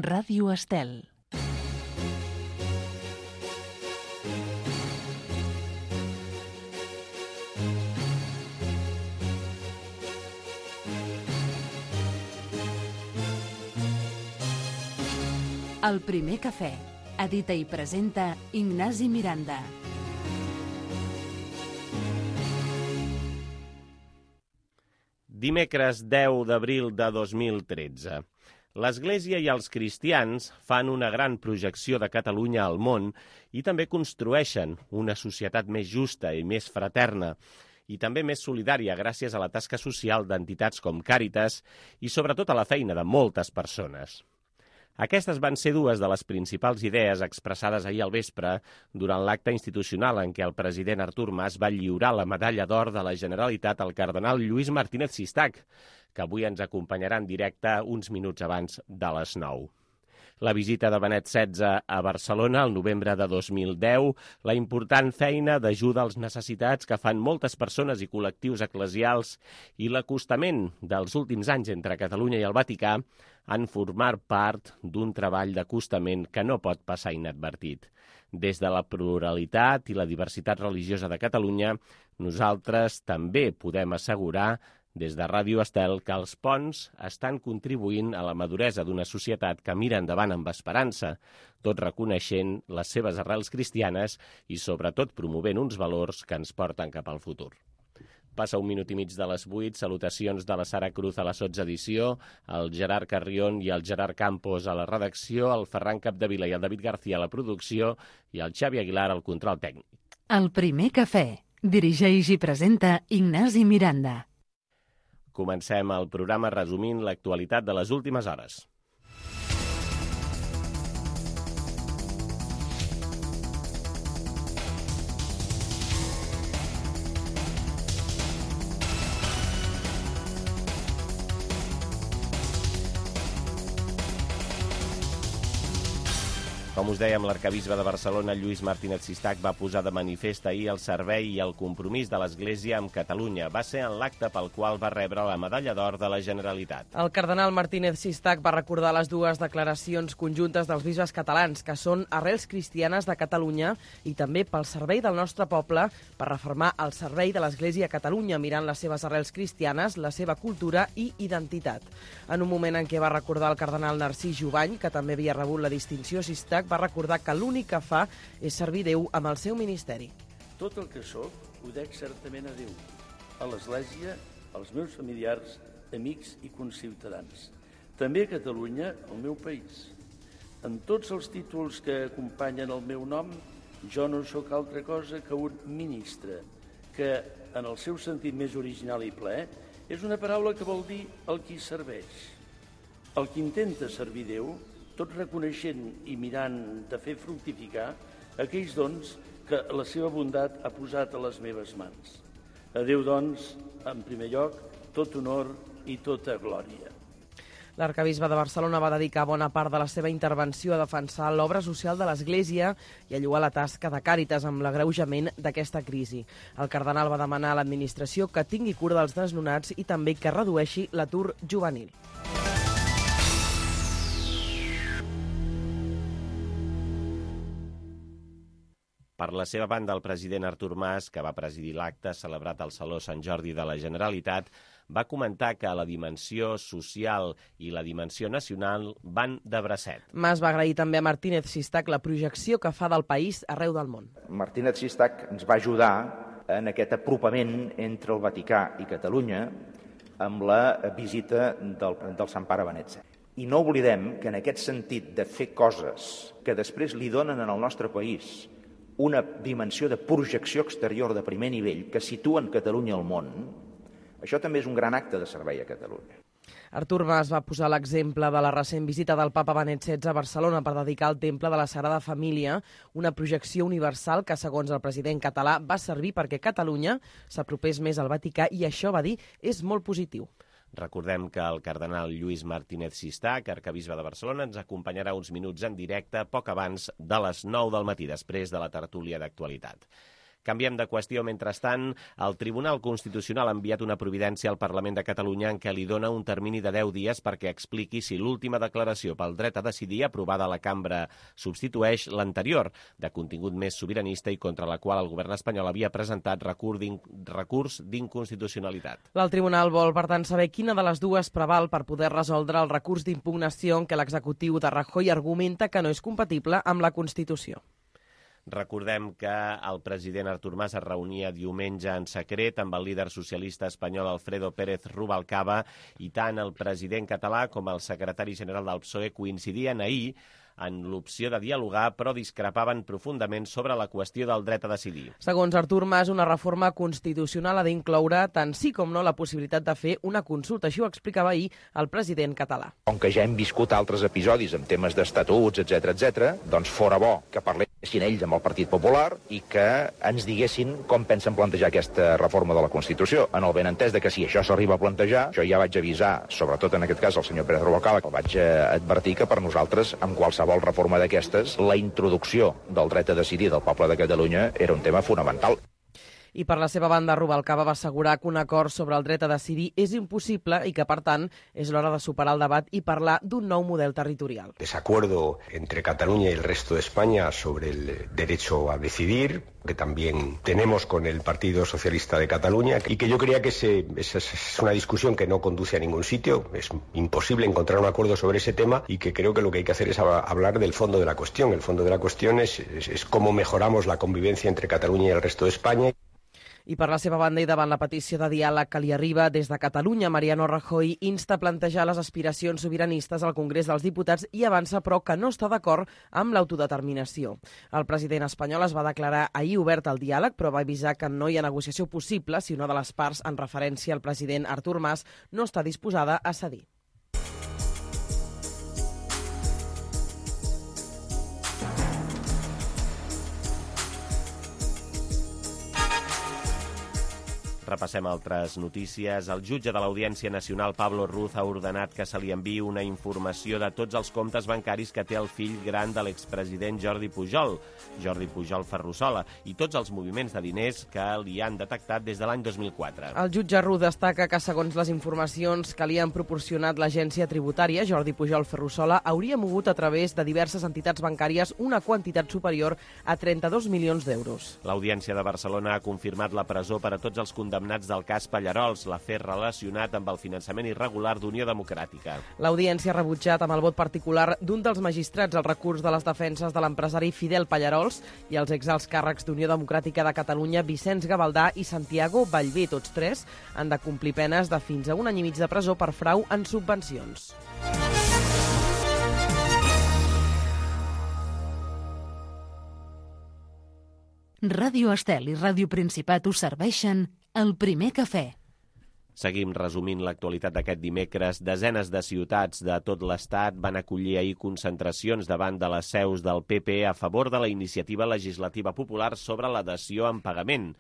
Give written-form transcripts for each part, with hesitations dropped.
Ràdio Estel. El primer cafè. Edita i presenta Ignasi Miranda. Dimecres 10 d'abril de 2013. L'Església i els cristians fan una gran projecció de Catalunya al món i també construeixen una societat més justa i més fraterna i també més solidària gràcies a la tasca social d'entitats com Càritas i sobretot a la feina de moltes persones. Aquestes van ser dues de les principals idees expressades ahir al vespre durant l'acte institucional en què el president Artur Mas va lliurar la medalla d'or de la Generalitat al cardenal Lluís Martínez Sistac, que avui ens acompanyarà en directe uns minuts abans de les 9. La visita de Benet XVI a Barcelona el novembre de 2010, la important feina d'ajuda als necessitats que fan moltes persones i col·lectius eclesials i l'acostament dels últims anys entre Catalunya i el Vaticà han format part d'un treball d'acostament que no pot passar inadvertit. Des de la pluralitat i la diversitat religiosa de Catalunya, nosaltres també podem assegurar des de Ràdio Estel que els ponts estan contribuint a la maduresa d'una societat que mira endavant amb esperança, tot reconeixent les seves arrels cristianes i sobretot promovent uns valors que ens porten cap al futur. Passa un minut i mig de les 8, salutacions de la Sara Cruz a la sotsedició, el Gerard Carrion i el Gerard Campos a la redacció, el Ferran Capdevila i el David García a la producció i el Xavi Aguilar al control tècnic. El primer cafè. Dirigeix i presenta Ignasi Miranda. Comencem el programa resumint l'actualitat de les últimes hores. Com us dèiem, l'arquebisbe de Barcelona, Lluís Martínez Sistac, va posar de manifest ahir el servei i el compromís de l'Església amb Catalunya. Va ser en l'acte pel qual va rebre la medalla d'or de la Generalitat. El cardenal Martínez Sistac va recordar les dues declaracions conjuntes dels bisbes catalans, que són arrels cristianes de Catalunya i també pel servei del nostre poble per reformar el servei de l'Església a Catalunya, mirant les seves arrels cristianes, la seva cultura i identitat. En un moment en què va recordar el cardenal Narcís Jubany, que també havia rebut la distinció, Sistac va recordar que l'únic que fa és servir Déu amb el seu ministeri. Tot el que sóc ho dec certament a Déu, a l'Església, als meus familiars, amics i conciutadans. També a Catalunya, el meu país. En tots els títols que acompanyen el meu nom, jo no sóc altra cosa que un ministre, que, en el seu sentit més original i ple, és una paraula que vol dir el qui serveix. El qui intenta servir Déu, tot reconeixent i mirant de fer fructificar aquells dons que la seva bondat ha posat a les meves mans. A Déu, doncs, en primer lloc, tot honor i tota glòria. L'arquebisbe de Barcelona va dedicar bona part de la seva intervenció a defensar l'obra social de l'Església i a lloar la tasca de Càritas amb l'agreujament d'aquesta crisi. El cardenal va demanar a l'administració que tingui cura dels desnonats i també que redueixi l'atur juvenil. Per la seva banda, el president Artur Mas, que va presidir l'acte celebrat al Saló Sant Jordi de la Generalitat, va comentar que la dimensió social i la dimensió nacional van de bracet. Mas va agrair també a Martínez Sistac la projecció que fa del país arreu del món. Martínez Sistac ens va ajudar en aquest apropament entre el Vaticà i Catalunya amb la visita del Sant Pare Benet XVI. I no oblidem que en aquest sentit de fer coses que després li donen en el nostre país una dimensió de projecció exterior de primer nivell que situen Catalunya al món, això també és un gran acte de servei a Catalunya. Artur Mas va posar l'exemple de la recent visita del papa Benet XVI a Barcelona per dedicar el Temple de la Sagrada Família, una projecció universal que, segons el president català, va servir perquè Catalunya s'apropés més al Vaticà i això, va dir, és molt positiu. Recordem que el cardenal Lluís Martínez Sistac, arquebisbe de Barcelona, ens acompanyarà uns minuts en directe poc abans de les 9 del matí, després de la tertúlia d'actualitat. Canviem de qüestió. Mentrestant, el Tribunal Constitucional ha enviat una providència al Parlament de Catalunya en què li dona un termini de 10 dies perquè expliqui si l'última declaració pel dret a decidir aprovada a la cambra substitueix l'anterior, de contingut més sobiranista i contra la qual el govern espanyol havia presentat recurs d'inconstitucionalitat. El tribunal vol, per tant, saber quina de les dues preval per poder resoldre el recurs d'impugnació en què l'executiu de Rajoy argumenta que no és compatible amb la Constitució. Recordem que el president Artur Mas es reunia diumenge en secret amb el líder socialista espanyol Alfredo Pérez Rubalcaba i tant el president català com el secretari general del PSOE coincidien ahir en l'opció de dialogar, però discrepaven profundament sobre la qüestió del dret a decidir. Segons Artur Mas, una reforma constitucional ha d'incloure tant sí com no la possibilitat de fer una consulta. Així ho explicava ahir el president català. Com que ja hem viscut altres episodis amb temes d'estatuts, etc., doncs fora bo que parlessin ells amb el Partit Popular i que ens diguessin com pensen plantejar aquesta reforma de la Constitució. En el benentès de que si això s'arriba a plantejar, jo ja vaig avisar, sobretot en aquest cas el senyor Pérez Rubalcaba, que el vaig advertir que per nosaltres, amb qualsevol reforma d'aquestes, la introducció del dret a decidir del poble de Catalunya era un tema fonamental. I per la seva banda, Rubalcaba va assegurar que un acord sobre el dret a decidir és impossible i que, per tant, és l'hora de superar el debat i parlar d'un nou model territorial. Desacuerdo entre Cataluña y el resto de España sobre el derecho a decidir, que también tenemos con el Partido Socialista de Cataluña, y que yo creía que es una discusión que no conduce a ningún sitio. Es imposible encontrar un acuerdo sobre ese tema y que creo que lo que hay que hacer es hablar del fondo de la cuestión. El fondo de la cuestión es cómo mejoramos la convivencia entre Cataluña y el resto de España. I per la seva banda i davant la petició de diàleg que li arriba des de Catalunya, Mariano Rajoy insta a plantejar les aspiracions sobiranistes al Congrés dels Diputats i avança, però, que no està d'acord amb l'autodeterminació. El president espanyol es va declarar ahir obert al diàleg, però va avisar que no hi ha negociació possible si una de les parts, en referència al president Artur Mas, no està disposada a cedir. Repassem altres notícies. El jutge de l'Audiència Nacional, Pablo Ruz, ha ordenat que se li enviï una informació de tots els comptes bancaris que té el fill gran de l'expresident Jordi Pujol Ferrusola, i tots els moviments de diners que li han detectat des de l'any 2004. El jutge Ruz destaca que, segons les informacions que li han proporcionat l'agència tributària, Jordi Pujol Ferrusola hauria mogut a través de diverses entitats bancàries una quantitat superior a 32 milions d'euros. L'Audiència de Barcelona ha confirmat la presó per a tots els condemnats del cas Pallarols, l'afer relacionat amb el finançament irregular d'Unió Democràtica. L'Audiència ha rebutjat amb el vot particular d'un dels magistrats el recurs de les defenses de l'empresari Fidel Pallarols i els exalts càrrecs d'Unió Democràtica de Catalunya, Vicenç Gavaldà i Santiago Ballbé. Tots tres han de complir penes de fins a 1 any i mig de presó per frau en subvencions. Ràdio Estel i Ràdio Principat us serveixen el primer cafè. Seguim resumint l'actualitat d'aquest dimecres. Desenes de ciutats de tot l'Estat van acollir ahir concentracions davant de les seus del PP a favor de la iniciativa legislativa popular sobre la dació en pagament,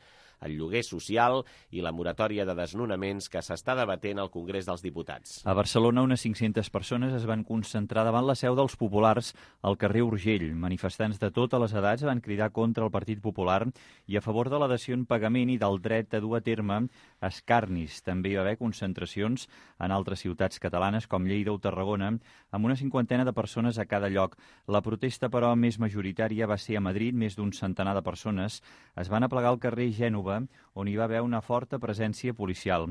el lloguer social i la moratòria de desnonaments que s'està debatent al Congrés dels Diputats. A Barcelona, unes 500 persones es van concentrar davant la seu dels populars al carrer Urgell. Manifestants de totes les edats van cridar contra el Partit Popular i a favor de la dació en pagament i del dret a dur a terme escarnis. També hi va haver concentracions en altres ciutats catalanes com Lleida o Tarragona, amb una 50 de persones a cada lloc. La protesta, però, més majoritària va ser a Madrid. Més d'un centenar de persones es van aplegar al carrer Gènova, on hi va haver una forta presència policial.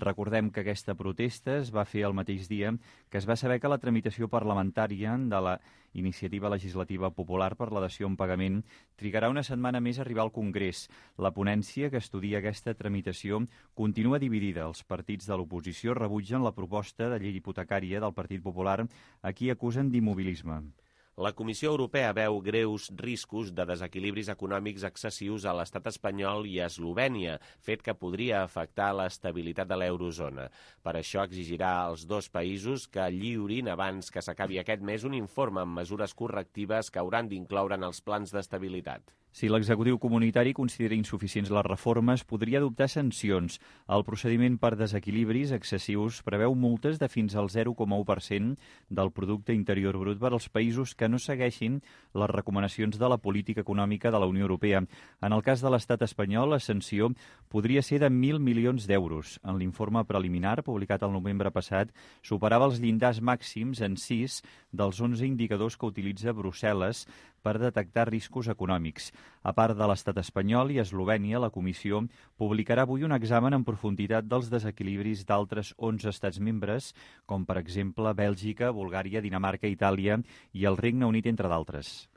Recordem que aquesta protesta es va fer el mateix dia que es va saber que la tramitació parlamentària de la iniciativa legislativa popular per la dació en pagament trigarà una setmana més a arribar al Congrés. La ponència que estudia aquesta tramitació continua dividida. Els partits de l'oposició rebutgen la proposta de llei hipotecària del Partit Popular, a qui acusen d'immobilisme. La Comissió Europea veu greus riscos de desequilibris econòmics excessius a l'estat espanyol i a Eslovènia, fet que podria afectar l'estabilitat de l'eurozona. Per això exigirà als dos països que lliurin abans que s'acabi aquest mes un informe amb mesures correctives que hauran d'incloure en els plans d'estabilitat. Si l'executiu comunitari considera insuficients les reformes, podria adoptar sancions. El procediment per desequilibris excessius preveu multes de fins al 0,1% del producte interior brut per als països que que no segueixin les recomanacions de la política econòmica de la Unió Europea. En el cas de l'estat espanyol, la sanció podria ser de 1.000 milions d'euros. En l'informe preliminar, publicat el novembre passat, superava els llindars màxims en 6 dels 11 indicadors que utilitza Brussel·les per detectar riscos econòmics. A part de l'estat espanyol i Eslovènia, la Comissió publicarà avui un examen en profunditat dels desequilibris d'altres 11 estats membres, com per exemple Bèlgica, Bulgària, Dinamarca, Itàlia i el Regne Unit, entre d'altres.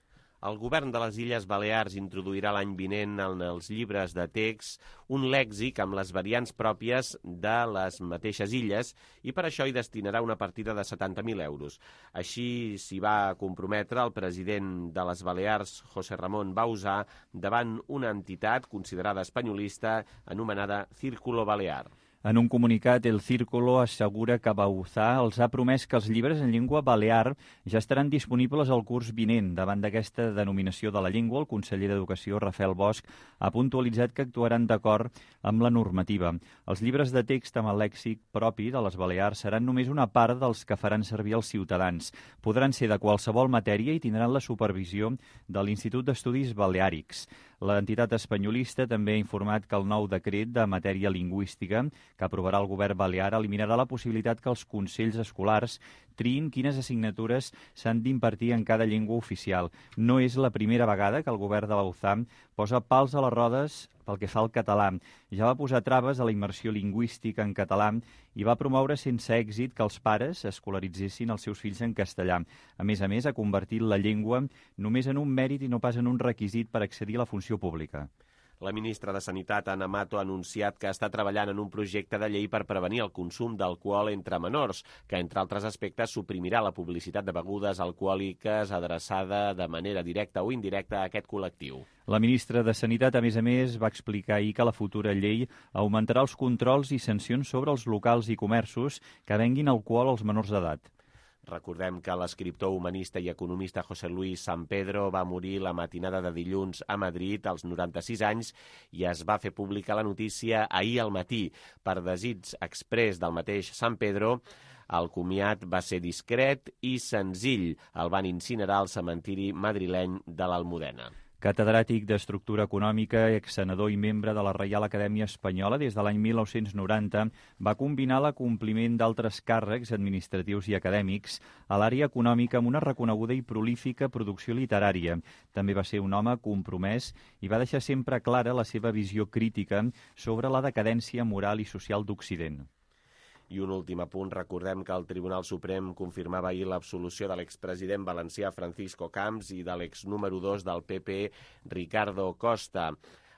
El govern de les Illes Balears introduirà l'any vinent en els llibres de text un lèxic amb les variants pròpies de les mateixes illes i per això hi destinarà una partida de 70.000 euros. Així s'hi va comprometre el president de les Balears, José Ramón Bauzá, davant una entitat considerada espanyolista anomenada Círculo Balear. En un comunicat, el Círculo assegura que Bauzá els ha promès que els llibres en llengua balear ja estaran disponibles al curs vinent. Davant d'aquesta denominació de la llengua, el conseller d'Educació, Rafael Bosch, ha puntualitzat que actuaran d'acord amb la normativa. Els llibres de text amb el lèxic propi de les Balears seran només una part dels que faran servir els ciutadans. Podran ser de qualsevol matèria i tindran la supervisió de l'Institut d'Estudis Baleàrics. L'entitat espanyolista també ha informat que el nou decret de matèria lingüística que aprovarà el govern balear eliminarà la possibilitat que els consells escolars triïn quines assignatures s'han d'impartir en cada llengua oficial. No és la primera vegada que el govern de Bauzá posa pals a les rodes pel que fa al català. Ja va posar traves a la immersió lingüística en català i va promoure sense èxit que els pares escolaritzessin els seus fills en castellà. A més, ha convertit la llengua només en un mèrit i no pas en un requisit per accedir a la funció pública. La ministra de Sanitat, Ana Mato, ha anunciat que està treballant en un projecte de llei per prevenir el consum d'alcohol entre menors, que, entre altres aspectes, suprimirà la publicitat de begudes alcohòliques adreçada de manera directa o indirecta a aquest col·lectiu. La ministra de Sanitat, a més, va explicar ahir que la futura llei augmentarà els controls i sancions sobre els locals i comerços que venguin alcohol als menors d'edat. Recordem que l'escriptor, humanista i economista José Luis San Pedro va morir la matinada de dilluns a Madrid als 96 anys i es va fer pública la notícia ahir al matí. Per desig exprés del mateix San Pedro, el comiat va ser discret i senzill. El van incinerar al cementiri madrileny de l'Almudena. Catedràtic d'Estructura Econòmica, exsenador i membre de la Reial Acadèmia Espanyola des de l'any 1990, va combinar l'acompliment d'altres càrrecs administratius i acadèmics a l'àrea econòmica amb una reconeguda i prolífica producció literària. També va ser un home compromès i va deixar sempre clara la seva visió crítica sobre la decadència moral i social d'Occident. I un últim apunt, recordem que el Tribunal Suprem confirmava ahir l'absolució de l'expresident valencià Francisco Camps i de l'exnúmero 2 del PP, Ricardo Costa.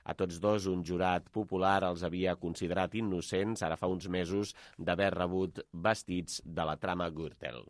A tots dos, un jurat popular els havia considerat innocents, ara fa uns mesos, d'haver rebut vestits de la trama Gürtel.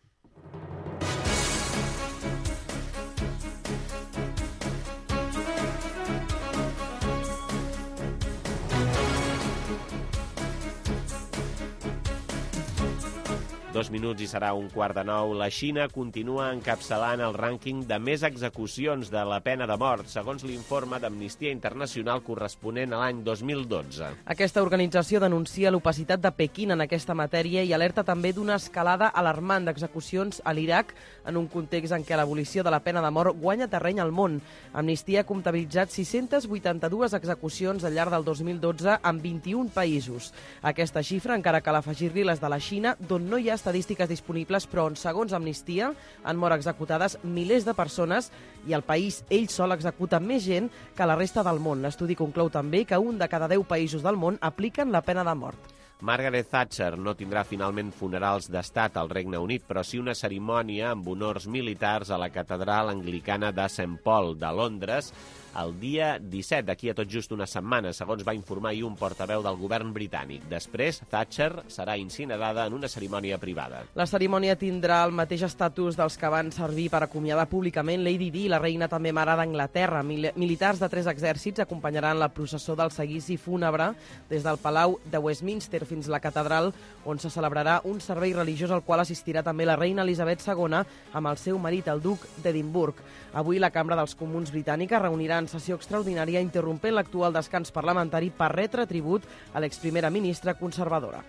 Dos minuts i serà 8:45. La Xina continua encapçalant el rànquing de més execucions de la pena de mort, segons l'informe d'Amnistia Internacional corresponent a l'any 2012. Aquesta organització denuncia l'opacitat de Pequín en aquesta matèria i alerta també d'una escalada alarmant d'execucions a l'Iraq en un context en què l'abolició de la pena de mort guanya terreny al món. Amnistia ha comptabilitzat 682 execucions al llarg del 2012 en 21 països. Aquesta xifra encara cal afegir-li les de la Xina, d'on no hi ha estadístiques disponibles, però on, segons Amnistia, han mort executades milers de persones i el país ell sol executa més gent que la resta del món. L'estudi conclou també que 1 de cada 10 països del món apliquen la pena de mort. Margaret Thatcher no tindrà finalment funerals d'estat al Regne Unit, però sí una cerimònia amb honors militars a la catedral anglicana de St. Paul de Londres el dia 17, d'aquí a tot just una setmana, segons va informar ahir un portaveu del govern britànic. Després, Thatcher serà incinerada en una cerimònia privada. La cerimònia tindrà el mateix estatus dels que van servir per acomiadar públicament Lady Di, la reina també mare d'Anglaterra. Militars de 3 exèrcits acompanyaran la processó del seguici fúnebre des del Palau de Westminster fins a la catedral, on se celebrarà un servei religiós al qual assistirà també la reina Elisabet II amb el seu marit, el duc d'Edimburg. Avui la Cambra dels Comuns britànica reunirà en sessió extraordinària interrompent l'actual descans parlamentari per retre tribut a l'exprimera ministra conservadora.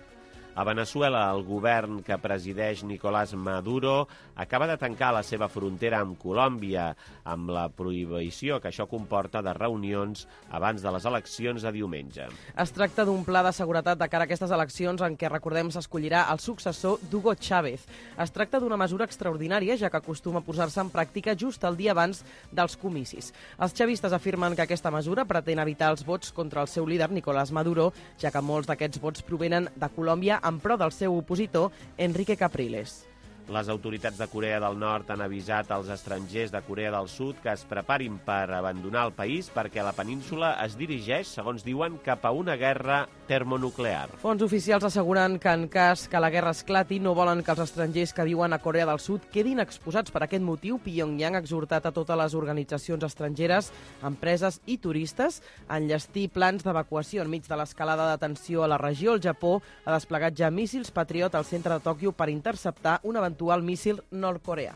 A Veneçuela, el govern que presideix Nicolás Maduro acaba de tancar la seva frontera amb Colòmbia, amb la prohibició que això comporta de reunions abans de les eleccions de diumenge. Es tracta d'un pla de seguretat de cara a aquestes eleccions en què, recordem, s'escollirà el successor d'Hugo Chávez. Es tracta d'una mesura extraordinària, ja que acostuma a posar-se en pràctica just el dia abans dels comicis. Els chavistes afirmen que aquesta mesura pretén evitar els vots contra el seu líder, Nicolás Maduro, ja que molts d'aquests vots provenen de Colòmbia en pro del seu opositor, Enrique Capriles. Les autoritats de Corea del Nord han avisat als estrangers de Corea del Sud que es preparin per abandonar el país perquè la península es dirigeix, segons diuen, cap a una guerra termonuclear. Fonts oficials asseguren que en cas que la guerra esclati no volen que els estrangers que viuen a Corea del Sud quedin exposats. Per aquest motiu, Pyongyang ha exhortat a totes les organitzacions estrangeres, empreses i turistes a enllestir plans d'evacuació enmig de l'escalada de tensió a la regió. El Japó ha desplegat ja míssils Patriot al centre de Tòquio per interceptar un eventual míssil nord-coreà.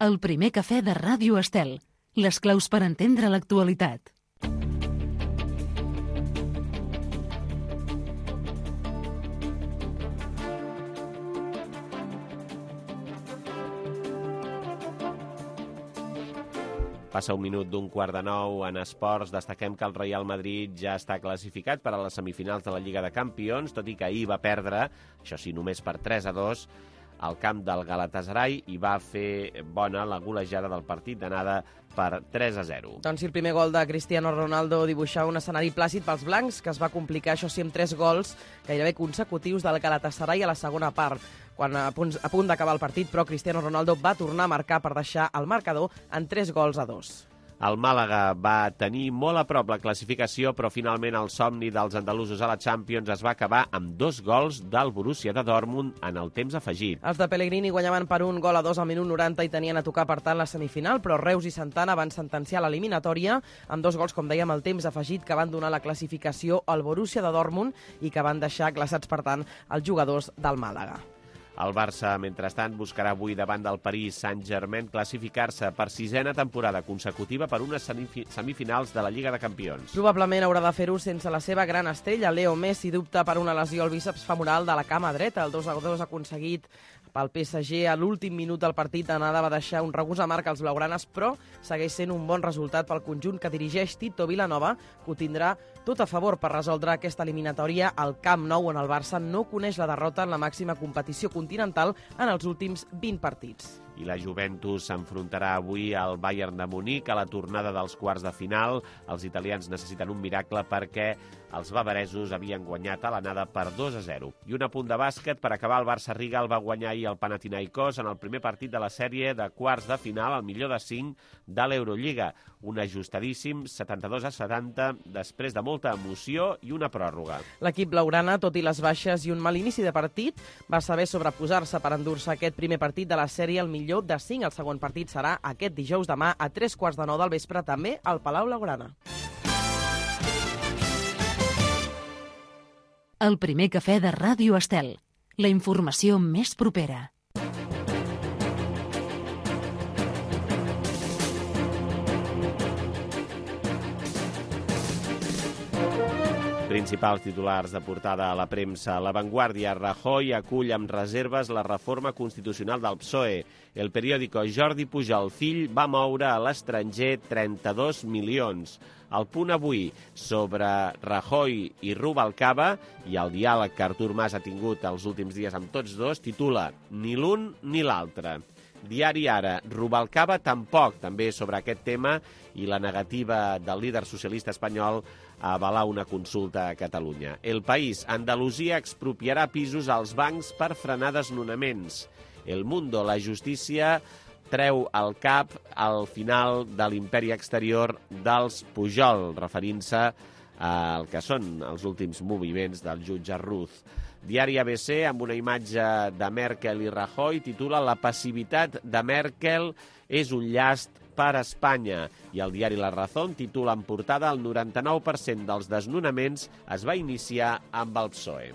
El primer cafè de Ràdio Estel. Les claus per entendre l'actualitat. Passa un minut d'un 8:45 en esports. Destaquem que el Real Madrid ja està classificat per a les semifinals de la Lliga de Campions, tot i que ahir va perdre, això sí, només per 3-2, al camp del Galatasaray i va fer bona la golejada del partit d'anada per 3-0. Doncs si el primer gol de Cristiano Ronaldo dibuixava un escenari plàcid pels blancs, que es va complicar, això sí, amb 3 gols gairebé consecutius del Galatasaray a la segona part. Quan a punt d'acabar el partit, però, Cristiano Ronaldo va tornar a marcar per deixar el marcador en 3-2. El Màlaga va tenir molt a prop la classificació, però finalment el somni dels andalusos a la Champions es va acabar amb 2 gols del Borussia de Dortmund en el temps afegit. Els de Pellegrini guanyaven per 1-2 al minut 90 i tenien a tocar, per tant, la semifinal, però Reus i Santana van sentenciar l'eliminatòria amb 2 gols, com dèiem, al temps afegit, que van donar la classificació al Borussia de Dortmund i que van deixar glaçats, per tant, els jugadors del Màlaga. El Barça, mentrestant, buscarà avui davant del Paris Saint-Germain classificar-se per 6a temporada consecutiva per unes semifinals de la Lliga de Campions. Probablement haurà de fer-ho sense la seva gran estrella. Leo Messi dubta per una lesió al bíceps femoral de la cama dreta. El 2-2 aconseguit pel PSG a l'últim minut del partit d'anada va deixar un regust amarg als blaugranes, però segueix sent un bon resultat pel conjunt que dirigeix Tito Vilanova, que ho tindrà tot a favor per resoldre aquesta eliminatòria al Camp Nou, on el Barça no coneix la derrota en la màxima competició continental en els últims 20 partits. I la Juventus s'enfrontarà avui al Bayern de Munic a la tornada dels quarts de final. Els italians necessiten un miracle perquè els bavaresos havien guanyat a l'anada per 2-0. I un apunt de bàsquet per acabar. El Barça Riga el va guanyar ahir el Panathinaikos en el primer partit de la sèrie de quarts de final, el millor de 5 de l'Eurolliga. Un ajustadíssim 72-70 després de molta emoció i una pròrroga. L'equip blaugrana, tot i les baixes i un mal inici de partit, va saber sobreposar-se per endur-se aquest primer partit de la sèrie al millor de 5. El segon partit serà aquest dijous demà a 3:15 del vespre, també al Palau Blaugrana. El primer cafè de Ràdio Estel. La informació més propera. Principals titulars de portada a la premsa. La Vanguardia. Rajoy acull amb reserves la reforma constitucional del PSOE. El periòdico. Jordi Pujol, fill, va moure a l'estranger 32 milions. El Punt Avui, sobre Rajoy i Rubalcaba i el diàleg que Artur Mas ha tingut els últims dies amb tots dos, titula Ni l'un ni l'altre. Diari Ara. Rubalcaba tampoc, també sobre aquest tema, i la negativa del líder socialista espanyol a avalar una consulta a Catalunya. El País. Andalusia expropiarà pisos als bancs per frenar desnonaments. El Mundo. La justícia treu el cap al final de l'imperi exterior dels Pujol, referint-se al que són els últims moviments del jutge Ruz. Diari ABC, amb una imatge de Merkel i Rajoy, titula La passivitat de Merkel és un llast per a Espanya. I el diari La Razón titula en portada el 99% dels desnonaments es va iniciar amb el PSOE.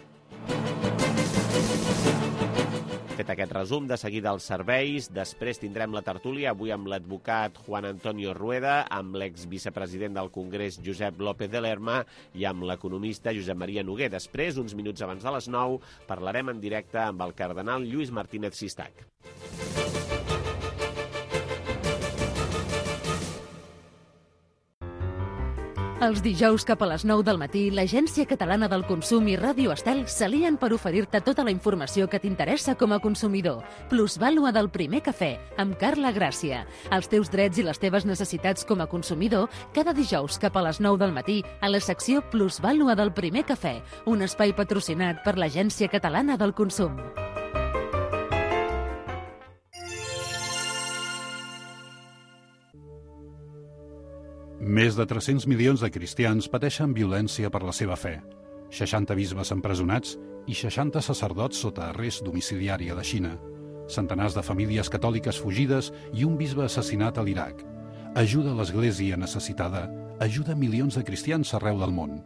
Fet aquest resum, de seguida els serveis, després tindrem la tertúlia, avui amb l'advocat Juan Antonio Rueda, amb l'exvicepresident del Congrés Josep López de Lerma i amb l'economista Josep Maria Noguer. Després, uns minuts abans de les 9, parlarem en directe amb el cardenal Lluís Martínez Sistac. Els dijous cap a les 9 del matí, l'Agència Catalana del Consum i Ràdio Estel s'alien per oferir-te tota la informació que t'interessa com a consumidor. Plusvàlua del primer cafè, amb Carla Gràcia. Els teus drets i les teves necessitats com a consumidor, cada dijous cap a les 9 del matí, a la secció Plusvàlua del primer cafè, un espai patrocinat per l'Agència Catalana del Consum. Més de 300 milions de cristians pateixen violència per la seva fe. 60 bisbes empresonats i 60 sacerdots sota arrest domiciliari a la Xina. Centenars de famílies catòliques fugides i un bisbe assassinat a l'Iraq. Ajuda l'Església necessitada. Ajuda milions de cristians arreu del món.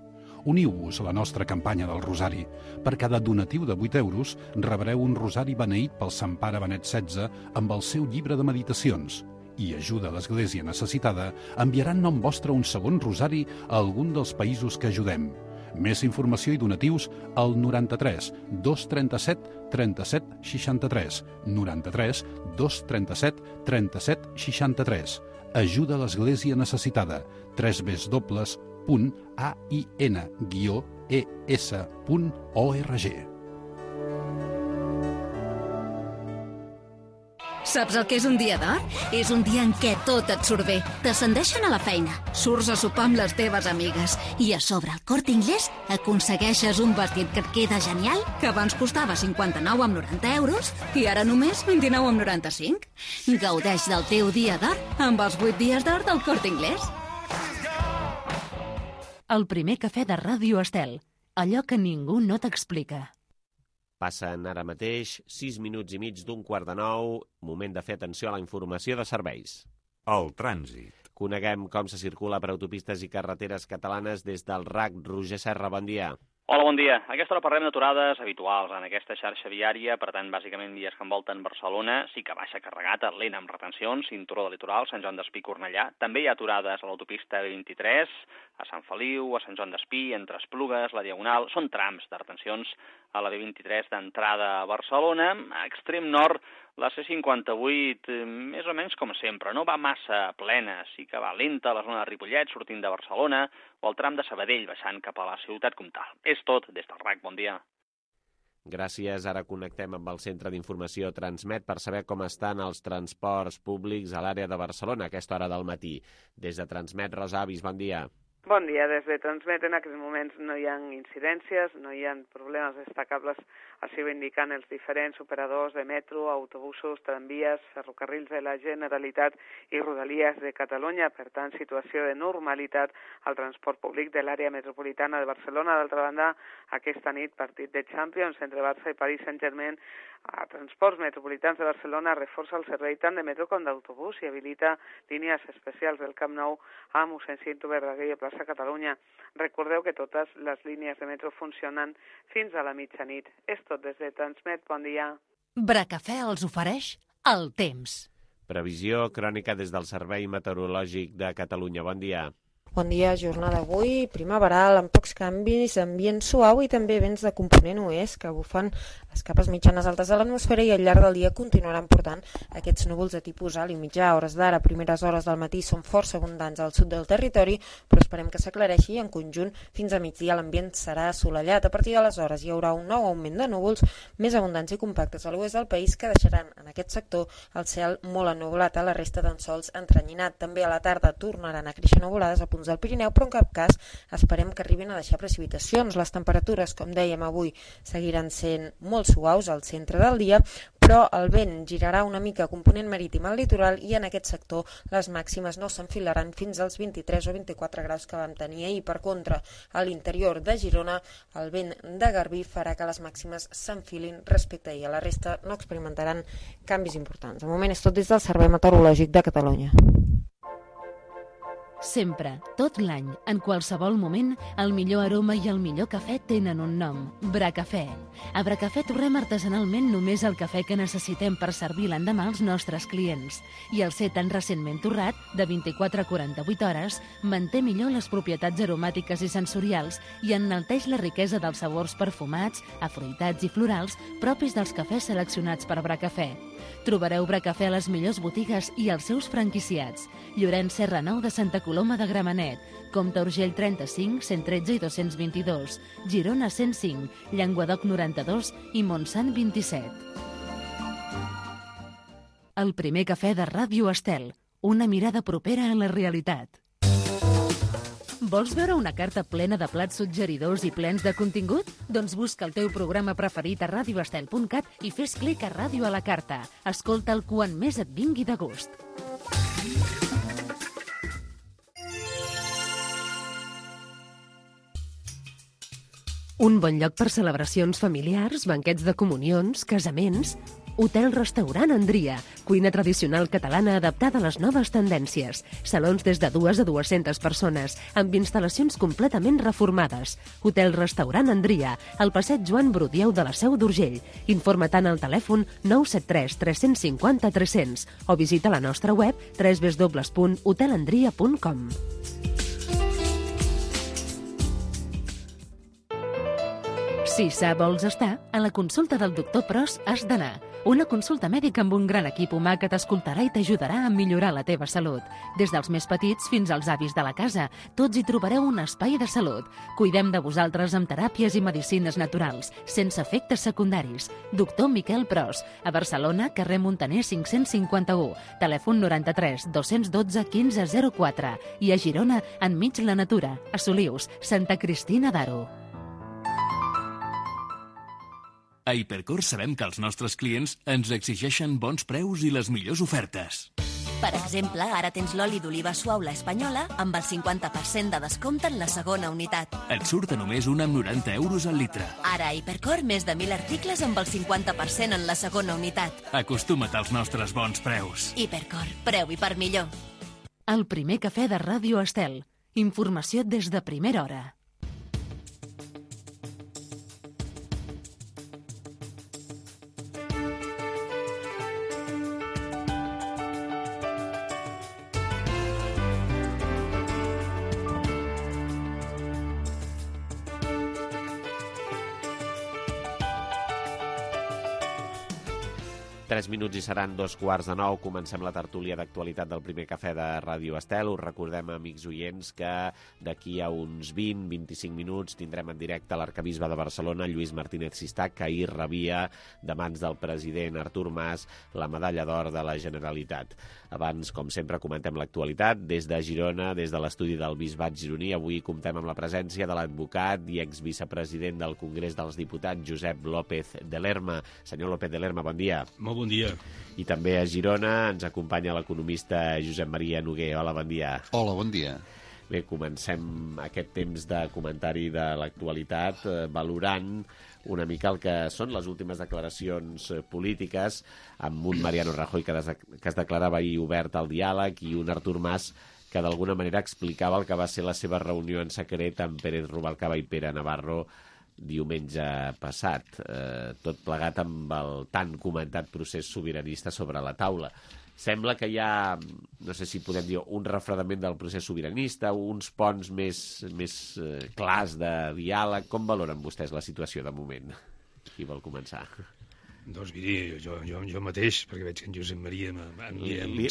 Uniu-vos a la nostra campanya del Rosari. Per cada donatiu de 8 euros rebreu un rosari beneït pel Sant Pare Benet XVI amb el seu llibre de meditacions. I Ajuda l'Església necessitada enviarà en nom vostre un segon rosari a algun dels països que ajudem. Més informació i donatius al 93 237 37 63. 93 237 37 63. Ajuda l'Església necessitada. www.ain-es.org. Saps el que és un dia d'or? És un dia en què tot et surt bé. T'ascendeixen a la feina, surts a sopar amb les teves amigues i a sobre al Corte Inglés aconsegueixes un vestit que et queda genial, que abans costava 59,90 euros i ara només 29,95. Gaudeix del teu dia d'or amb els 8 dies d'or del Corte Inglés. El primer cafè de Ràdio Estel. Allò que ningú no t'explica. Passen ara mateix 6 minuts i mig d'un 8:45, moment de fer atenció a la informació de serveis. El trànsit. Coneguem com se circula per autopistes i carreteres catalanes des del RAC. Roger Serra, bon dia. Hola, bon dia. A aquesta hora parlem d'aturades habituals en aquesta xarxa viària, per tant, bàsicament vies que envolten Barcelona, sí que baixa carregat, lent amb retencions, cinturó de litoral, Sant Joan d'Espí, Cornellà. També hi ha aturades a l'autopista B23, a Sant Feliu, a Sant Joan d'Espí, entre Esplugues, la Diagonal. Són trams de retencions a la B23 d'entrada a Barcelona. A extrem nord, la C58, més o menys com sempre, no va massa plena, sí que va lenta a la zona de Ripollet, sortint de Barcelona, o el tram de Sabadell, baixant cap a la ciutat comtal. És tot des del RAC. Bon dia. Gràcies. Ara connectem amb el Centre d'Informació Transmet per saber com estan els transports públics a l'àrea de Barcelona a aquesta hora del matí. Des de Transmet, Rosa Avis, bon dia. Bon dia. Des de Transmet en aquests moments no hi ha incidències, no hi ha problemes destacables, així ho indiquen els diferents operadors de metro, autobusos, tramvies, ferrocarrils de la Generalitat i Rodalies de Catalunya. Per tant, situació de normalitat al transport públic de l'àrea metropolitana de Barcelona. D'altra banda, aquesta nit, partit de Champions entre Barça i Paris Saint-Germain. A Transports Metropolitans de Barcelona reforça el servei tant de metro com d'autobús i habilita línies especials del Camp Nou a mossèn Cinto Verdaguer i a Plaça Catalunya. Recordeu que totes les línies de metro funcionen fins a la mitjanit. És tot des de Transmet. Bon dia. Bracafè els ofereix el temps. Previsió crònica des del Servei Meteorològic de Catalunya. Bon dia. Bon dia, jornada d'avui, primaveral, amb pocs canvis, ambient suau i també vents de component oest que bufen les capes mitjanes altes de l'atmosfera i al llarg del dia continuaran portant aquests núvols de tipus alt i mitjà. A hores d'ara, primeres hores del matí són força abundants al sud del territori, però esperem que s'aclareixi i en conjunt fins a migdia l'ambient serà assolellat. A partir d'aleshores hi haurà un nou augment de núvols més abundants i compactes a l'oest del país que deixaran en aquest sector el cel molt ennublat, a la resta d'en sols entrenyinat. També a la tarda tornaran a créixer nuvolades a punts del Pirineu, però en cap cas esperem que arribin a deixar precipitacions. Les temperatures, com dèiem avui, seguiran sent molt suaus al centre del dia, però el vent girarà una mica component marítim al litoral i en aquest sector les màximes no s'enfilaran fins als 23 o 24 graus que vam tenir ahir. Per contra, a l'interior de Girona, el vent de Garbí farà que les màximes s'enfilin respecte a ahir. A la resta no experimentaran canvis importants. De moment és tot des del Servei Meteorològic de Catalunya. Sempre, tot l'any, en qualsevol moment, el millor aroma i el millor cafè tenen un nom. Bracafè. A Bracafè torrem artesanalment només el cafè que necessitem per servir l'endemà als nostres clients. I el ser tan recentment torrat, de 24 a 48 hores, manté millor les propietats aromàtiques i sensorials i enalteix la riquesa dels sabors perfumats, afruitats i florals propis dels cafès seleccionats per Bracafè. Trobareu Bracafè a les millors botigues i als seus franquiciats. Llorenç Serra Nou de Santa Coloma de Gramenet, Comte Urgell 35, 113 i 222, Girona 105, Llenguadoc 92 i Montsant 27. El primer cafè de Ràdio Estel, una mirada propera a la realitat. Vols veure una carta plena de plats suggeridors i plens de contingut? Doncs busca el teu programa preferit a radioestel.cat i fes clic a Ràdio a la carta. Escolta'l quan més et vingui de gust. Un bon lloc per celebracions familiars, banquets de comunions, casaments... Hotel-restaurant Andria, cuina tradicional catalana adaptada a les noves tendències. Salons des de 2 a 200 persones, amb instal·lacions completament reformades. Hotel-restaurant Andria, al passeig Joan Brudieu de la Seu d'Urgell. Informa-te'n al telèfon 973 350 300 o visita la nostra web www.hotelandria.com. Si sa vols estar, a la consulta del doctor Pros has d'anar. Una consulta mèdica amb un gran equip humà que t'escoltarà i t'ajudarà a millorar la teva salut. Des dels més petits fins als avis de la casa, tots hi trobareu un espai de salut. Cuidem de vosaltres amb teràpies i medicines naturals, sense efectes secundaris. Doctor Miquel Pros, a Barcelona, carrer Montaner 551, telèfon 93 212 1504 i a Girona, enmig la natura, a Solius, Santa Cristina d'Aro. A Hipercor sabem que els nostres clients ens exigeixen bons preus i les millors ofertes. Per exemple, ara tens l'oli d'oliva suau La Espanyola amb el 50% de descompte en la segona unitat. Et surt a només 1,90 € al litre. Ara a Hipercor més de 1.000 articles amb el 50% en la segona unitat. Acostuma't als nostres bons preus. Hipercor, preu i per millor. El primer cafè de Ràdio Estel. Informació des de primera hora. Tres minuts i seran 2:15. Comencem la tertúlia d'actualitat del primer cafè de Ràdio Estel. Us recordem, amics oients, que d'aquí a uns 20-25 minuts tindrem en directe l'arcabisbe de Barcelona, Lluís Martínez Sistac, que ahir rebia de mans del president Artur Mas la medalla d'or de la Generalitat. Abans, com sempre, comentem l'actualitat des de Girona, des de l'estudi del Bisbat gironí. Avui comptem amb la presència de l'advocat i exvicepresident del Congrés dels Diputats, Josep López de Lerma. Senyor López de Lerma, bon dia. Molt bon dia. I també a Girona ens acompanya l'economista Josep Maria Noguer. Hola, bon dia. Hola, bon dia. Bé, comencem aquest temps de comentari de l'actualitat valorant una mica el que són les últimes declaracions polítiques, amb un Mariano Rajoy que es declarava ahir obert al diàleg i un Artur Mas que d'alguna manera explicava el que va ser la seva reunió en secret amb Pérez Rubalcaba i Pere Navarro diumenge passat, tot plegat amb el tan comentat procés sobiranista sobre la taula. Sembla que hi ha, no sé si podem dir, un refredament del procés sobiranista, uns ponts més clars de diàleg. Com valoren vostès la situació de moment? Qui vol començar? Doncs miri, jo mateix, perquè veig que en Josep Maria amb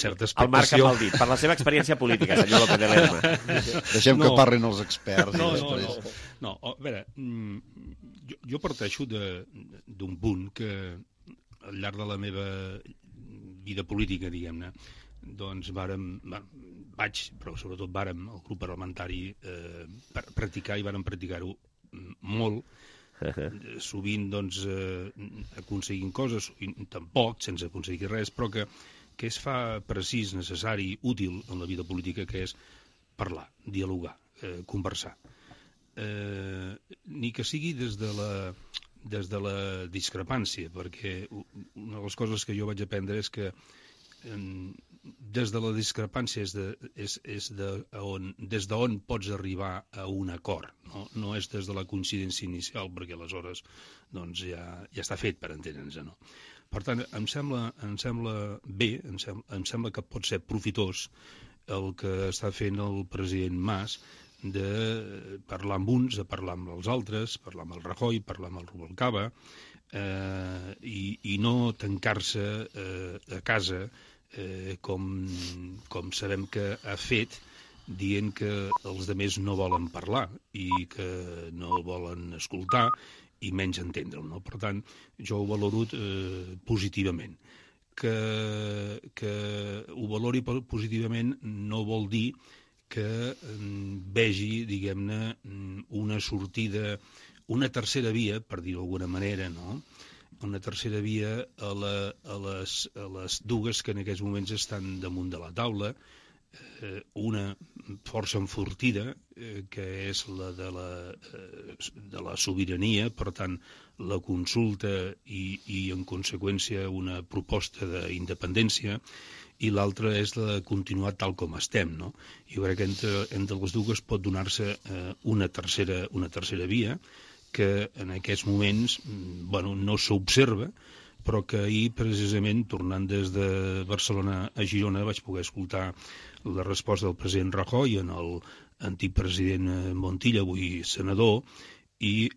certa expectació... El marca amb el dit, per la seva experiència política, senyor López de Lerma. Deixem que parlin els experts. No, a veure, jo parteixo d'un punt que al llarg de la meva vida política, diguem-ne, doncs però sobretot vàrem, el grup parlamentari, practicar i vàrem practicar-ho molt, sovint doncs aconseguint coses, tampoc sense aconseguir res, però que es fa precís, necessari, útil en la vida política, que és parlar, dialogar, conversar. Ni que sigui des de la discrepància, perquè una de les coses que jo vaig aprendre és que des de la discrepància és des d'on pots arribar a un acord, no és des de la coincidència inicial, perquè aleshores doncs, ja està fet, per entendre'ns, no? Per tant, em sembla bé, em sembla que pot ser profitós el que està fent el president Mas, de parlar amb uns, de parlar amb els altres, parlar amb el Rajoy, parlar amb el Rubalcaba, i no tancar-se a casa, com sabem que ha fet, dient que els altres no volen parlar i que no el volen escoltar i menys entendre'l, no? Per tant, jo ho valoro positivament. Que ho valori positivament no vol dir que vegi, diguem-ne, una sortida, una tercera via, per dir-ho d'alguna manera, no? Una tercera via a les dues que en aquests moments estan damunt de la taula, una força enfortida, que és la de la sobirania, per tant, la consulta i en conseqüència una proposta d'independència, i l'altra és la de continuar tal com estem, no? Jo crec que entre les dues pot donar-se una tercera via, que en aquests moments no s'observa, però que ahir, precisament, tornant des de Barcelona a Girona, vaig poder escoltar la resposta del president Rajoy en l'antic president Montilla, avui senador, i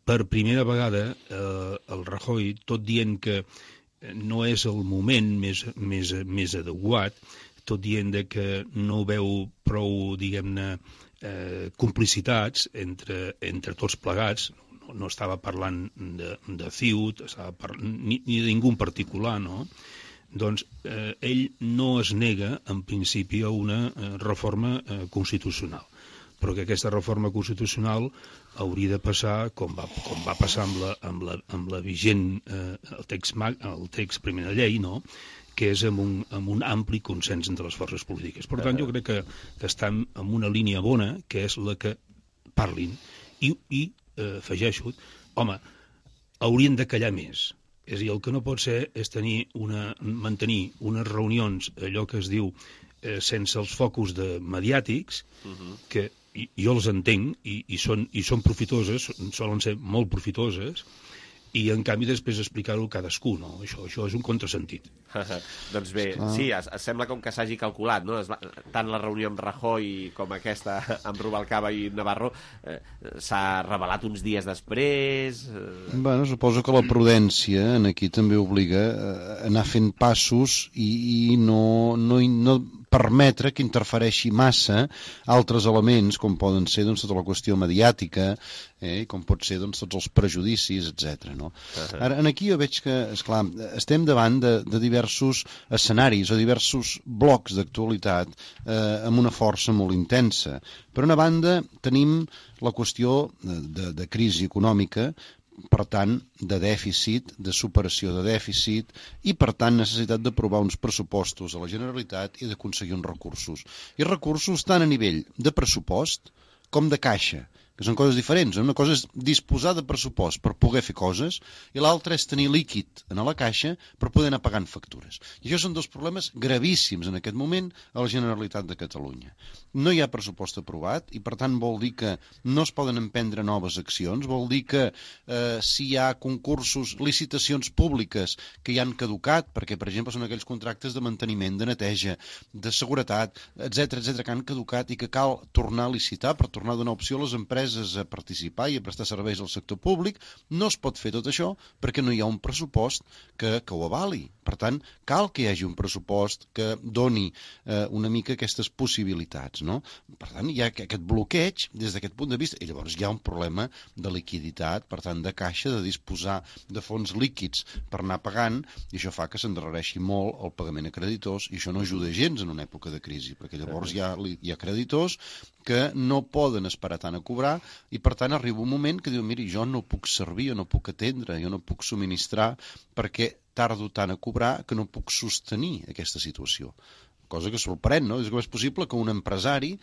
per primera vegada el Rajoy, tot dient que no és el moment més adequat, tot dient que no veu prou, diguem-ne, complicitats entre tots plegats, no estava parlant de Ciut, ni de ningú en particular, no? Doncs ell no es nega, en principi, a una reforma constitucional, però que aquesta reforma constitucional hauria de passar, com va passar amb la vigent, el text primer de llei, no?, que és amb un ampli consens entre les forces polítiques. Per tant, jo crec que estan en una línia bona, que és la que parlin, i afegeixo, home, haurien de callar més. És a dir, el que no pot ser és mantenir unes reunions, allò que es diu, sense els focus mediàtics, que jo els entenc i són profitoses, solen ser molt profitoses, i en canvi després explicar-ho cadascú, no? Això és un contrasentit. Doncs bé, sí, sembla com que s'hagi calculat, no? Tant la reunió amb Rajoy com aquesta amb Rubalcaba i Navarro s'ha revelat uns dies després... Bueno, suposo que la prudència aquí també obliga a anar fent passos i no permetre que interfereixi massa altres elements, com poden ser tota la qüestió mediàtica, com pot ser tots els prejudicis, etc. No? Ara, aquí jo veig que, esclar, estem davant de diversos escenaris o diversos blocs d'actualitat amb una força molt intensa. Per una banda, tenim la qüestió de crisi econòmica, per tant, de dèficit, de superació de dèficit i, per tant, necessitat d'aprovar uns pressupostos a la Generalitat i d'aconseguir uns recursos. I recursos tant a nivell de pressupost com de caixa, que són coses diferents. Una cosa és disposar de pressupost per poder fer coses i l'altra és tenir líquid a la caixa per poder anar pagant factures. I això són dos problemes gravíssims en aquest moment a la Generalitat de Catalunya. No hi ha pressupost aprovat i, per tant, vol dir que no es poden emprendre noves accions, vol dir que si hi ha concursos, licitacions públiques que ja han caducat, perquè, per exemple, són aquells contractes de manteniment, de neteja, de seguretat, etc que han caducat i que cal tornar a licitar per tornar a donar opció a les empreses a participar i a prestar serveis al sector públic, no es pot fer tot això perquè no hi ha un pressupost que ho avali. Per tant, cal que hi hagi un pressupost que doni una mica aquestes possibilitats, no? Per tant, hi ha aquest bloqueig des d'aquest punt de vista i llavors hi ha un problema de liquiditat, per tant, de caixa, de disposar de fons líquids per anar pagant i això fa que s'endarrereixi molt el pagament a creditors i això no ajuda gens en una època de crisi, perquè llavors hi ha creditors que no poden esperar tant a cobrar i per tant arriba un moment que diu, miri, jo no puc servir, jo no puc atendre, jo no puc subministrar perquè tardo tant a cobrar que no puc sostenir aquesta situació. Cosa que sorprèn, no? És que és possible que un empresari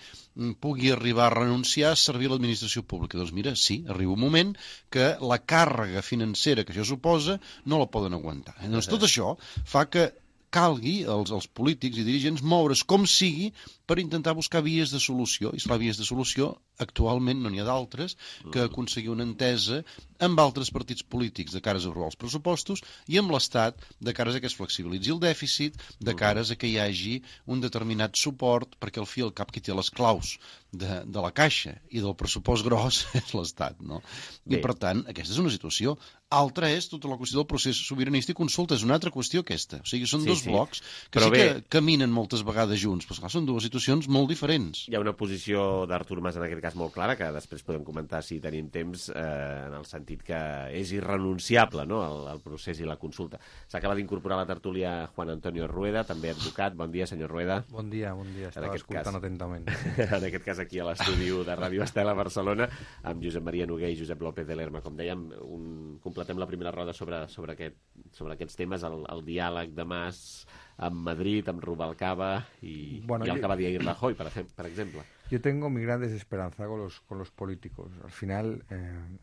pugui arribar a renunciar a servir a l'administració pública. Doncs mira, sí, arriba un moment que la càrrega financera que això suposa no la poden aguantar. Doncs tot això fa que calgui als polítics i dirigents moure's com sigui per intentar buscar vies de solució. I esclar, vies de solució, actualment no n'hi ha d'altres, que aconseguir una entesa amb altres partits polítics de cares a aprovar els pressupostos i amb l'Estat de cares a que es flexibilitzi el dèficit, de cares a que hi hagi un determinat suport, perquè al fi al cap qui té les claus de la caixa i del pressupost gros és l'Estat, no? I per tant, aquesta és una situació. Altra és tota la qüestió del procés sobiranista i consulta, és una altra qüestió aquesta. O sigui, són dos blocs que que caminen moltes vegades junts, però esclar, són dues situacions molt diferents. Hi ha una posició d'Artur Mas en aquest cas molt clara, que després podem comentar si tenim temps, en el sentit que és irrenunciable, no?, el procés i la consulta. S'acaba d'incorporar a la tertúlia Juan Antonio Rueda, també advocat. Bon dia, senyor Rueda. Bon dia, estava escoltant atentament. En aquest cas aquí a l'estudi de Ràdio Estel a Barcelona, amb Josep Maria Noguer i Josep López de Lerma. Com dèiem, completem la primera roda sobre aquests temes, el diàleg de Mas amb Madrid, amb Rubalcaba y el que va dir Rajoy, por ejemplo. Yo tengo mi gran desesperanza con los políticos. Al final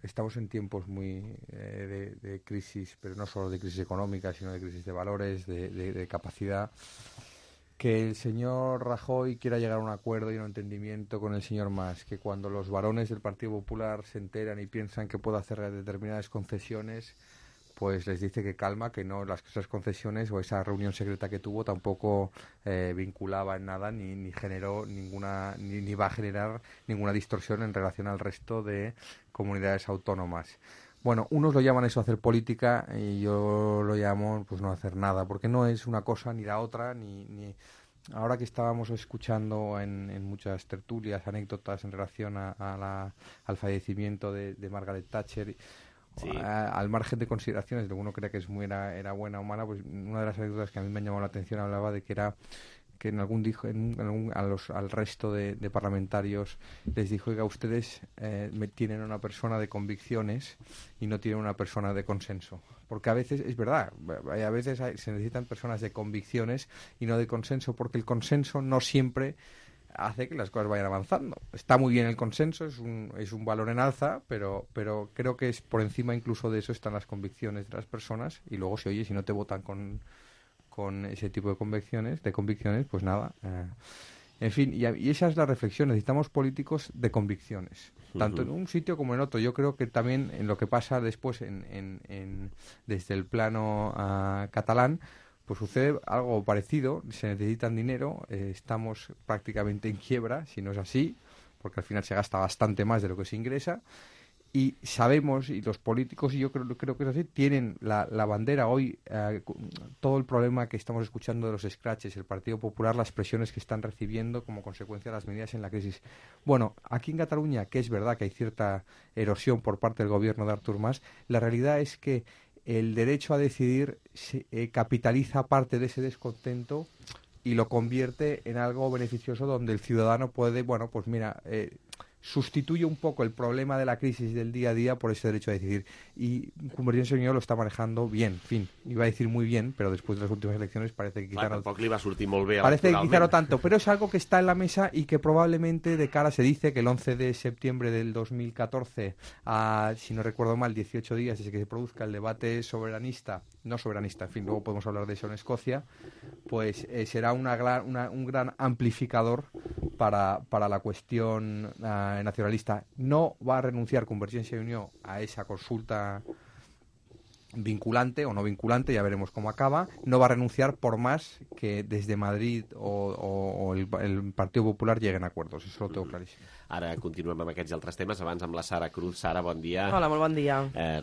estamos en tiempos muy de crisis, pero no solo de crisis económica, sino de crisis de valores, de capacidad. Que el señor Rajoy quiera llegar a un acuerdo y un entendimiento con el señor Mas, que cuando los varones del Partido Popular se enteran y piensan que puede hacer determinadas concesiones, pues les dice que calma, que no, esas concesiones o esa reunión secreta que tuvo tampoco vinculaba en nada ni generó ninguna, ni va a generar ninguna distorsión en relación al resto de comunidades autónomas. Bueno, unos lo llaman eso hacer política y yo lo llamo pues no hacer nada, porque no es una cosa ni la otra, ni ahora que estábamos escuchando en muchas tertulias anécdotas en relación al fallecimiento de Margaret Thatcher. Sí. Al margen de consideraciones de uno cree que era buena o mala, pues una de las anécdotas que a mí me han llamado la atención hablaba de que era que al resto de parlamentarios les dijo: oiga, ustedes tienen una persona de convicciones y no tienen una persona de consenso, porque a veces es verdad, a veces se necesitan personas de convicciones y no de consenso, porque el consenso no siempre hace que las cosas vayan avanzando. Está muy bien el consenso, es un valor en alza, pero creo que es por encima incluso de eso están las convicciones de las personas, y luego si no te votan con ese tipo de convicciones, pues nada. En fin, y esa es la reflexión. Necesitamos políticos de convicciones, tanto en un sitio como en otro. Yo creo que también en lo que pasa después desde el plano catalán, pues sucede algo parecido. Se necesitan dinero, estamos prácticamente en quiebra, si no es así, porque al final se gasta bastante más de lo que se ingresa. Y sabemos, y los políticos, y yo creo que es así, tienen la bandera hoy, todo el problema que estamos escuchando de los scratches, el Partido Popular, las presiones que están recibiendo como consecuencia de las medidas en la crisis. Bueno, aquí en Cataluña, que es verdad que hay cierta erosión por parte del gobierno de Artur Mas, la realidad es que el derecho a decidir capitaliza parte de ese descontento y lo convierte en algo beneficioso, donde el ciudadano puede, pues mira, sustituye un poco el problema de la crisis del día a día por ese derecho a decidir. Y Convergència i Unió lo está manejando bien, en fin, iba a decir muy bien, pero después de las últimas elecciones parece que quizá tampoc li va sortir molt bé parece que quizá no tanto, pero es algo que está en la mesa y que probablemente de cara, se dice que el 11 de septiembre del 2014, si no recuerdo mal, 18 días desde que se produzca el debate no soberanista, en fin, luego podemos hablar de eso en Escocia, pues será un gran amplificador para la cuestión nacionalista. No va a renunciar Convergència i Unió a esa consulta vinculante o no vinculante, ya veremos cómo acaba. No va a renunciar por más que desde Madrid o el Partido Popular lleguen a acuerdos, eso lo tengo clarísimo. Ara continuem amb aquests altres temes, abans amb la Sara Cruz. Sara, bon dia. Hola, molt bon dia.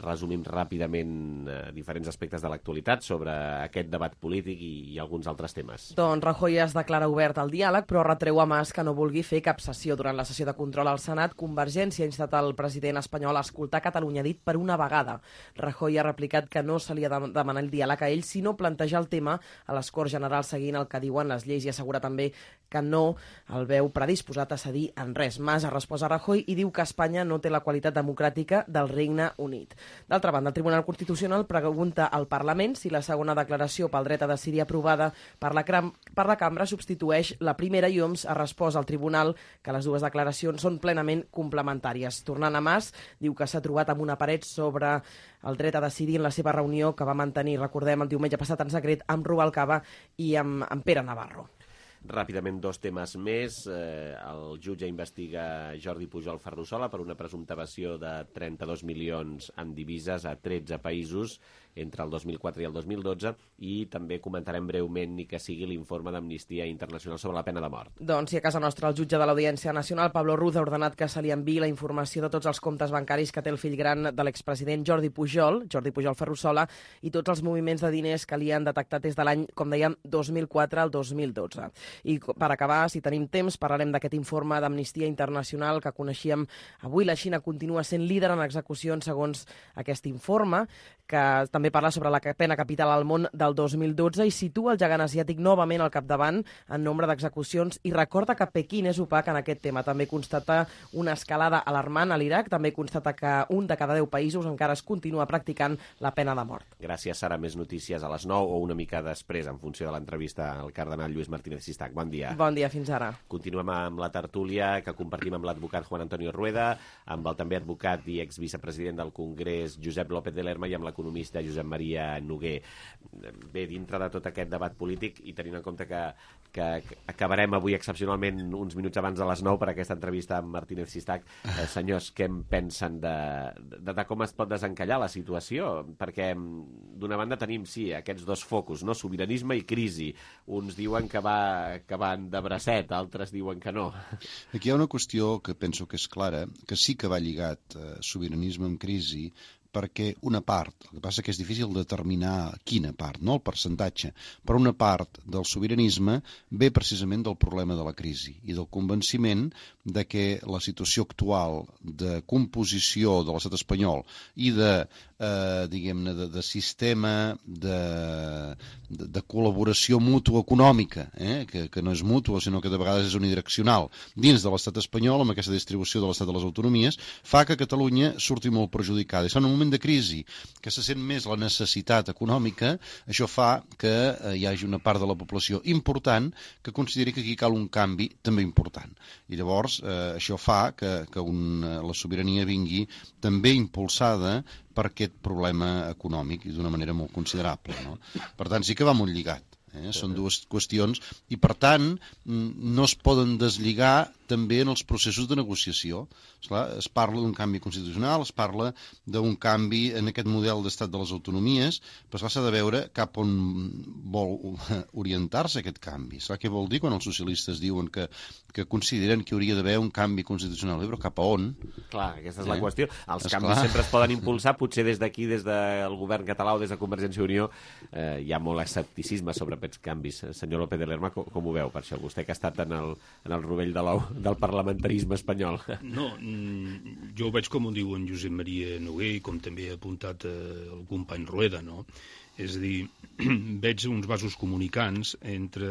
Resumim ràpidament diferents aspectes de l'actualitat sobre aquest debat polític i alguns altres temes. Doncs Rajoy es declara obert al diàleg, però retreu a Mas que no vulgui fer cap sessió. Durant la sessió de control al Senat, Convergència ha instat el president espanyol a escoltar Catalunya dit per una vegada. Rajoy ha replicat que no se li ha de demanar el diàleg a ell, sinó plantejar el tema a les Corts Generals seguint el que diuen les lleis, i assegura també que no el veu predisposat a cedir en res. Mas ha respost a Rajoy i diu que Espanya no té la qualitat democràtica del Regne Unit. D'altra banda, el Tribunal Constitucional pregunta al Parlament si la segona declaració pel dret a decidir aprovada per la Cambra substitueix la primera, i Homs ha respost al Tribunal que les dues declaracions són plenament complementàries. Tornant a Mas, diu que s'ha trobat amb una paret sobre el dret a decidir en la seva reunió que va mantenir, recordem, el diumenge passat en secret amb Rubalcaba i amb Pere Navarro. Ràpidament, dos temes més. El jutge investiga Jordi Pujol Ferrusola per una presumpta evasió de 32 milions en divises a 13 països entre el 2004 i el 2012, i també comentarem breument ni que sigui l'informe d'Amnistia Internacional sobre la pena de mort. Doncs si a casa nostra el jutge de l'Audiència Nacional, Pablo Ruz, ha ordenat que se li enviï la informació de tots els comptes bancaris que té el fill gran de l'expresident Jordi Pujol Ferrusola, i tots els moviments de diners que li han detectat des de l'any, com dèiem, 2004 al 2012. I per acabar, si tenim temps, parlarem d'aquest informe d'Amnistia Internacional que coneixíem avui. La Xina continua sent líder en execucions segons aquest informe, que també parla sobre la pena capital al món del 2012 i situa el gegant asiàtic novament al capdavant en nombre d'execucions, i recorda que Pequín és opac en aquest tema. També constata una escalada alarmant a l'Iraq, també constata que un de cada 10 països encara es continua practicant la pena de mort. Gràcies, Sara. Més notícies a les 9 o una mica després, en funció de l'entrevista al cardenal Lluís Martínez Sistac. Bon dia. Bon dia, fins ara. Continuem amb la tertúlia que compartim amb l'advocat Juan Antonio Rueda, amb el també advocat i exvicepresident del Congrés Josep López de Lerma i amb l'economista Josep Maria Noguer. Bé, dintre de tot aquest debat polític, i tenint en compte que acabarem avui excepcionalment uns minuts abans de les 9 per aquesta entrevista amb Martínez Sistac, senyors, què en pensen de com es pot desencallar la situació? Perquè d'una banda tenim, sí, aquests dos focus, no? Sobiranisme i crisi. Uns diuen que van de bracet, altres diuen que no. Aquí hi ha una qüestió que penso que és clara, que sí que va lligat sobiranisme amb crisi, perquè una part, el que passa que és difícil determinar quina part, no el percentatge, però una part del sobiranisme ve precisament del problema de la crisi i del convenciment de que la situació actual de composició de l'estat espanyol i diguem-ne, de sistema de col·laboració mútua econòmica, que no és mútua, sinó que de vegades és unidireccional, dins de l'estat espanyol, amb aquesta distribució de l'estat de les autonomies, fa que Catalunya surti molt perjudicada. I en un moment de crisi que se sent més la necessitat econòmica, això fa que hi hagi una part de la població important que consideri que aquí cal un canvi també important. I llavors això fa que la sobirania vingui també impulsada per aquest problema econòmic i d'una manera molt considerable, no? Per tant, sí que va molt lligat. Són dues qüestions i, per tant, no es poden deslligar també en els processos de negociació. Esclar, es parla d'un canvi constitucional, es parla d'un canvi en aquest model d'estat de les autonomies, però s'ha de veure cap on vol orientar-se aquest canvi. Esclar, què vol dir quan els socialistes diuen que consideren que hauria d'haver un canvi constitucional? Però cap a on? Clar, aquesta és la qüestió. Els canvis sempre es poden impulsar, potser des d'aquí, des del govern català o des de Convergència i Unió, hi ha molt escepticisme sobre aquests canvis. Senyor López de Lerma, com ho veu per això? Vostè que ha estat en el rovell de l'ou del parlamentarisme espanyol. No, jo ho veig com ho diu en Josep Maria Noguer i com també ha apuntat el company Rueda, no? És a dir, veig uns vasos comunicants entre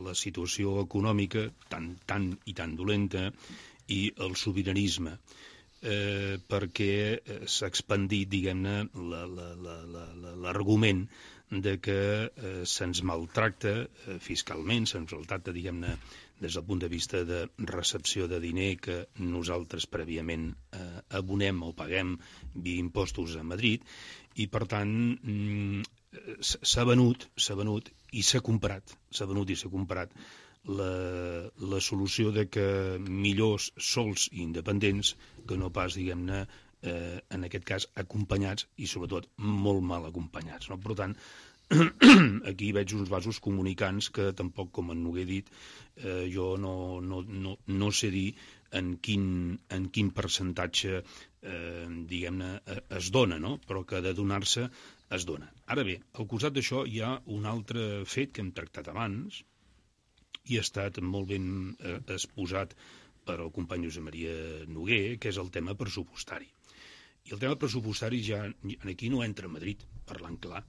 la situació econòmica tan dolenta i el sobiranisme, perquè s'ha expandit, diguem-ne, l'argument de que se'ns maltracta fiscalment, se'ns maltracta, diguem-ne, des del punt de vista de recepció de diner que nosaltres prèviament abonem o paguem via impostos a Madrid, i per tant s'ha venut i s'ha comprat la solució de que millors sols i independents que no pas, diguem-ne, en aquest cas acompanyats i sobretot molt mal acompanyats, no? Per tant, aquí veig uns vasos comunicants que tampoc, com en Noguer ha dit, jo no sé dir en quin percentatge diguem-ne es dona, no? Però que de donar-se es dona. Ara bé, al costat d'això hi ha un altre fet que hem tractat abans i ha estat molt ben exposat per el company Josep Maria Noguer, que és el tema pressupostari. I el tema pressupostari ja aquí no entra a Madrid, parlant clar.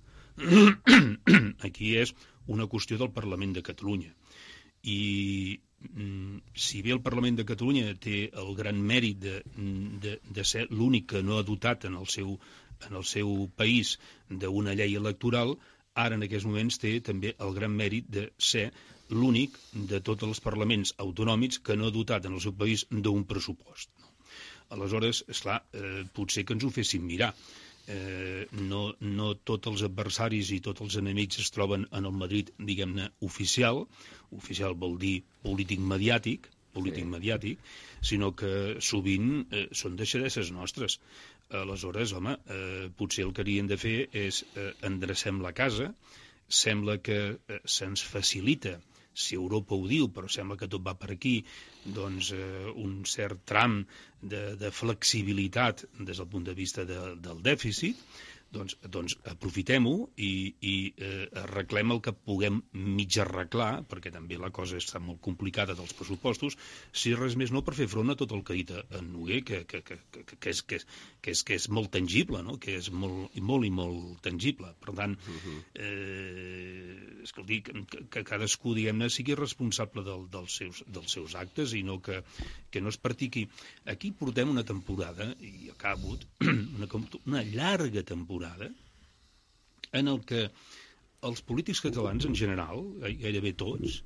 Aquí és una qüestió del Parlament de Catalunya. I si bé el Parlament de Catalunya té el gran mèrit de ser l'únic que no ha dotat en el seu país d'una llei electoral, ara en aquests moments té també el gran mèrit de ser l'únic de tots els parlaments autonòmics que no ha dotat en el seu país d'un pressupost. Aleshores, esclar, potser que ens ho fessin mirar. no tots els adversaris i tots els enemics es troben en el Madrid, diguem-ne, oficial. Oficial vol dir polític mediàtic, sinó que sovint són deixadesses nostres. Aleshores, home, potser el que haurien de fer és endrecem la casa. Sembla que se'ns facilita, si Europa ho diu, però sembla que tot va per aquí, doncs un cert tram de flexibilitat des del punt de vista del dèficit. Doncs aprofitem-ho i arreglem el que puguem mig arreglar, perquè també la cosa està molt complicada dels pressupostos, si res més no per fer front a tot el que ha dit en Noguer, que és molt tangible, no? Que és molt i molt tangible. Per tant, escolti, que cadascú, diguem-ne, sigui responsable dels seus actes i no que no es practiqui. Aquí portem una temporada, i acabo, una llarga temporada, en el que els polítics catalans, en general, gairebé tots,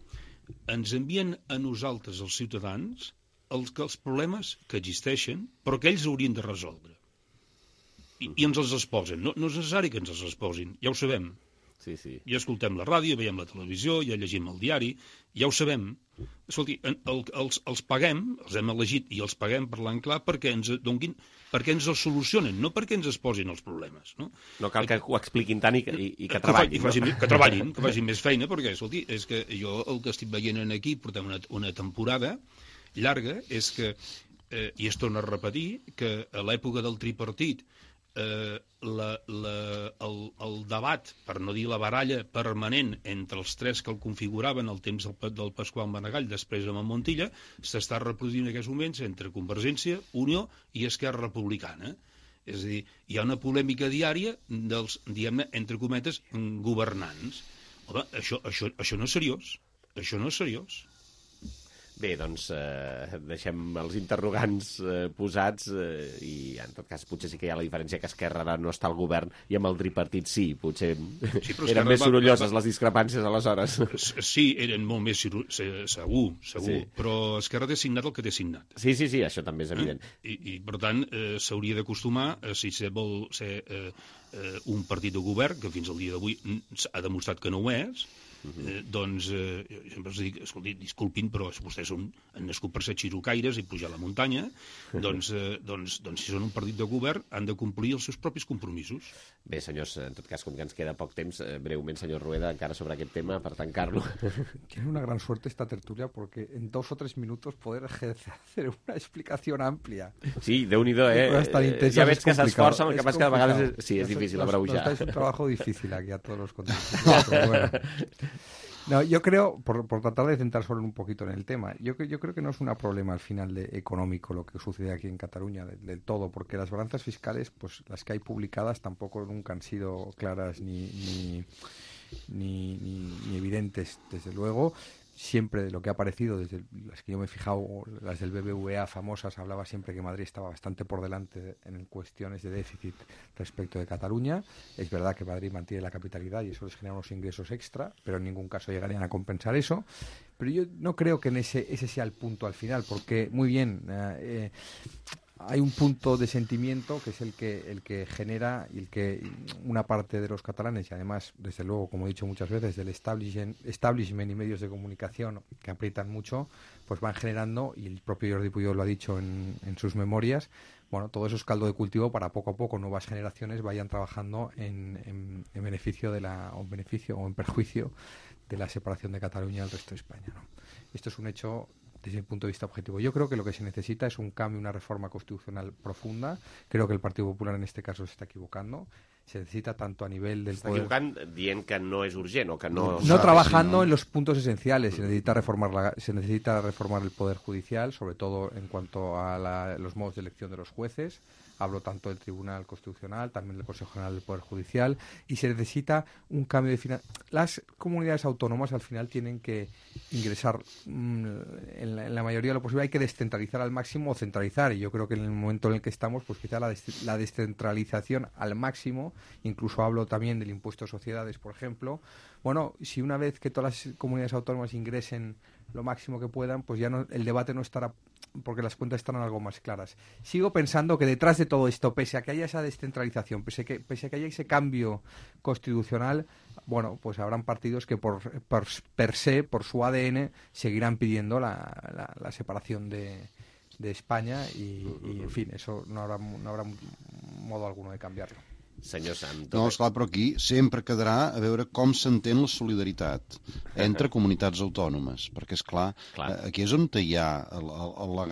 ens envien a nosaltres, els ciutadans, els problemes que existeixen, però que ells haurien de resoldre. I ens els exposen. No és necessari que ens els exposin, ja ho sabem. Ja escoltem la ràdio, veiem la televisió, ja llegim el diari, ja ho sabem. Escolti, els paguem, els hem elegit i els paguem, parlant clar, perquè ens donguin, perquè ens els solucionen, no perquè ens exposin els problemes. No cal que ho expliquin tant i que treballin. Que treballin, que facin més feina, perquè, escolti, és que jo el que estic veient aquí, portem una temporada llarga, és que, i es torna a repetir, que a l'època del tripartit el debat, per no dir la baralla permanent entre els tres que el configuraven al temps del Pasqual Maragall, després amb el Montilla, s'està reproduint en aquests moments entre Convergència, Unió i Esquerra Republicana. És a dir, hi ha una polèmica diària dels, diguem-ne, entre cometes, governants. Home, això no és seriós. Això no és seriós. Bé, doncs deixem els interrogants posats i en tot cas potser sí que hi ha la diferència que Esquerra ara no està al govern i amb el tripartit sí, potser eren més sorolloses les discrepàncies aleshores. Sí, eren molt més segur, però Esquerra té signat el que té signat. Sí, això també és evident. I per tant s'hauria d'acostumar, si vol ser un partit de govern, que fins al dia d'avui ha demostrat que no ho és, doncs sempre els dic, escolti, disculpin, però vostès han nascut per ser xirocaires i pujar a la muntanya, doncs si són un partit de govern han de complir els seus propis compromisos. Bé, senyors, en tot cas, com que ens queda poc temps, breument, senyor Rueda, encara sobre aquest tema, per tancar-lo. Tiene una gran suerte esta tertulia porque en 2 o 3 minutos poder hacer una explicación amplia. Sí, Déu-n'hi-do, ja veig que s'esforça, el que passa que de vegades sí, és difícil abreujar. Es un trabajo difícil aquí a todos los contentos. Pero bueno. No, yo creo, por tratar de centrar solo un poquito en el tema, yo creo que no es un problema al final económico lo que sucede aquí en Cataluña del todo, porque las balanzas fiscales, pues las que hay publicadas tampoco nunca han sido claras ni evidentes, desde luego. Siempre de lo que ha aparecido, desde las que yo me he fijado, las del BBVA famosas, hablaba siempre que Madrid estaba bastante por delante en cuestiones de déficit respecto de Cataluña. Es verdad que Madrid mantiene la capitalidad y eso les genera unos ingresos extra, pero en ningún caso llegarían a compensar eso. Pero yo no creo que ese sea el punto al final, porque muy bien, hay un punto de sentimiento que es el que genera y el que una parte de los catalanes, y además, desde luego, como he dicho muchas veces, del establishment y medios de comunicación que aprietan mucho, pues van generando, y el propio Jordi Puyol lo ha dicho en sus memorias, bueno, todo eso es caldo de cultivo para poco a poco nuevas generaciones vayan trabajando en beneficio o en perjuicio de la separación de Cataluña del resto de España, ¿no? Esto es un hecho desde mi punto de vista objetivo. Yo creo que lo que se necesita es un cambio, una reforma constitucional profunda. Creo que el Partido Popular en este caso se está equivocando. Se necesita tanto a nivel del poder... Està equivocant dient que no és urgent o que no... No trabajando en los puntos esenciales. Se necesita reformar el Poder Judicial, sobre todo en cuanto a los modos de elección de los jueces. Hablo tanto del Tribunal Constitucional, también del Consejo General del Poder Judicial, y se necesita un cambio de Las comunidades autónomas al final tienen que ingresar en la mayoría de lo posible. Hay que descentralizar al máximo o centralizar, y yo creo que en el momento en el que estamos, pues quizá la descentralización al máximo, incluso hablo también del impuesto de sociedades, por ejemplo. Bueno, si una vez que todas las comunidades autónomas ingresen lo máximo que puedan, pues ya no, el debate no estará porque las cuentas están algo más claras. Sigo pensando que detrás de todo esto, pese a que haya esa descentralización, pese a que haya ese cambio constitucional, bueno, pues habrán partidos que per se, por su ADN, seguirán pidiendo la separación de España y, en fin, eso no habrá modo alguno de cambiarlo. Senyor Sant. No, esclar, però aquí sempre quedarà a veure com s'entén la solidaritat entre comunitats autònomes, perquè, esclar, aquí és on hi ha el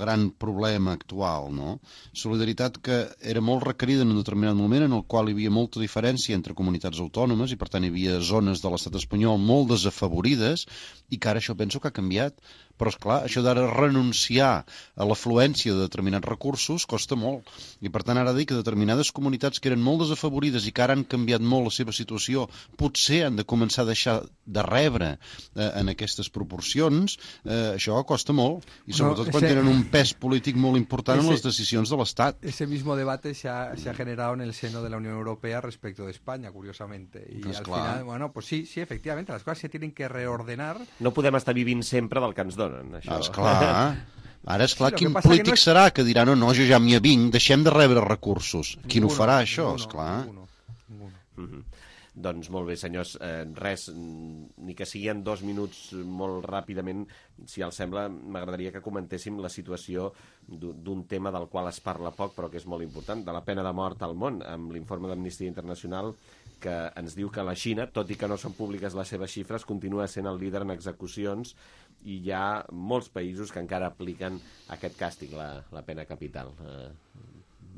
gran problema actual, no? Solidaritat que era molt requerida en un determinat moment en el qual hi havia molta diferència entre comunitats autònomes i, per tant, hi havia zones de l'estat espanyol molt desafavorides i que ara això penso que ha canviat. Però, esclar, això d'ara renunciar a l'afluència de determinats recursos costa molt. I, per tant, ara dir que determinades comunitats que eren molt desafavorides i que ara han canviat molt la seva situació potser han de començar a deixar de rebre en aquestes proporcions, això costa molt. I sobretot quan tenen un pes polític molt important en les decisions de l'Estat. Ese mismo debate se ha generado en el seno de la Unión Europea respecto de España, curiosamente. Y al final, bueno, pues sí, efectivamente, las cosas se tienen que reordenar. No podem estar vivint sempre del que ens donen. Esclar. Ara, esclar, quin polític serà que dirà no, jo ja m'hi avinc, deixem de rebre recursos? Qui no farà això, esclar? Doncs molt bé, senyors, res, ni que sigui en 2 minuts molt ràpidament, si els sembla, m'agradaria que comentéssim la situació d'un tema del qual es parla poc, però que és molt important, de la pena de mort al món, amb l'informe d'Amnistia Internacional que ens diu que la Xina, tot i que no són públiques les seves xifres, continua sent el líder en execucions i hi ha molts països que encara apliquen aquest càstig, la pena capital.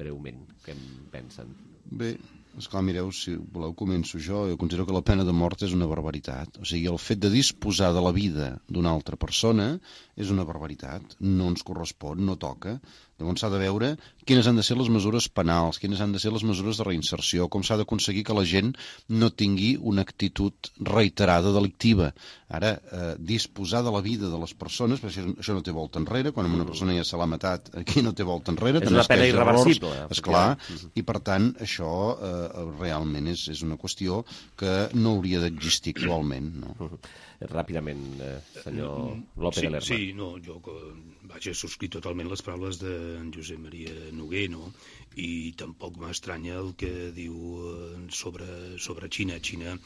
Breument, què en pensen? Bé, esclar, mireu, si voleu començo jo considero que la pena de mort és una barbaritat. O sigui, el fet de disposar de la vida d'una altra persona és una barbaritat, no ens correspon, no toca. Llavors s'ha de veure quines han de ser les mesures penals, quines han de ser les mesures de reinserció, com s'ha d'aconseguir que la gent no tingui una actitud reiterada delictiva. Ara, disposar de la vida de les persones, perquè això no té volta enrere, quan una persona ja se l'ha matat, aquí no té volta enrere. És una pena irreversible. Esclar, i per tant això realment és una qüestió que no hauria d'existir actualment. Ràpidament, senyor López de Lerma. Sí, no, jo he subscrit totalment les paraules d'en Josep Maria Noguer, no? I tampoc m'estranya el que diu sobre Xina. Xina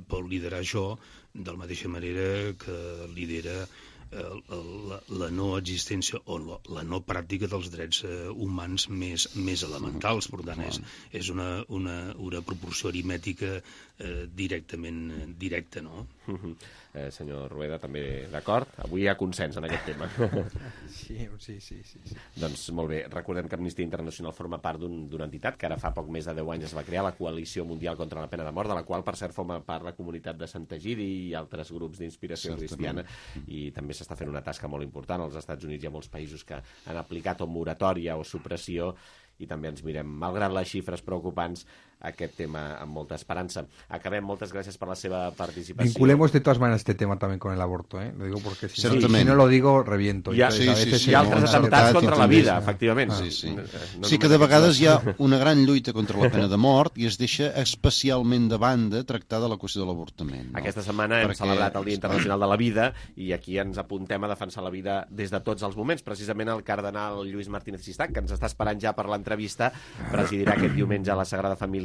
pot liderar això de la mateixa manera que lidera la no existència o la no pràctica dels drets humans més elementals. Per tant, és una proporció aritmètica directament directa, no? Senyor Rueda, també d'acord? Avui hi ha consens en aquest tema. Sí. Doncs molt bé, recordem que Amnistia Internacional forma part d'una entitat que ara fa poc més de 10 anys es va crear, la Coalició Mundial contra la Pena de Mort, de la qual, per cert, forma part la comunitat de Sant Egidi i altres grups d'inspiració cristiana, i també s'està fent una tasca molt important. Als Estats Units hi ha molts països que han aplicat o moratòria o supressió, i també ens mirem, malgrat les xifres preocupants, aquest tema amb molta esperança. Acabem, moltes gràcies per la seva participació. Vinculemos de todas maneras este tema también con el aborto, ¿eh? Lo digo porque si no lo digo, reviento. Hi ha altres atemptats contra la vida, efectivament. Sí que de vegades hi ha una gran lluita contra la pena de mort i es deixa especialment de banda tractar de la qüestió de l'avortament. Aquesta setmana hem celebrat el Dia Internacional de la Vida i aquí ens apuntem a defensar la vida des de tots els moments. Precisament el cardenal Lluís Martínez Sistac, que ens està esperant ja per l'entrevista, presidirà aquest diumenge a la Sagrada Família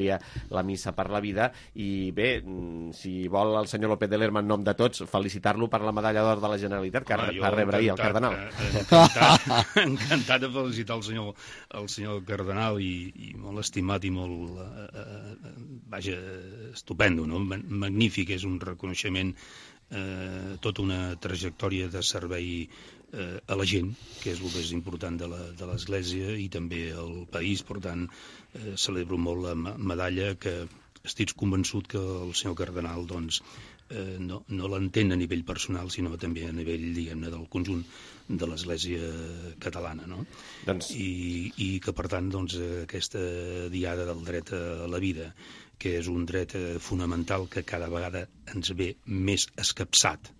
la missa per la vida, i bé, si vol el senyor López de Lerma en nom de tots felicitar-lo per la medalla d'or de la Generalitat que va rebre ahir el cardenal. Encantat de felicitar el senyor cardenal i molt estimat i molt estupendo, no? Magnífic, és un reconeixement, tota una trajectòria de servei a la gent, que és el més important de l'Església i també al país. Per tant, celebro molt la medalla, que estic convençut que el senyor cardenal no l'entén a nivell personal, sinó també a nivell, diguem-ne, del conjunt de l'Església catalana, no? I que, per tant, aquesta diada del dret a la vida, que és un dret fonamental que cada vegada ens ve més escapçat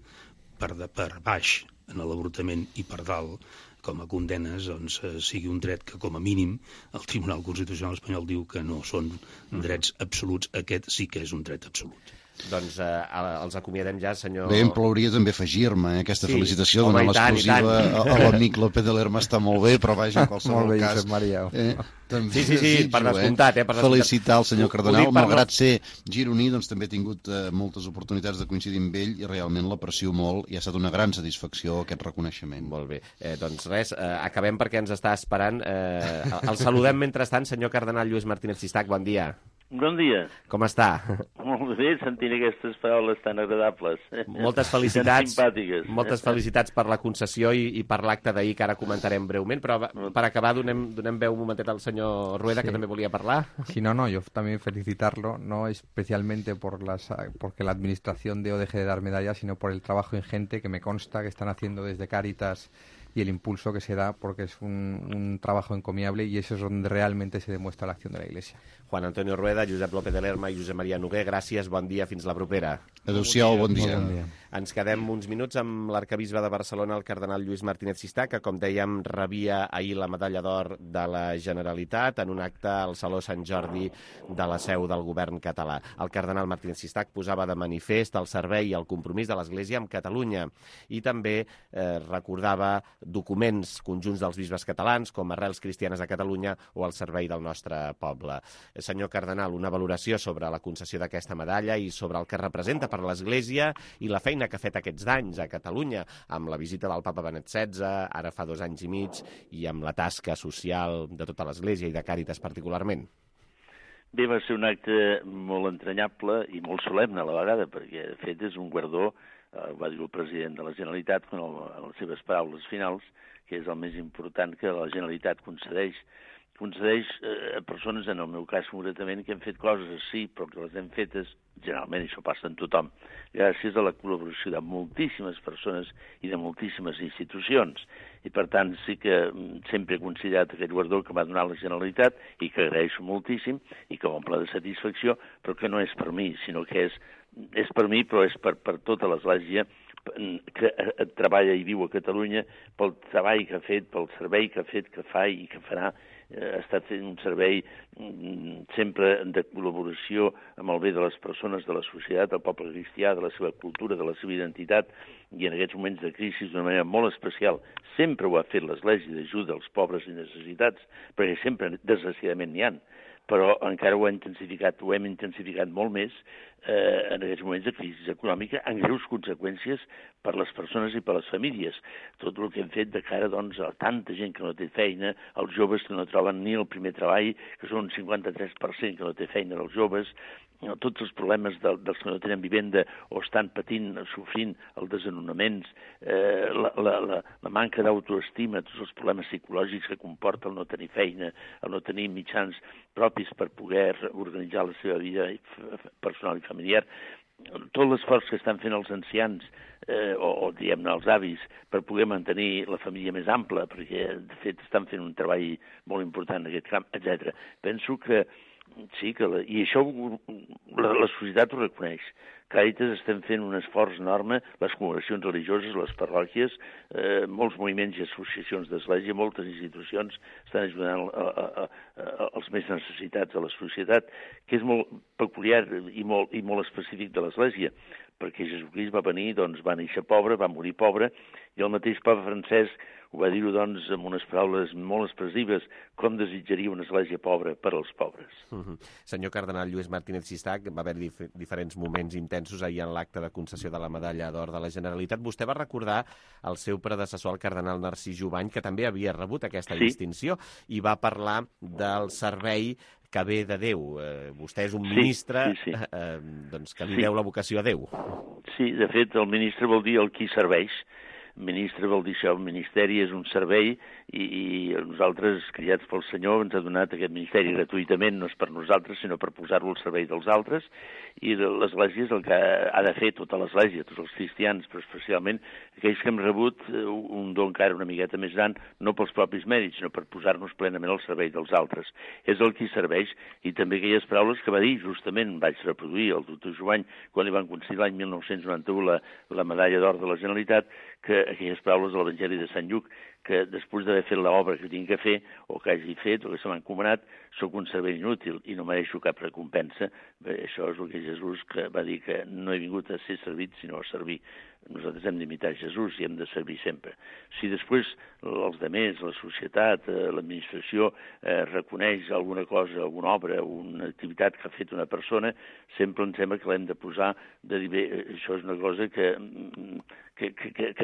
per baix en l'avortament i per dalt com a condenes, sigui un dret que, com a mínim, el Tribunal Constitucional espanyol diu que no són drets absoluts. Aquest sí que és un dret absolut. Doncs els acomiadem ja, senyor... Bé, em plauria també afegir-me aquesta felicitació, home, donar l'exclusiva a l'amic López de Lerma està molt bé, però vaja, en qualsevol cas... Sí, per descomptat. Felicitar el senyor Cardenal, malgrat ser gironí, doncs també he tingut moltes oportunitats de coincidir amb ell i realment l'aprecio molt i ha estat una gran satisfacció aquest reconeixement. Molt bé. Doncs res, acabem perquè ens està esperant. El saludem mentrestant, senyor Cardenal Lluís Martínez Sistac, bon dia. Bon dia. Com està? Molt bé, sentint aquestes paraules tan agradables. Moltes felicitats. Tan simpàtiques. Moltes felicitats per la concessió i per l'acte d'ahir, que ara comentarem breument, però per acabar donem veu un momentet al senyor Rueda, que també volia parlar. Sí, no, yo también felicitarlo, no especialmente porque la administración de deje de dar medallas, sino por el trabajo ingente que me consta que están haciendo desde Cáritas y el impulso que se da, porque es un trabajo encomiable y eso es donde realmente se demuestra la acción de la Iglesia. Juan Antonio Rueda, Josep López de Lerma i Josep Maria Noguer, gràcies, bon dia, fins la propera. Adéu-siau, bon dia. Ens quedem uns minuts amb l'arcabisbe de Barcelona, el cardenal Lluís Martínez Sistac, que, com dèiem, rebia ahir la medalla d'or de la Generalitat en un acte al Saló Sant Jordi de la seu del govern català. El cardenal Martínez Sistac posava de manifest el servei i el compromís de l'Església amb Catalunya i també recordava documents conjunts dels bisbes catalans com Arrels Cristianes a Catalunya o el servei del nostre poble. Senyor cardenal, una valoració sobre la concessió d'aquesta medalla i sobre el que representa per l'Església i la feina que ha fet aquests anys a Catalunya amb la visita del papa Benet XVI, ara fa 2 anys i mig, i amb la tasca social de tota l'Església i de Càritas particularment. Bé, va ser un acte molt entranyable i molt solemne a la vegada, perquè de fet és un guardó, va dir el president de la Generalitat en les seves paraules finals, que és el més important que la Generalitat concedeix a persones, en el meu cas concretament, que han fet coses, sí, però que les hem fetes, generalment això passa en tothom, gràcies a la col·laboració de moltíssimes persones i de moltíssimes institucions. I per tant sí que sempre he considerat aquest guardó que m'ha donat la Generalitat i que agraeixo moltíssim i que m'omple de satisfacció, però que no és per mi, sinó que és per mi, però és per tota l'Església que treballa i viu a Catalunya, pel treball que ha fet, pel servei que ha fet, que fa i que farà. Ha estat fent un servei sempre de col·laboració amb el bé de les persones, de la societat, del poble cristià, de la seva cultura, de la seva identitat, i en aquests moments de crisi d'una manera molt especial. Sempre ho ha fet l'Església d'ajuda als pobres i necessitats, perquè sempre, desgraciadament, n'hi ha. Però encara ho hem intensificat molt més en aquests moments de crisi econòmica, amb greus conseqüències per les persones i per les famílies. Tot el que hem fet de cara doncs, a tanta gent que no té feina, als joves que no troben ni el primer treball, que són un 53% que no té feina dels joves, tots els problemes dels que no tenen vivenda o estan patint, sofrint els desnonaments, la manca d'autoestima, tots els problemes psicològics que comporta el no tenir feina, el no tenir mitjans propis per poder organitzar la seva vida personal i familiar. Tot l'esforç que estan fent els ancians o diguem-ne els avis per poder mantenir la família més ampla, perquè de fet estan fent un treball molt important en aquest camp, etc. Penso que sí, i això la societat ho reconeix. Càritas estem fent un esforç enorme, les congregacions religioses, les parròquies, molts moviments i associacions d'església, moltes institucions estan ajudant els més necessitats de la societat, que és molt peculiar i molt específic de l'església, perquè Jesucrist va venir, doncs va néixer pobre, va morir pobre, i el mateix papa Francesc ho va dir-ho, doncs, amb unes paraules molt expressives, com desitjaria una església pobra per als pobres. Senyor cardenal Lluís Martínez Sistac, va haver diferents moments intensos ahir en l'acte de concessió de la medalla d'or de la Generalitat. Vostè va recordar el seu predecessor, el cardenal Narcís Jubany, que també havia rebut aquesta distinció, i va parlar del servei que ve de Déu. Vostè és un ministre doncs, que li deu la vocació a Déu. Sí, de fet, el ministre vol dir el qui serveix. Ministre vol dir això, el ministeri és un servei i nosaltres, criats pel Senyor, ens ha donat aquest ministeri gratuïtament, no és per nosaltres, sinó per posar-lo al servei dels altres, i l'Església és el que ha de fer, tota l'Església, tots els cristians, però especialment aquells que hem rebut un don encara una miqueta més gran, no pels propis mèrits, sinó per posar-nos plenament al servei dels altres. És el qui serveix, i també aquelles paraules que va dir, justament vaig reproduir el doctor Jubany, quan li van concedir l'any 1991 la medalla d'or de la Generalitat, que aquelles paraules de l'Evangeli de Sant Lluc, que després d'haver fet l'obra que tinc que fer, o que hagi fet, o que se m'ha encomanat, sóc un servei inútil i no mereixo cap recompensa. Bé, això és el que Jesús que va dir, que no he vingut a ser servit, sinó a servir. Nosaltres hem d'imitar Jesús i hem de servir sempre. Si després els demés, la societat, l'administració reconeix alguna cosa, alguna obra, una activitat que ha fet una persona, sempre em sembla que l'hem de posar, de dir, bé, això és una cosa que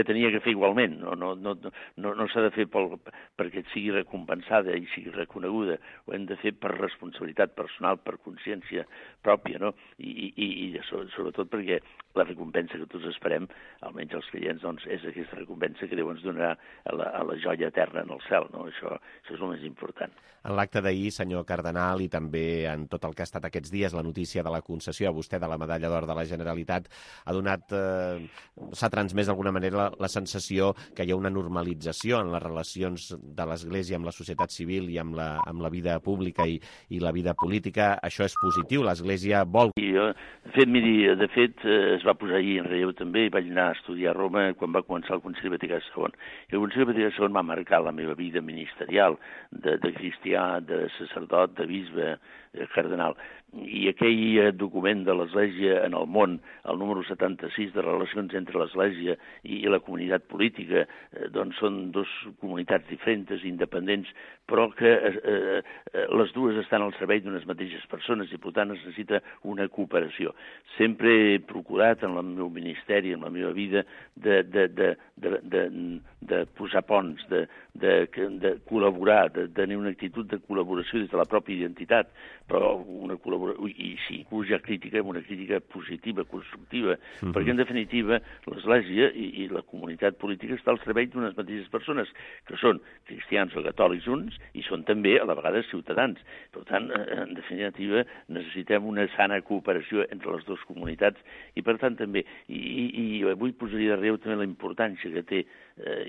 tenia que fer igualment. No s'ha de fer perquè et sigui recompensada i sigui reconeguda. Ho hem de fer per responsabilitat personal, per consciència pròpia, no? I sobretot perquè la recompensa que tots esperem, almenys els creients, doncs, és aquesta recompensa que Déu ens donarà a la joia eterna en el cel, no? Això és el més important. En l'acte d'ahir, senyor cardenal, i també en tot el que ha estat aquests dies, la notícia de la concessió a vostè de la Medalla d'Or de la Generalitat s'ha transmès d'alguna manera la sensació que hi ha una normalització en les relacions de l'Església amb la societat civil i amb la vida pública i la vida política. Això és positiu, l'Església vol... De fet, es va posar ahir en relleu també, i vaig anar a estudiar a Roma quan va començar el Concili Vaticà II. I el Concili Vaticà II va marcar la meva vida ministerial, de cristià, de sacerdot, de bisbe, cardenal. I aquell document de l'Església en el món, el número 76 de relacions entre l'Església i la comunitat política, doncs són dues comunitats diferents, independents, però que les dues estan al servei d'unes mateixes persones i, per tant, es necessita una cooperació. Sempre he procurat en el meu ministeri, en la meva vida, de posar ponts, de col·laborar, de tenir una actitud de col·laboració des de la pròpia identitat, però una col·laboració, i sí, pujar crítica, una crítica positiva, constructiva, perquè en definitiva l'Església i la comunitat política està al servei d'unes mateixes persones, que són cristians o catòlics uns, i són també a la vegada ciutadans. Per tant, en definitiva, necessitem una sana cooperació entre les dues comunitats, i per tant també, i avui posaria de relleu també la importància que té,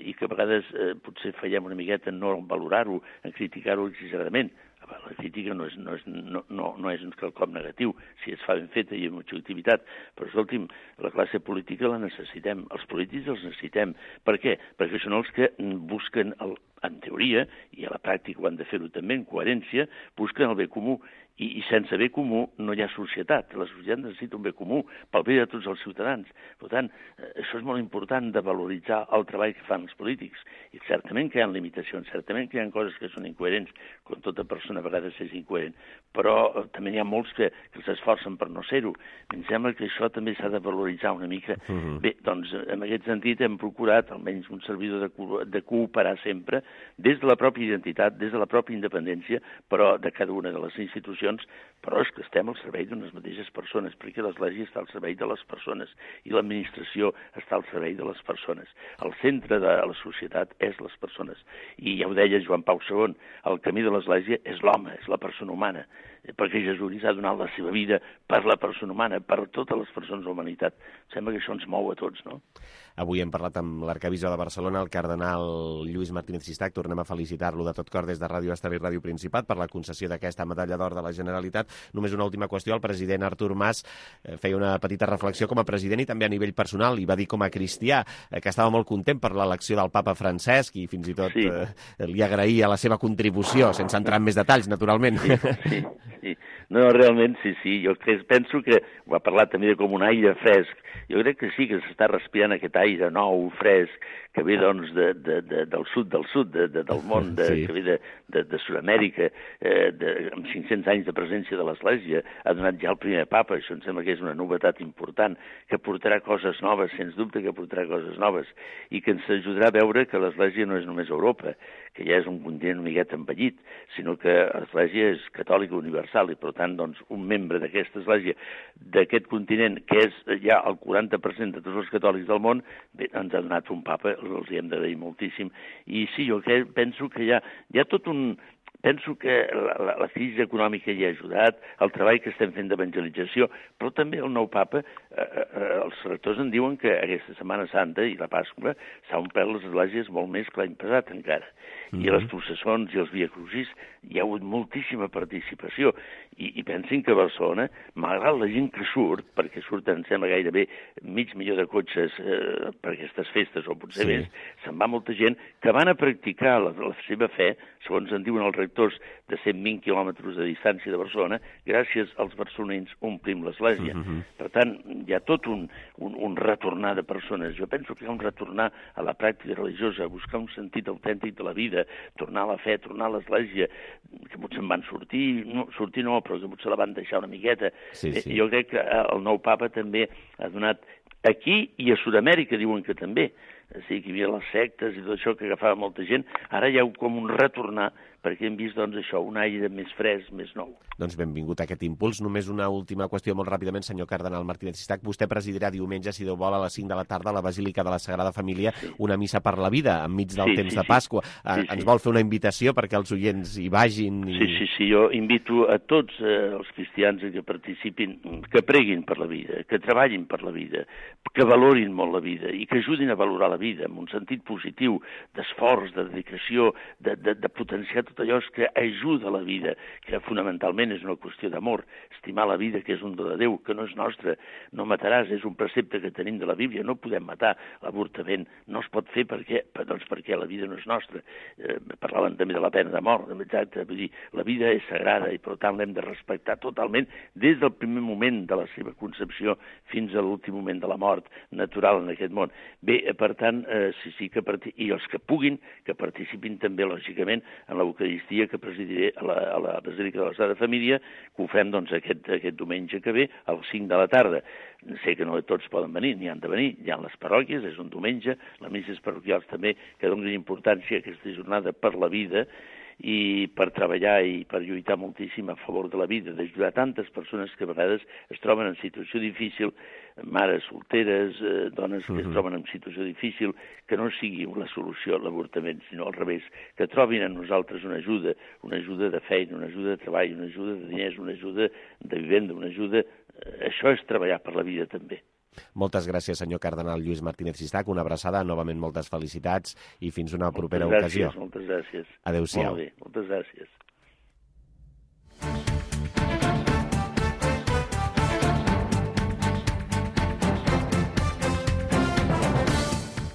i que a vegades potser fallem una miqueta en no valorar-ho, en criticar-ho exageradament. La crítica no és un quelcom negatiu, si es fa ben feta i amb objectivitat, però escolti'm, la classe política la necessitem, els polítics els necessitem. Per què? Perquè són els que busquen, en teoria, i a la pràctica ho han de fer-ho també en coherència, busquen el bé comú. I sense bé comú no hi ha societat. La societat necessita un bé comú pel bé de tots els ciutadans. Per tant, això és molt important de valoritzar el treball que fan els polítics. I certament que hi ha limitacions, certament que hi ha coses que són incoherents, com tota persona a vegades és incoherent, però també n'hi ha molts que s'esforcen per no ser-ho. Em sembla que això també s'ha de valoritzar una mica. Bé, doncs, en aquest sentit hem procurat, almenys un servidor, de cooperar sempre des de la pròpia identitat, des de la pròpia independència, però de cada una de les institucions, però és que estem al servei d'unes mateixes persones, perquè l'Església està al servei de les persones i l'administració està al servei de les persones. El centre de la societat és les persones. I ja ho deia Joan Pau II, el camí de l'Església és l'home, és la persona humana, perquè Jesús ha donat la seva vida per la persona humana, per totes les persones de la humanitat. Sembla que això ens mou a tots, no? Avui hem parlat amb l'arcabisbe de Barcelona, el cardenal Lluís Martínez Sistac. Tornem a felicitar-lo de tot cor des de Ràdio Estel i Ràdio Principat per la concessió d'aquesta Medalla d'Or de la Generalitat. Només una última qüestió. El president Artur Mas feia una petita reflexió com a president i també a nivell personal, i va dir com a cristià que estava molt content per l'elecció del papa Francesc i fins i tot li agraïa la seva contribució, sense entrar en més detalls, naturalment. Sí. No, realment, sí. Jo penso que ho ha parlat també com un aire fresc. Jo crec que sí, que s'està respirant aquest aire nou, fresc, que ve doncs del sud, del món, que ve de Sud-amèrica, amb 500 anys de presència de l'Església, ha donat ja el primer papa. Això em sembla que és una novetat important, que portarà coses noves, sens dubte que portarà coses noves, i que ens ajudarà a veure que l'Església no és només Europa, que ja és un continent una miqueta envellit, sinó que l'Església és catòlica universal i, per tant, doncs, un membre d'aquesta Església, d'aquest continent, que és ja el 40% de tots els catòlics del món, bé, ens ha donat un papa, els hi hem d'agrair moltíssim. I sí, jo penso que hi ha tot un... penso que la crisi econòmica hi ha ajudat, el treball que estem fent d'evangelització, però també el nou papa, els rectors en diuen que aquesta Setmana Santa i la Pasqua s'ha omplert les esglésies molt més que l'any passat encara. I a les processons i els Via Crucis hi ha hagut moltíssima participació. I pensin que a Barcelona, malgrat la gent que surt, perquè surten, sembla, gairebé 500.000 de cotxes per aquestes festes, o potser més, se'n va molta gent que van a practicar la seva fe, segons en diuen els rectors, de 120 quilòmetres de distància de Barcelona, gràcies als barcelonins omplim l'església. Per tant, hi ha tot un retornar de persones. Jo penso que hi ha un retornar a la pràctica religiosa, a buscar un sentit autèntic de la vida, tornar a la fe, tornar a l'església, que potser en van sortir no, però que potser la van deixar una miqueta. Jo crec que el nou papa també ha donat aquí i a Sud-amèrica, diuen que també. O sigui, que hi havia les sectes i tot això que agafava molta gent. Ara hi ha com un retornar, perquè hem vist, doncs, això, un aire més fresc, més nou. Doncs benvingut a aquest impuls. Només una última qüestió molt ràpidament, senyor cardenal Martínez Cistach. Vostè presidirà diumenge, si Déu vol, a les 5 de la tarda a la Basílica de la Sagrada Família, una missa per la vida, enmig del temps de Pasqua. Ens vol fer una invitació perquè els oients hi vagin? Sí, jo invito a tots els cristians que participin, que preguin per la vida, que treballin per la vida, que valorin molt la vida i que ajudin a valorar la vida en un sentit positiu, d'esforç, de dedicació, de potenciar tot allò que ajuda a la vida, que fonamentalment és una qüestió d'amor, estimar la vida, que és un do de Déu, que no és nostra, no mataràs, és un precepte que tenim de la Bíblia, no podem matar, l'avortament no es pot fer perquè la vida no és nostra. Parlaven també de la pena de mort, exacte, vull dir, la vida és sagrada i per tant l'hem de respectar totalment des del primer moment de la seva concepció fins a l'últim moment de la mort natural en aquest món. Bé, per tant, i els que puguin, que participin també, lògicament, en l'Eucaristia que presidiré a la Basílica de la Sagrada Família, que ho fem doncs, aquest diumenge que ve, a les 5 de la tarda. Sé que no tots poden venir, n'hi han de venir, hi ha les parròquies, és un diumenge, les misses parroquials també, que donen importància a aquesta jornada per la vida, i per treballar i per lluitar moltíssim a favor de la vida, d'ajudar tantes persones que a vegades es troben en situació difícil, mares solteres, dones que es troben en situació difícil, que no sigui la solució a l'avortament, sinó al revés, que trobin en nosaltres una ajuda de feina, una ajuda de treball, una ajuda de diners, una ajuda de vivenda, una ajuda... Això és treballar per la vida també. Moltes gràcies, senyor cardenal Lluís Martínez Cistach. Una abraçada, novament moltes felicitats i fins una propera ocasió. Moltes gràcies. Adéu-siau. Molt bé, moltes gràcies.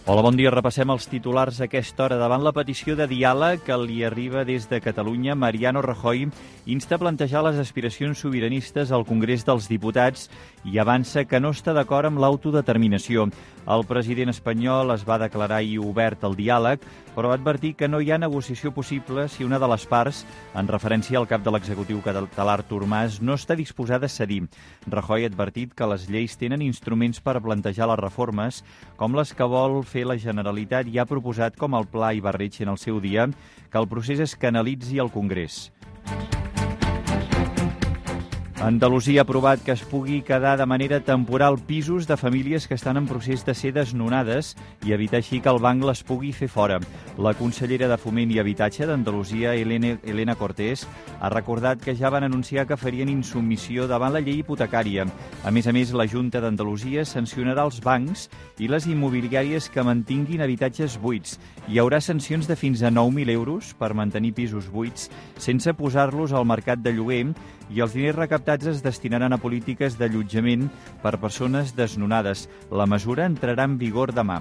Hola, bon dia. Repassem els titulars a aquesta hora. Davant la petició de diàleg que li arriba des de Catalunya, Mariano Rajoy insta a plantejar les aspiracions sobiranistes al Congrés dels Diputats i avança que no està d'acord amb l'autodeterminació. El president espanyol es va declarar ahir obert al diàleg, però va advertir que no hi ha negociació possible si una de les parts, en referència al cap de l'executiu català Artur Mas, no està disposada a cedir. Rajoy ha advertit que les lleis tenen instruments per plantejar les reformes, com les que vol fer la Generalitat, i ha proposat, com el Pla Ibarretxe en el seu dia, que el procés es canalitzi al Congrés. Andalusia ha aprovat que es pugui quedar de manera temporal pisos de famílies que estan en procés de ser desnonades i evitar així que el banc les pugui fer fora. La consellera de Foment i Habitatge d'Andalusia, Elena Cortés, ha recordat que ja van anunciar que farien insubmissió davant la llei hipotecària. A més, la Junta d'Andalusia sancionarà els bancs i les immobiliàries que mantinguin habitatges buits. Hi haurà sancions de fins a 9.000 euros per mantenir pisos buits sense posar-los al mercat de lloguer, i els diners recaptats es destinaran a polítiques d'allotjament per persones desnonades. La mesura entrarà en vigor demà.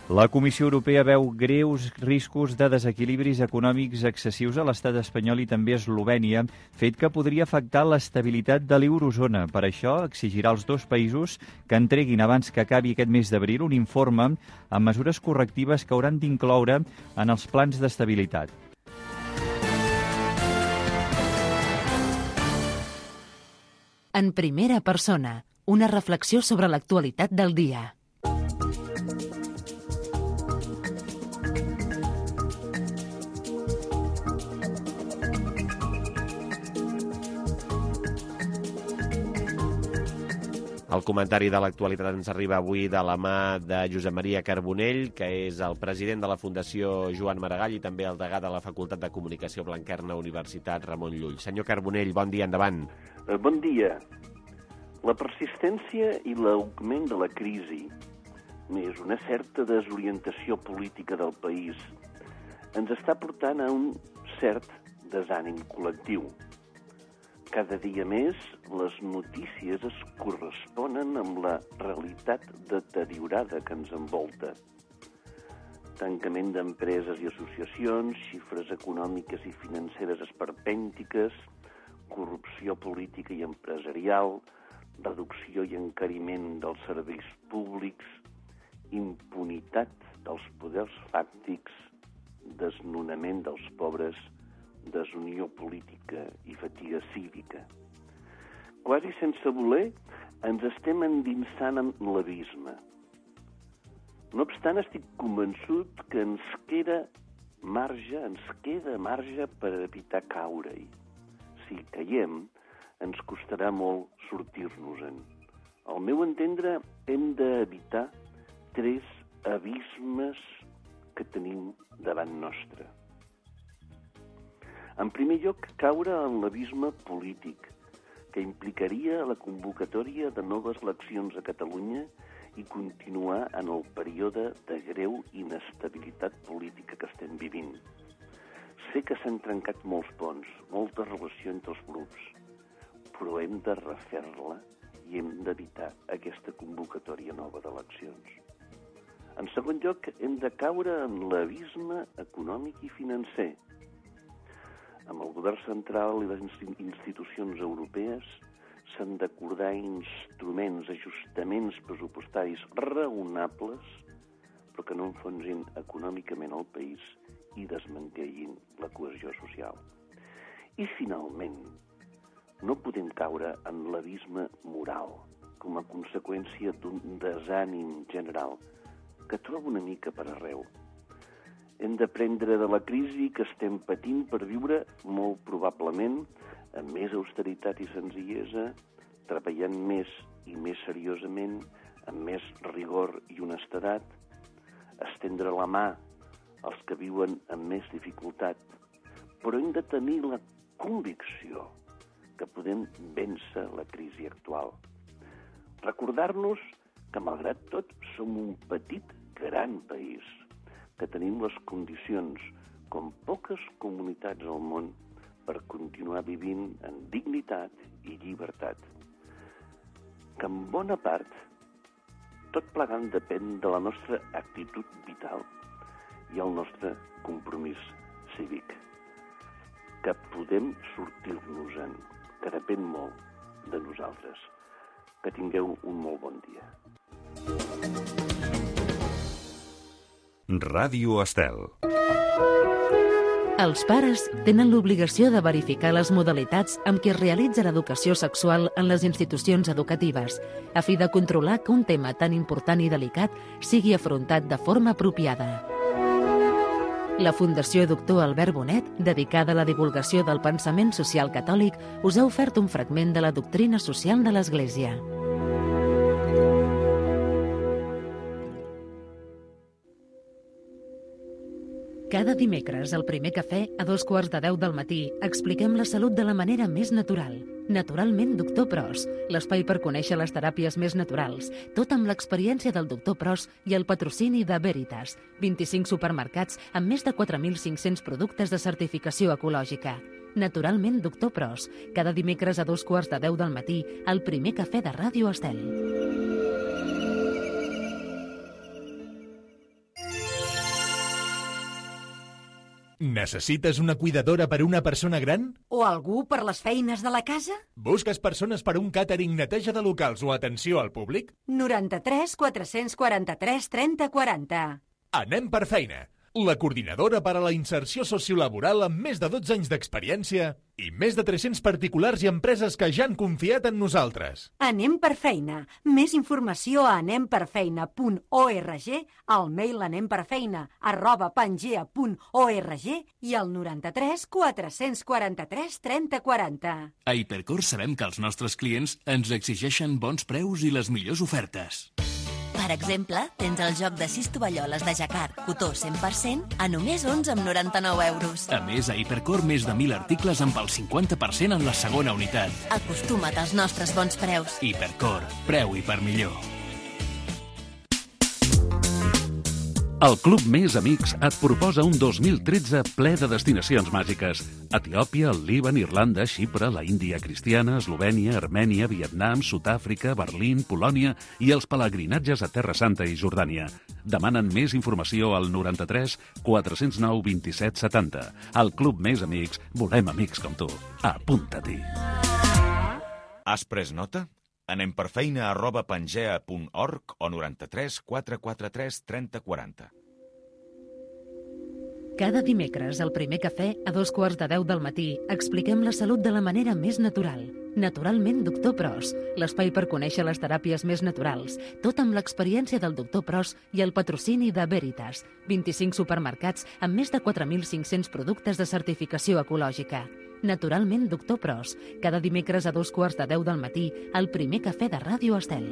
La Comissió Europea veu greus riscos de desequilibris econòmics excessius a l'estat espanyol i també a Eslovènia, fet que podria afectar l'estabilitat de l'eurozona. Per això exigirà als dos països que entreguin abans que acabi aquest mes d'abril un informe amb mesures correctives que hauran d'incloure en els plans d'estabilitat. En primera persona, una reflexió sobre l'actualitat del dia. El comentari de l'actualitat ens arriba avui de la mà de Josep Maria Carbonell, que és el president de la Fundació Joan Maragall i també el degà de la Facultat de Comunicació Blanquerna, Universitat Ramon Llull. Senyor Carbonell, bon dia, endavant. Bon dia. La persistència i l'augment de la crisi, més una certa desorientació política del país, ens està portant a un cert desànim col·lectiu. Cada dia més, les notícies es corresponen amb la realitat deteriorada que ens envolta. Tancament d'empreses i associacions, xifres econòmiques i financeres esperpèntiques, corrupció política i empresarial, reducció i encariment dels serveis públics, impunitat dels poders fàctics, desnonament dels pobres, desunió política i fatiga cívica. Quasi sense voler, ens estem endinsant en l'abisme. No obstant, estic convençut que ens queda marge per evitar caure-hi. Si caiem, ens costarà molt sortir-nos-en. Al meu entendre, hem d'evitar 3 abismes que tenim davant nostre. En primer lloc, caure en l'abisme polític, que implicaria la convocatòria de noves eleccions a Catalunya i continuar en el període de greu inestabilitat política que estem vivint. Sé que s'han trencat molts ponts, molta relació entre els grups, però hem de refer-la i hem d'evitar aquesta convocatòria nova d'eleccions. En segon lloc, hem de caure en l'abisme econòmic i financer. Amb el govern central i les institucions europees s'han d'acordar instruments, ajustaments pressupostaris raonables, però que no enfonsin econòmicament el país i desmantellin la cohesió social. I, finalment, no podem caure en l'abisme moral com a conseqüència d'un desànim general que trobo una mica per arreu. Hem d'aprendre de la crisi que estem patint per viure, molt probablement, amb més austeritat i senzillesa, treballant més i més seriosament, amb més rigor i honestedat, estendre la mà als que viuen amb més dificultat, però hem de tenir la convicció que podem vèncer la crisi actual. Recordar-nos que, malgrat tot, som un petit, gran país, que tenim les condicions, com poques comunitats al món, per continuar vivint en dignitat i llibertat. Que en bona part, tot plegant depèn de la nostra actitud vital i el nostre compromís cívic. Que podem sortir-nos-en, que depèn molt de nosaltres. Que tingueu un molt bon dia. Ràdio Estel. Els pares tenen l'obligació de verificar les modalitats amb què es realitza l'educació sexual en les institucions educatives, a fi de controlar que un tema tan important i delicat sigui afrontat de forma apropiada. La Fundació Doctor Albert Bonet, dedicada a la divulgació del pensament social catòlic, us ha ofert un fragment de la doctrina social de l'Església. Cada dimecres, al primer cafè, a 2:15 del matí, expliquem la salut de la manera més natural. Naturalment, Doctor Pros, l'espai per conèixer les teràpies més naturals, tot amb l'experiència del Doctor Pros i el patrocini de Veritas, 25 supermercats amb més de 4.500 productes de certificació ecològica. Naturalment, Doctor Pros, cada dimecres a 2:15 del matí, al primer cafè de Ràdio Estel. Necessites una cuidadora per a una persona gran? O algú per les feines de la casa? Busques persones per a un càtering, neteja de locals o atenció al públic? 93 443 30 40. Anem per feina. la coordinadora per a la inserció sociolaboral amb més de 12 anys d'experiència i més de 300 particulars i empreses que ja han confiat en nosaltres. Anem per feina. Més informació a anemperfeina.org, al mail anemperfeina@pangea.org i al 93 443 3040. A Hipercor sabem que els nostres clients ens exigeixen bons preus i les millors ofertes. Per exemple, tens el joc de 6 tovalloles de jacquard, cotó 100%, a només 11,99 euros. A més, a Hipercor més de 1.000 articles amb el 50% en la segona unitat. Acostuma't als nostres bons preus. Hipercor, preu i per millor. El Club Més Amics et proposa un 2013 ple de destinacions màgiques. Etiòpia, el Líban, Irlanda, Xipre, la Índia cristiana, Eslovènia, Armènia, Vietnam, Sud-àfrica, Berlín, Polònia i els pelegrinatges a Terra Santa i Jordània. Demanen més informació al 93 409 27 70. Al Club Més Amics volem amics com tu. Apunta-t'hi. Has pres nota? Anem per feina@pangea.org o 93 443 3040. Cada dimecres, al primer cafè, a 9:15 del matí, expliquem la salut de la manera més natural. Naturalment, Doctor Pros, l'espai per conèixer les teràpies més naturals, tot amb l'experiència del Doctor Pros i el patrocini de Veritas, 25 supermercats amb més de 4.500 productes de certificació ecològica. Naturalment, Doctor Pros, cada dimecres a 9:15 del matí, al primer cafè de Ràdio Estel.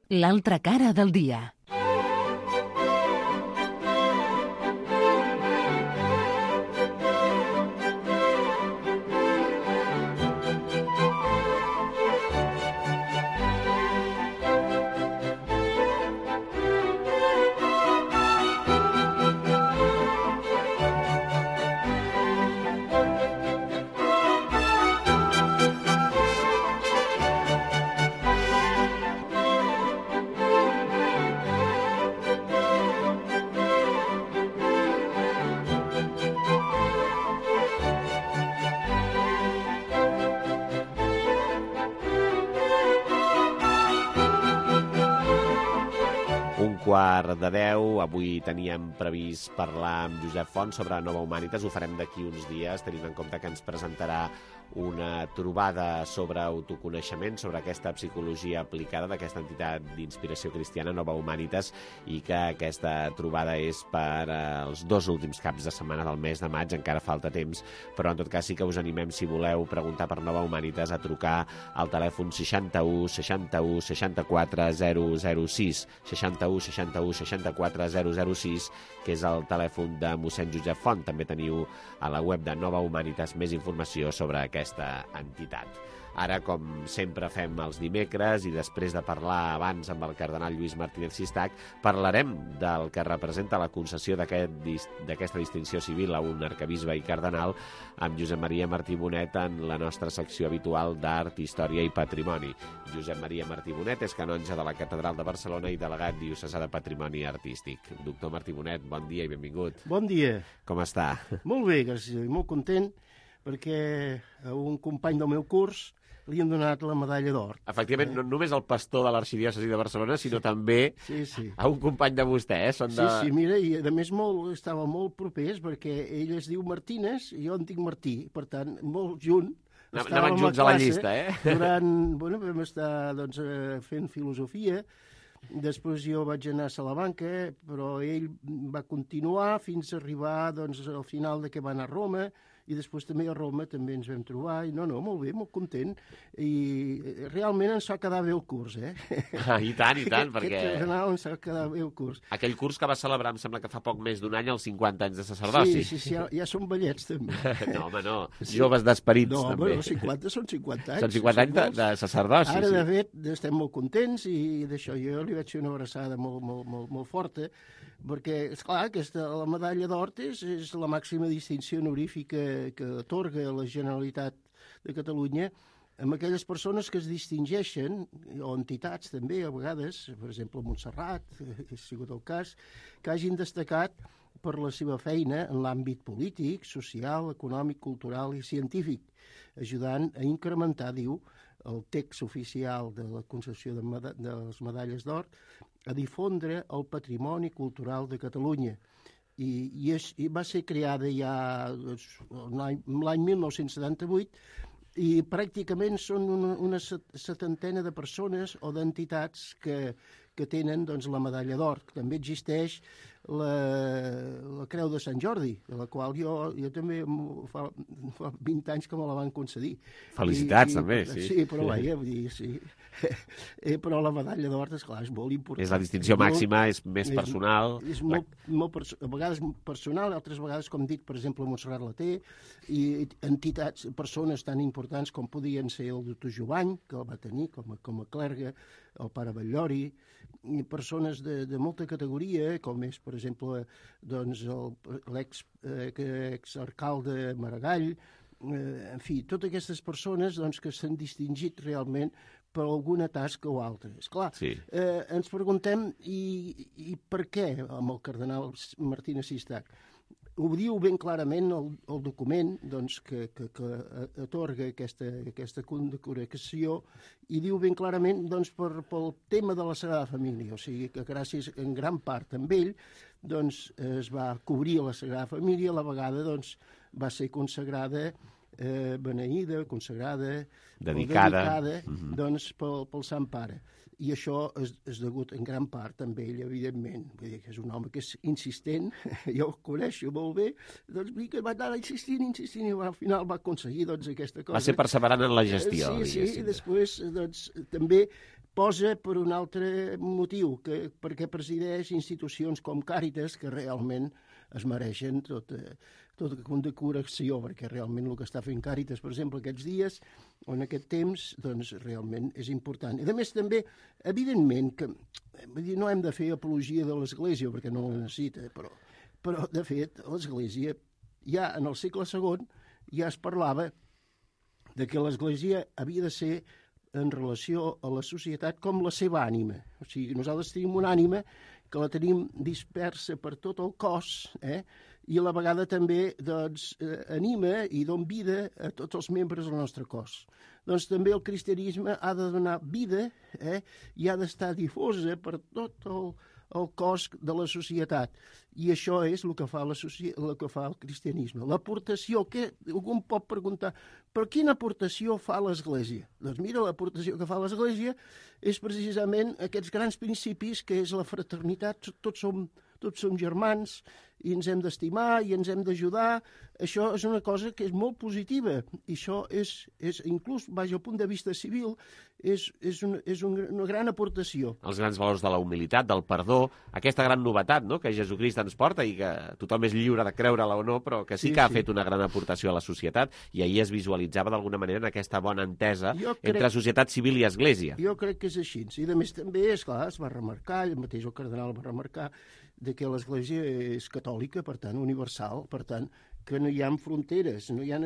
L'altra cara del dia. Quart de 10. Avui teníem previst parlar amb Josep Font sobre Nova Humanitas. Ho farem d'aquí uns dies, tenint en compte que ens presentarà una trobada sobre autoconeixement, sobre aquesta psicologia aplicada d'aquesta entitat d'inspiració cristiana, Nova Humanitas, i que aquesta trobada és per els 2 últims caps de setmana del mes de maig. Encara falta temps, però en tot cas sí que us animem, si voleu preguntar per Nova Humanitas, a trucar al telèfon 61 61 64 006, 61 61 64 006, que és el telèfon de mossèn Josep Font. També teniu a la web de Nova Humanitas més informació sobre aquesta entitat. Ara, com sempre fem els dimecres, i després de parlar abans amb el cardenal Lluís Martínez Sistac, parlarem del que representa la concessió d'aquesta distinció civil a un arquebisbe i cardenal amb Josep Maria Martí Bonet en la nostra secció habitual d'Art, Història i Patrimoni. Josep Maria Martí Bonet és canonge de la Catedral de Barcelona i delegat diocesà de Patrimoni Artístic. Doctor Martí Bonet, bon dia i benvingut. Bon dia. Com està? Molt bé, gràcies, i molt content, perquè a un company del meu curs li han donat la medalla d'or. Efectivament, no només el pastor de l'Arxidiòcesi de Barcelona, sinó també a un company de vostè, Són de... Sí, mira, i a més estava molt propers, perquè ell es diu Martínez i jo en dic Martí, per tant, molt junt. Anaven junts a la llista, Vam estar fent filosofia, després jo vaig anar a Salamanca, però ell va continuar fins a arribar al final de que va anar a Roma, i després també a Roma també ens vam trobar, i molt bé, molt content, i realment ens va quedar bé el curs, I tant, perquè... Ens va quedar bé el curs. Aquell curs que va celebrar, em sembla que fa poc més d'un any, els 50 anys de sacerdoci. Sí, ja són vellets, també. No, home, no, joves d'esperits, també. No, 50 són 50 anys. Són 50 anys de sacerdoci, Ara, de fet, estem molt contents, i d'això jo li vaig fer una abraçada molt forta, perquè, esclar, la medalla d'or és la màxima distinció honorífica que atorga la Generalitat de Catalunya amb aquelles persones que es distingeixen, o entitats també, a vegades, per exemple, Montserrat, que ha sigut el cas, que hagin destacat per la seva feina en l'àmbit polític, social, econòmic, cultural i científic, ajudant a incrementar, diu, el text oficial de la concessió de les medalles d'or a difondre el patrimoni cultural de Catalunya. I va ser creada ja l'any 1978 i pràcticament són una setantena de persones o d'entitats que tenen la medalla d'or. També existeix la Creu de Sant Jordi, de la qual jo també fa 20 anys que me la van concedir. Felicitats, també, sí. Sí, però vaja, vull dir, sí. Però la medalla d'or, esclar, és molt important. És la distinció màxima, és més personal. És molt, a vegades personal, altres vegades, com dic, per exemple, Montserrat la té, i entitats, persones tan importants com podien ser el doctor Jovany, que el va tenir com a clergue, el pare Batllori, i persones de molta categoria, com és, per exemple, l'exarcalde Maragall, en fi, totes aquestes persones que s'han distingit realment per alguna tasca o altra. Esclar, ens preguntem i per què amb el cardenal Martínez Sistac? Ho diu ben clarament el document que atorga aquesta condecoració i diu ben clarament pel tema de la Sagrada Família, o sigui que gràcies en gran part amb ell es va cobrir la Sagrada Família, a la vegada va ser consagrada, beneïda, consagrada, dedicada pel Sant Pare. I això és degut en gran part amb ell, evidentment. Vull dir que és un home que és insistent, jo el coneixo molt bé, que va anar insistint, i al final va aconseguir aquesta cosa. Va ser perseverant en la gestió. Sí, i després també posa per un altre motiu, perquè presideix institucions com Càritas, que realment es mereixen tota condecoració, perquè realment el que està fent Càritas, per exemple, aquests dies o en aquest temps, realment és important. I a més també, evidentment, que no hem de fer apologia de l'Església, perquè no la necessita, però de fet, l'Església, ja en el segle II, ja es parlava de que l'Església havia de ser en relació a la societat com la seva ànima. O sigui, nosaltres tenim una ànima que la tenim dispersa per tot el cos, i a la vegada també anima i dona vida a tots els membres del nostre cos. Doncs també el cristianisme ha de donar vida i ha d'estar difosa per tot el cos de la societat. I això és el que fa el cristianisme. L'aportació, que algú pot preguntar, però quina aportació fa l'Església? Doncs mira, l'aportació que fa l'Església és precisament aquests grans principis, que és la fraternitat, tots som germans, i ens hem d'estimar i ens hem d'ajudar. Això és una cosa que és molt positiva, i això és inclús, al punt de vista civil, és una gran aportació. Els grans valors de la humilitat, del perdó, aquesta gran novetat que Jesucrist ens porta i que tothom és lliure de creure-la o no, però que sí que ha fet una gran aportació a la societat, i ahir es visualitzava d'alguna manera en aquesta bona entesa entre societat civil i església. Jo crec que és així. I a més també, esclar, es va remarcar, el mateix el cardenal va remarcar, que l'església és catòlica, per tant, universal, per tant, que no hi ha fronteres, no hi ha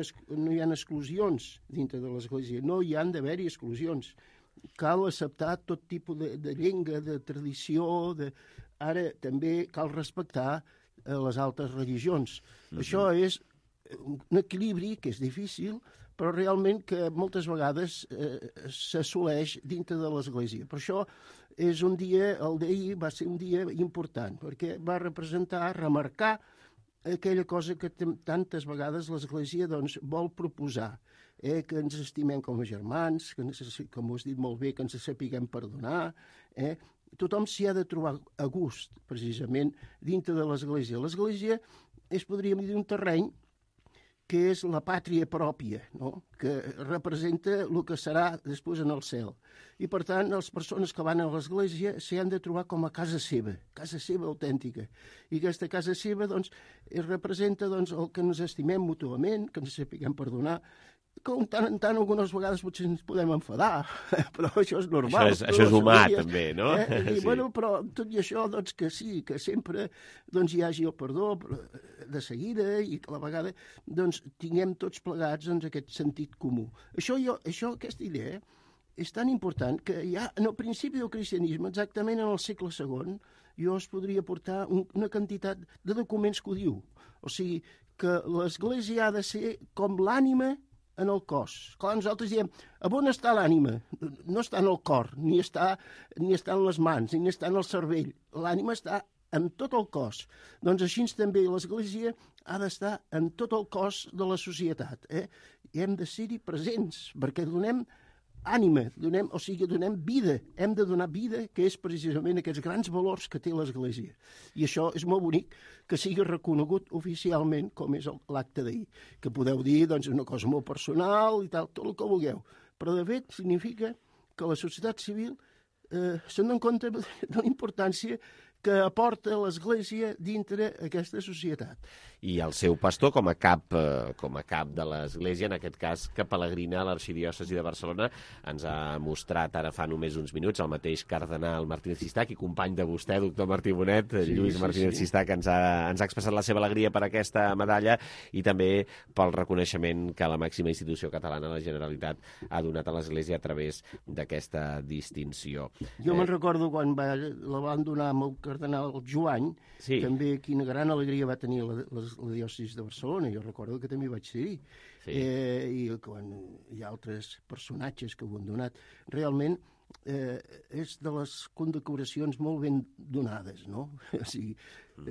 exclusions dintre de l'església, no hi han d'haver-hi exclusions. Cal acceptar tot tipus de llengua, de tradició, ara també cal respectar les altres religions. Això és un equilibri que és difícil, però realment que moltes vegades s'assoleix dintre de l'Església. Per això és un dia, el d'ahir va ser un dia important, perquè va remarcar aquella cosa que tantes vegades l'Església vol proposar, que ens estimem com a germans, que, com ho has dit molt bé, que ens sapiguem perdonar. Tothom s'hi ha de trobar a gust, precisament, dintre de l'Església. L'Església és, podríem dir, un terreny que és la pàtria pròpia, que representa el que serà després en el cel. I, per tant, les persones que van a l'església s'hi han de trobar com a casa seva autèntica. I aquesta casa seva representa el que ens estimem mútuament, que ens sapiguem perdonar, que tant en tant algunes vegades potser ens podem enfadar, però això és normal. Això és humà, també, no? Però tot i això, que sí, que sempre hi hagi el perdó de seguida i que a la vegada tinguem tots plegats aquest sentit comú. Aquesta idea és tan important que ja en el principi del cristianisme, exactament en el segle II, jo es podria portar una quantitat de documents que ho diu. O sigui, que l'Església ha de ser com l'ànima en el cos. Clar, nosaltres diem, on està l'ànima? No està en el cor, ni està en les mans, ni està en el cervell. L'ànima està en tot el cos. Doncs així també l'Església ha d'estar en tot el cos de la societat. I hem de ser-hi presents, perquè donem ànima, donem vida. Hem de donar vida, que és precisament aquests grans valors que té l'Església. I això és molt bonic que sigui reconegut oficialment, com és l'acte d'ahir. Que podeu dir, doncs, una cosa molt personal i tal, tot el que vulgueu. Però, de fet, significa que la societat civil se'n dona compte de la importància que aporta l'Església dintre aquesta societat. I el seu pastor, com a cap de l'Església, en aquest cas, que pelegrina a l'Arxidiòcesi de Barcelona, ens ha mostrat ara fa només uns minuts el mateix cardenal Martínez Sistac i company de vostè, doctor Martí Bonet, Lluís Martínez Sistac, ens ha expressat la seva alegria per aquesta medalla i també pel reconeixement que la màxima institució catalana, la Generalitat, ha donat a l'Església a través d'aquesta distinció. Jo me'n recordo quan la van donar amb el cardenal Joany, també quina gran alegria va tenir la diòcesi de Barcelona. Jo recordo que també vaig ser-hi. I quan hi ha altres personatges que ho han donat. Realment és de les condecoracions molt ben donades, no? O sigui,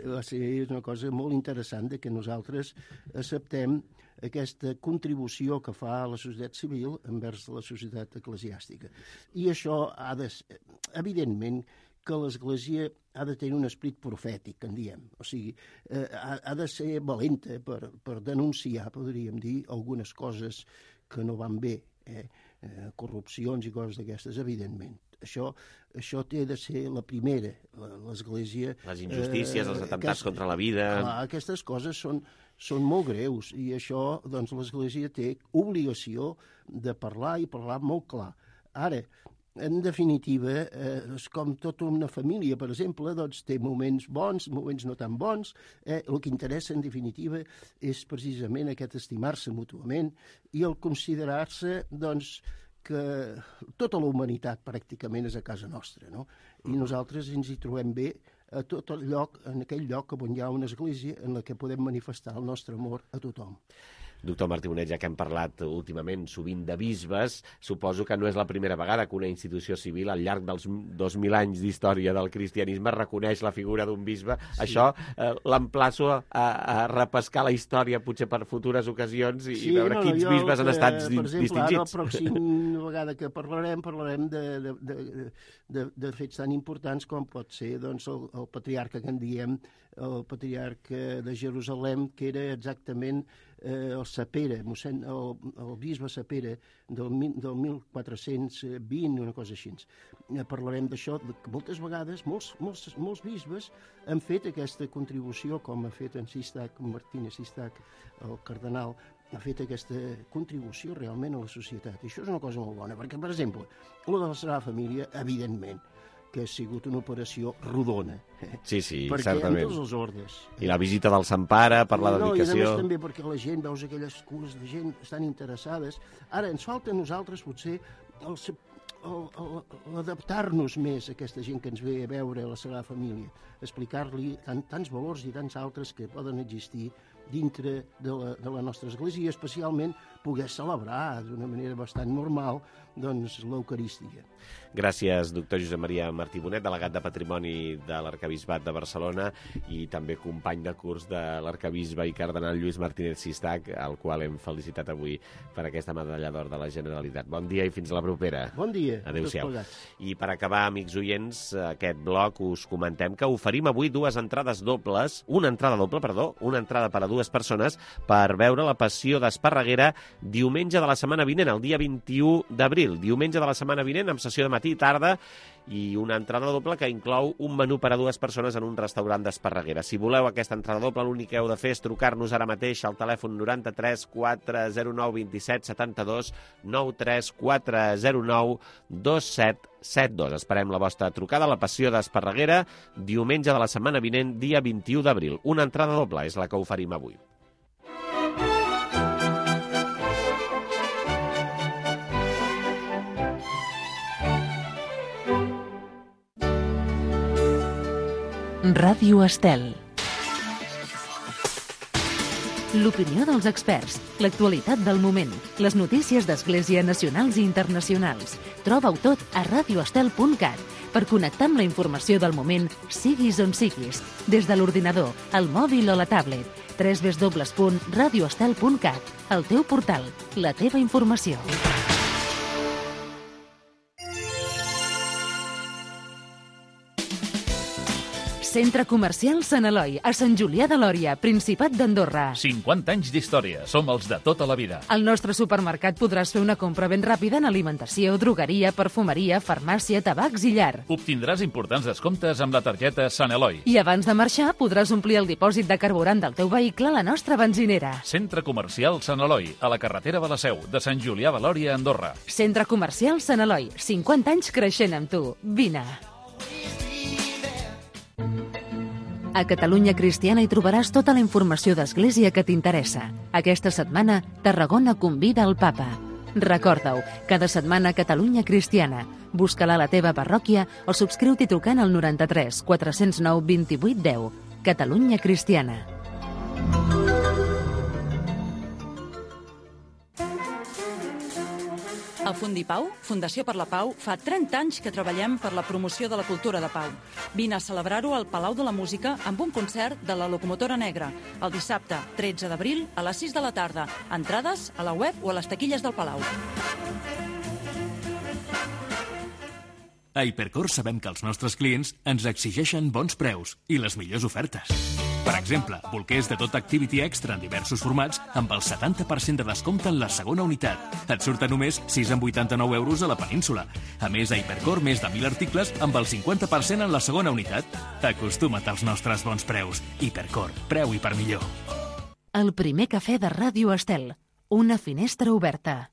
va ser una cosa molt interessant que nosaltres acceptem aquesta contribució que fa la societat civil envers la societat eclesiàstica. I això ha de ser, evidentment, que l'Església ha de tenir un esperit profètic, en diem. O sigui, ha de ser valenta per denunciar, podríem dir, algunes coses que no van bé, corrupcions i coses d'aquestes, evidentment. Això té de ser la primera, l'Església... Les injustícies, els atemptats contra la vida... Clar, aquestes coses són molt greus i això, doncs, l'Església té obligació de parlar i parlar molt clar. Ara, en definitiva, és com tota una família, per exemple, doncs té moments bons, moments no tan bons. El que interessa, en definitiva, és precisament aquest estimar-se mútuament i el considerar-se, doncs, que tota la humanitat pràcticament és a casa nostra, no? I nosaltres ens hi trobem bé a tot el lloc, en aquell lloc on hi ha una església en la que podem manifestar el nostre amor a tothom. Doctor Martí Bonet, ja que hem parlat últimament sovint de bisbes, suposo que no és la primera vegada que una institució civil al llarg dels 2.000 anys d'història del cristianisme reconeix la figura d'un bisbe. Sí. Això l'emplaço a repescar la història potser per futures ocasions i veure quins bisbes han estat distingits. Per exemple, ara la pròxima vegada que parlarem de fets tan importants com pot ser doncs, el patriarca que en diem, el patriarca de Jerusalem, que era exactament el Sapere, el bisbe Sapere del 1420, una cosa així. Parlarem d'això, que moltes vegades molts bisbes han fet aquesta contribució, com ha fet en Sistac, Martínez Sistac, el cardenal, ha fet aquesta contribució realment a la societat. I això és una cosa molt bona, perquè, per exemple, la de la Sagrada Família, evidentment, que ha sigut una operació rodona. Sí, perquè certament. En tots els ordes. I la visita del Sant Pare per la dedicació. I a més també perquè la gent, veus aquelles cures de gent estan interessades. Ara, ens falta a nosaltres, potser, adaptar-nos més a aquesta gent que ens ve a veure a la Sagrada Família, explicar-li tants valors i tants altres que poden existir dintre de la nostra església, i especialment poder celebrar d'una manera bastant normal doncs, l'Eucarístia. Gràcies, doctor Josep Maria Martí Bonet, delegat de Patrimoni de l'Arquebisbat de Barcelona i també company de curs de l'arquebisbe i cardenal Lluís Martínez Sistac, al qual hem felicitat avui per aquesta medalla d'or de la Generalitat. Bon dia i fins la propera. Bon dia. Adéu-siau. I per acabar, amics oients, aquest bloc us comentem que oferim avui una entrada per a dues persones per veure la Passió d'Esparreguera diumenge de la setmana vinent, el dia 21 d'abril. Diumenge de la setmana vinent, amb sessió de matí i tarda, i una entrada doble que inclou un menú per a dues persones en un restaurant d'Esparreguera. Si voleu aquesta entrada doble, l'únic que heu de fer és trucar-nos ara mateix al telèfon 93 409 27 72 93 409 27 72. Esperem la vostra trucada a la Passió d'Esparreguera diumenge de la setmana vinent, dia 21 d'abril. Una entrada doble és la que oferim avui. Ràdio Estel. l'opinió dels experts, l'actualitat del moment, les notícies d'Església nacionals i internacionals. Troba-ho tot a radioestel.cat per connectar amb la informació del moment, siguis on siguis, des de l'ordinador, el mòbil o la tablet. www.radioestel.cat, el teu portal, la teva informació. Centre Comercial Sant Eloi, a Sant Julià de Lòria, Principat d'Andorra. 50 anys d'història, som els de tota la vida. Al nostre supermercat podràs fer una compra ben ràpida en alimentació, drogueria, perfumeria, farmàcia, tabacs i llar. Obtindràs importants descomptes amb la targeta Sant Eloi. I abans de marxar podràs omplir el dipòsit de carburant del teu vehicle a la nostra benzinera. Centre Comercial Sant Eloi, a la carretera de la Seu, de Sant Julià de Lòria, Andorra. Centre Comercial Sant Eloi, 50 anys creixent amb tu. Vine. A Catalunya Cristiana hi trobaràs tota la informació d'Església que t'interessa. Aquesta setmana, Tarragona convida el Papa. Recorda-ho, cada setmana Catalunya Cristiana. Busca-la a la teva parròquia o subscriu-t'hi trucant al 93 409 28 10. Catalunya Cristiana. A Fundipau, Fundació per la Pau, fa 30 anys que treballem per la promoció de la cultura de pau. Vine a celebrar-ho al Palau de la Música amb un concert de la Locomotora Negra, el dissabte 13 d'abril a les 6 de la tarda. Entrades a la web o a les taquilles del Palau. A Hipercor sabem que els nostres clients ens exigeixen bons preus i les millors ofertes. Per exemple, bolquers de tot Activity Extra en diversos formats amb el 70% de descompte en la segona unitat. Et surten només 6,89 euros a la península. A més, a Hipercor, més de 1.000 articles amb el 50% en la segona unitat. Acostuma't als nostres bons preus. Hipercor, preu i per millor. El primer cafè de Ràdio Estel. Una finestra oberta.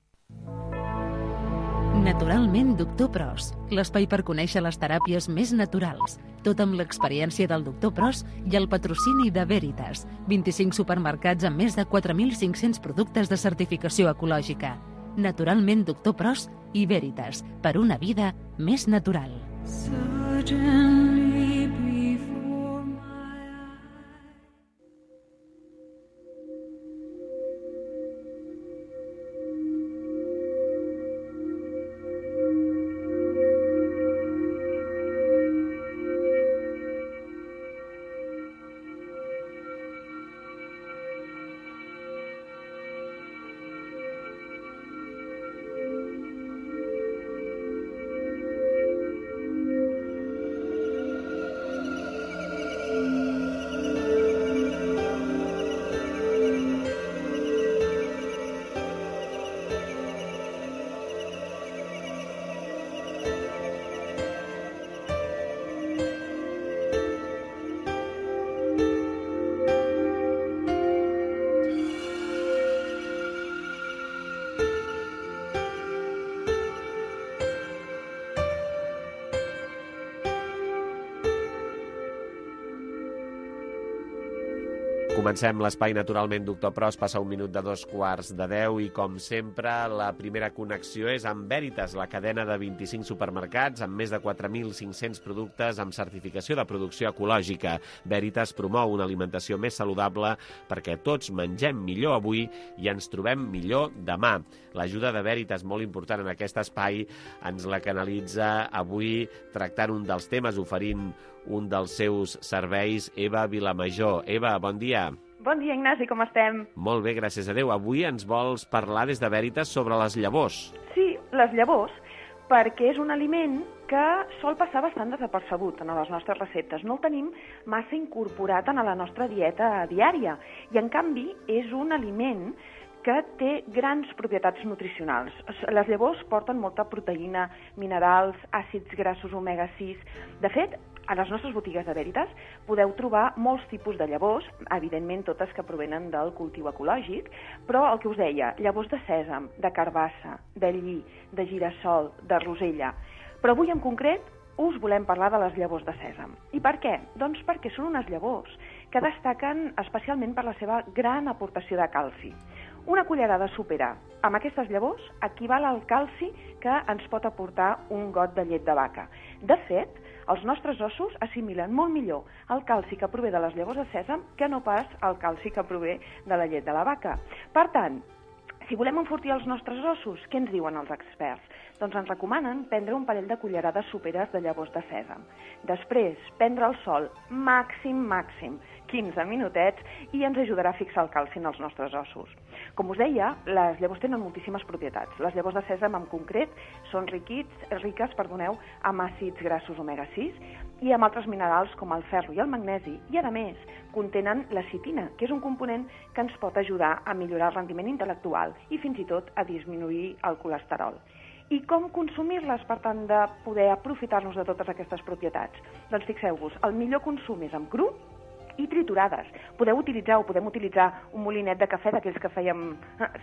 Naturalment Doctor Pros, l'espai per conèixer les teràpies més naturals. Tot amb l'experiència del Doctor Pros i el patrocini de Veritas. 25 supermercats amb més de 4.500 productes de certificació ecològica. Naturalment Doctor Pros i Veritas, per una vida més natural. Comencem l'espai naturalment Doctor Pros, passa un minut de 2:15 i com sempre la primera connexió és amb Veritas, la cadena de 25 supermercats amb més de 4.500 productes amb certificació de producció ecològica. Veritas promou una alimentació més saludable perquè tots mengem millor avui i ens trobem millor demà. L'ajuda de Veritas, molt important en aquest espai, ens la canalitza avui tractant un dels temes, oferint un dels seus serveis, Eva Vilamajor. Eva, bon dia. Bon dia, Ignasi, com estem? Molt bé, gràcies a Déu. Avui ens vols parlar des de Veritas sobre les llavors. Sí, les llavors, perquè és un aliment que sol passar bastant desapercebut en les nostres receptes. No el tenim massa incorporat en la nostra dieta diària i, en canvi, és un aliment que té grans propietats nutricionals. Les llavors porten molta proteïna, minerals, àcids grassos omega-6. De fet, a les nostres botigues de Veritas podeu trobar molts tipus de llavors, evidentment totes que provenen del cultiu ecològic, però el que us deia, llavors de sèsam, de carbassa, de lli, de girassol, de rosella. Però avui en concret us volem parlar de les llavors de sèsam. I per què? Doncs perquè són unes llavors que destaquen especialment per la seva gran aportació de calci. Una cullerada sopera amb aquestes llavors equival al calci que ens pot aportar un got de llet de vaca. De fet, els nostres ossos assimilen molt millor el calci que prové de les llavors de sèsam que no pas el calci que prové de la llet de la vaca. Per tant, si volem enfortir els nostres ossos, què ens diuen els experts? Doncs ens recomanen prendre un parell de cullerades soperes de llavors de sèsam. Després, prendre el sol màxim, 15 minutets, i ens ajudarà a fixar el calci en els nostres ossos. Com us deia, les llavors tenen moltíssimes propietats. Les llavors de sèsam en concret són riques amb àcids grassos omega-6 i amb altres minerals com el ferro i el magnesi, i a més contenen la citina, que és un component que ens pot ajudar a millorar el rendiment intel·lectual i fins i tot a disminuir el colesterol. I com consumir-les per tant de poder aprofitar-nos de totes aquestes propietats? Doncs fixeu-vos, el millor consum és amb cru i triturades. Podem utilitzar un molinet de cafè d'aquells que fèiem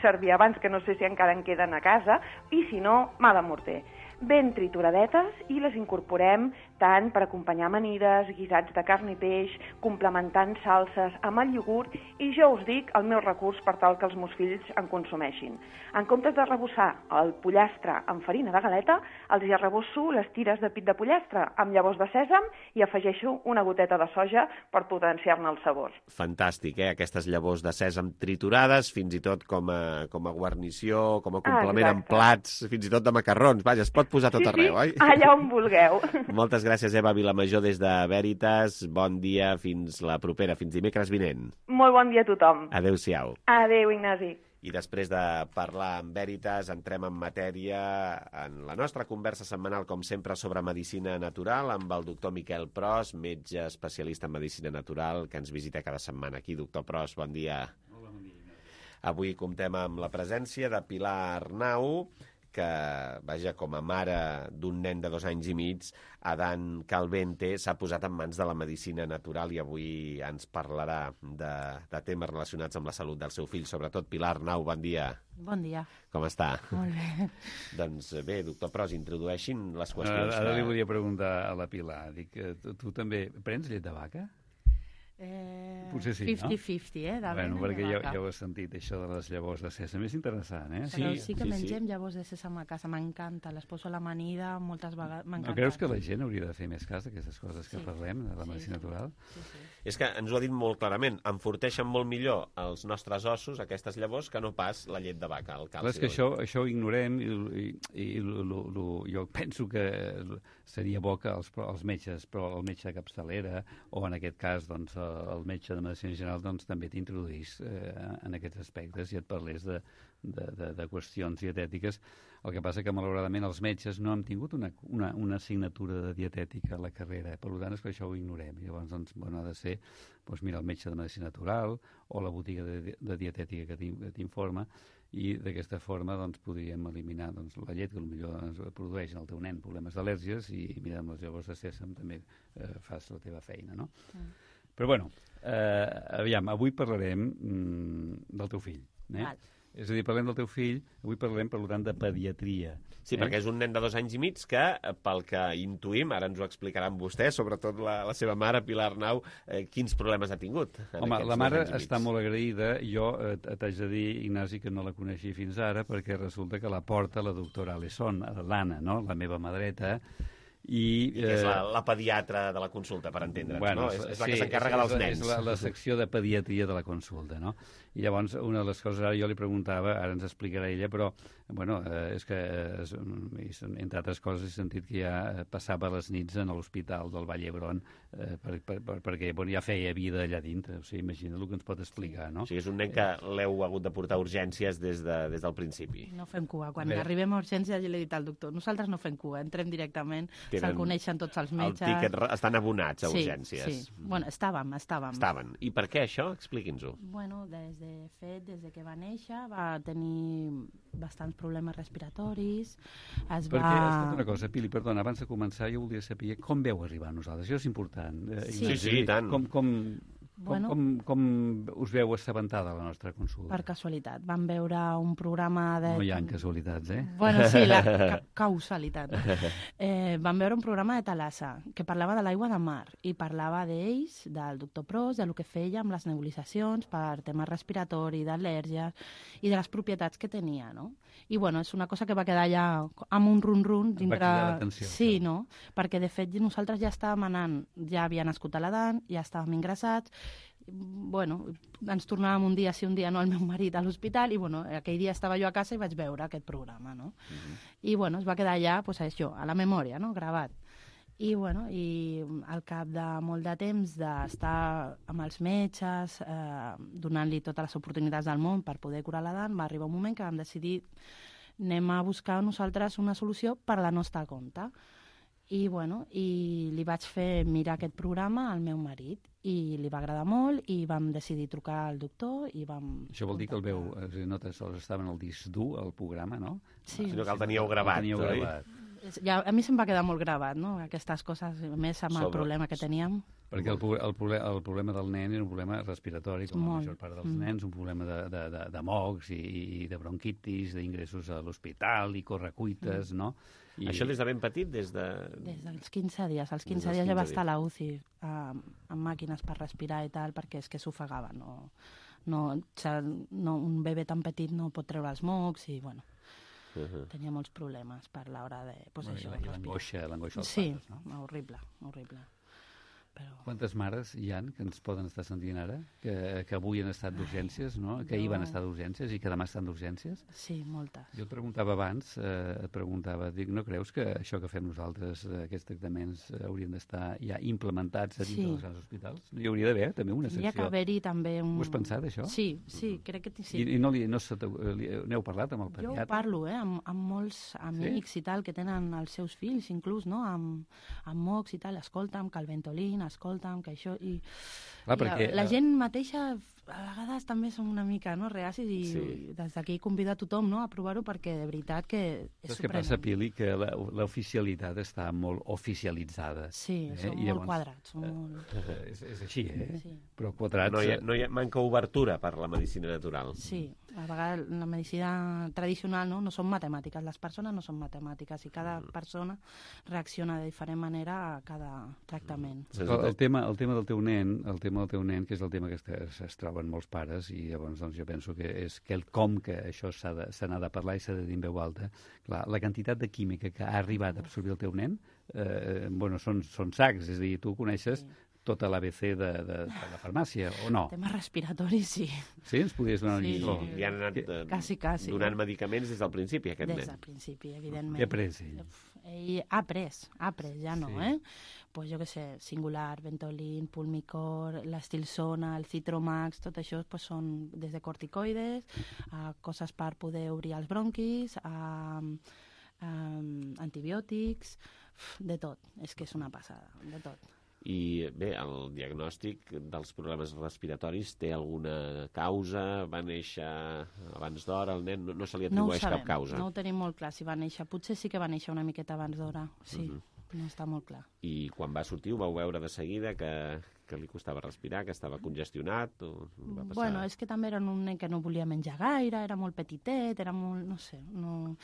servir abans, que no sé si encara en queden a casa, i si no, mà de morter. Ben trituradetes, i les incorporem tant per acompanyar amanides, guisats de carn i peix, complementant salses amb el iogurt, i jo us dic el meu recurs per tal que els meus fills en consumeixin. En comptes de rebossar el pollastre amb farina de galeta, els hi arrebosso les tires de pit de pollastre amb llavors de sèsam i afegeixo una goteta de soja per potenciar-ne el sabor. Fantàstic, aquestes llavors de sèsam triturades, fins i tot com a guarnició, com a complement en plats, fins i tot de macarrons. Vaja, es pot posar tot arreu, oi? Allà on vulgueu. Moltes gràcies, Eva Vilamajor, des de Veritas. Bon dia, fins la propera, fins dimecres vinent. Molt bon dia a tothom. Adéu-siau. Adéu, Ignasi. I després de parlar amb Veritas, entrem en matèria en la nostra conversa setmanal, com sempre, sobre medicina natural, amb el doctor Miquel Pros, metge especialista en medicina natural, que ens visita cada setmana aquí. Doctor Pros, bon dia. Hola, bon dia. Avui comptem amb la presència de Pilar Arnau, que, vaja, com a mare d'un nen de 2 anys i mig, Adán Calvente, s'ha posat en mans de la medicina natural i avui ens parlarà de temes relacionats amb la salut del seu fill. Sobretot, Pilar Arnau, bon dia. Bon dia. Com està? Molt bé. Doncs bé, doctor Pros, introdueixin les qüestions. Ara li volia preguntar a la Pilar. Dic, tu també prens llet de vaca? Potser sí, 50-50, no? Bueno, perquè jo he sentit això de les llavors de sèsam, és interessant, eh? Però sí que mengem llavors de sèsam a casa, m'encanta, les poso a l'amanida, moltes vegades m'encanta. No creus que la gent hauria de fer més cas d'aquestes coses que parlem, de la medicina natural? Sí. És que ens ho ha dit molt clarament, enforteixen molt millor els nostres ossos, aquestes llavors, que no pas la llet de vaca, el calci. Clar, és que això ho ignorem i jo penso que seria bo que els metges, però el metge de capçalera, o en aquest cas, doncs, el metge de medicina general, doncs, també t'introduís en aquests aspectes i et parlés de qüestions dietètiques. El que passa que, malauradament, els metges no hem tingut una assignatura de dietètica a la carrera, per tant, és que això ho ignorem. I llavors, doncs, bueno, ha de ser, doncs, mira, el metge de medicina natural o la botiga de dietètica que t'informa, i d'aquesta forma, doncs, podríem eliminar, doncs, la llet que potser produeix en el teu nen problemes d'al·lèrgies, i mira, amb les llavors de sèsam també fas la teva feina, no? Però, bueno, aviam, avui parlarem del teu fill, Val. És a dir, parlem del teu fill, avui parlem, per tant, de pediatria. Sí, perquè és un nen de 2 anys i mig que, pel que intuïm, ara ens ho explicaran vostès, sobretot la seva mare, Pilar Arnau, quins problemes ha tingut. Home, la mare està molt agraïda. Jo t'haig de dir, Ignasi, que no la coneixia fins ara, perquè resulta que la porta la doctora Alesson, l'Anna, no?, la meva mà dreta, i que és la pediatra de la consulta, per entendre'ns, bueno, no? És la que s'encarrega dels nens. És la secció de pediatria de la consulta, no? I llavors, una de les coses, ara jo li preguntava, ara ens explicarà ella, però, bueno, és que, entre altres coses, he sentit que ja passava les nits en l'hospital del Vall d'Hebron, perquè ja feia vida allà dintre. O sigui, imagina el que ens pot explicar, no? O sigui, és un nen que l'heu hagut de portar a urgències des del principi. No fem cua. Quan arribem a urgències, ja l'he dit al doctor, nosaltres no fem cua, entrem directament, se'l coneixen tots els metges. El tiquet, estan abonats a urgències. Sí. Bueno, estàvem. I per què això? Expliqui'ns-ho. Bueno, des que va néixer, va tenir bastants problemes respiratoris. Perquè, escolta una cosa, Pili, perdona, abans de començar jo volia saber com veu arribar a nosaltres. Això és important. Sí, i tant. Bueno, Com us veu assabentada la nostra consulta? per casualitat. Vam veure un programa de... No hi ha casualitats, eh? Bueno, sí, la causalitat. Vam veure un programa de Thalassa que parlava de l'aigua de mar i parlava d'ells, del doctor Pros, de lo que feia amb les nebulitzacions per temes respiratoris, d'al·lèrgies i de les propietats que tenia, no? I, bueno, és una cosa que va quedar allà amb un run-run dintre... Va cridar l'atenció. Sí, no? Perquè, de fet, nosaltres ja estàvem anant, ja havia nascut a l'Adan, ja estàvem ingressats, bueno, ens tornàvem un dia sí, un dia no, el meu marit a l'hospital i, bueno, aquell dia estava jo a casa i vaig veure aquest programa, no? I, bueno, es va quedar allà, pues, això, a la memòria, no?, gravat. I, bueno, i al cap de molt de temps d'estar amb els metges, donant-li totes les oportunitats del món per poder curar l'Adan, va arribar un moment que vam decidir anem a buscar nosaltres una solució per la nostra compte. I, bueno, i li vaig fer mirar aquest programa al meu marit i li va agradar molt i vam decidir trucar al doctor i vam... Això vol dir que el veu, no tan sols estava en el disc dur, el programa, no? Sí. Sinó que el teníeu gravat. Ja, a mi se'm va quedar molt gravat, no?, aquestes coses, més amb el problema que teníem. Perquè el problema del nen era un problema respiratori, com la major part dels nens, un problema de mocs i de bronquitis, d'ingressos a l'hospital i correcuites, no? I... Això des de ben petit, des de... Des dels 15 dies. Als 15 dies ja va estar a la UCI amb màquines per respirar i tal, perquè és que s'ofegava. Un bebè tan petit no pot treure els mocs i, bueno, tenia molts problemes per l'hora de... Pues, això, l'angoixa dels sí, pares, no? Sí, horrible, horrible. Però... Quantes mares hi ha que ens poden estar sentint ara? Que avui han estat d'urgències, no? Que ahir van estar d'urgències i que demà estan d'urgències? Sí, moltes. Jo et preguntava abans, dic, no creus que això que fem nosaltres, aquests tractaments, haurien d'estar ja implementats a dins dels hospitals? Hi hauria d'haver també una secció. Hauria que haver-hi també un... Ho has pensat, això? Sí, crec que sí. I n'heu parlat amb el pediatre? Jo parlo, amb molts amics i tal, que tenen els seus fills, inclús, no?, amb mocs i tal, escolta'm, que el Ventolin, escolta'm, que això... I perquè la gent mateixa a vegades també som una mica, no?, reacis i des d'aquí convido a tothom, no?, a provar-ho perquè de veritat que és sorprenent. Què passa, Pili? Que l'oficialitat està molt oficialitzada. Sí, són molt quadrats. És així, eh? Sí. Però quadrats... No hi manca obertura per la medicina natural. Sí, a vegades la medicina tradicional no són matemàtiques, les persones no són matemàtiques i cada persona reacciona de diferent manera a cada tractament. El tema del teu nen, que és el tema que es troben molts pares, i llavors doncs, jo penso que és quelcom que això se n'ha de parlar i s'ha de dir en veu alta. Clar, la quantitat de química que ha arribat a absorbir el teu nen, són sacs, és a dir, tu coneixes tota l'ABC de la farmàcia, o no? Tema respiratori, sí. Sí? Ens podries donar una lliçó? I han anat donant medicaments des del principi, aquest nen. Des del principi, evidentment. Què ha pres ell? Ell ha pres, ja no, Pues jo què sé, Singular, Ventolin, Pulmicor, l'Estilsona, el Citromax, tot això pues, són des de corticoides, a coses per poder obrir els bronquis, a antibiòtics, de tot. És que és una passada, de tot. I bé, el diagnòstic dels problemes respiratoris té alguna causa? Va néixer abans d'hora? El nen no se li atribueix cap causa? No ho tenim molt clar si va néixer. Potser sí que va néixer una miqueta abans d'hora, sí. No està molt clar. I quan va sortir ho vau veure de seguida que li costava respirar, que estava congestionat? O va passar... Bueno, és que també era un nen que no volia menjar gaire, era molt petitet, era molt... no sé, no...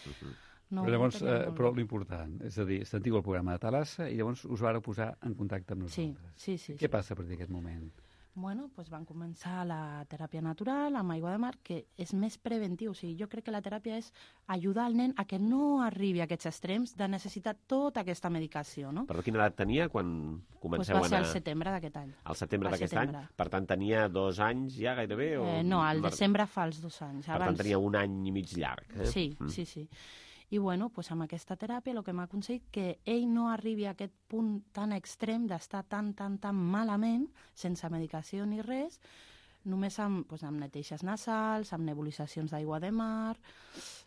No, però llavors, però l'important, és a dir, sentiu el programa de Thalassa i llavors us vàreu posar en contacte amb nosaltres. Sí. Què passa a partir d'aquest moment? Bueno, doncs van començar la teràpia natural amb aigua de mar, que és més preventiu. O sigui, jo crec que la teràpia és ajudar el nen a que no arribi a aquests extrems de necessitar tota aquesta medicació, no? Però quina edat tenia quan comenceu a anar? Va ser al setembre d'aquest any. Al setembre d'aquest any? Per tant, tenia 2 anys ja gairebé? No, al desembre fa els 2 anys. Per tant, tenia 1 any i mig llarg. Sí. I bueno, doncs amb aquesta teràpia el que m'ha aconseguit que ell no arribi a aquest punt tan extrem d'estar tan malament, sense medicació ni res, només amb neteixes nasals, amb nebulitzacions d'aigua de mar,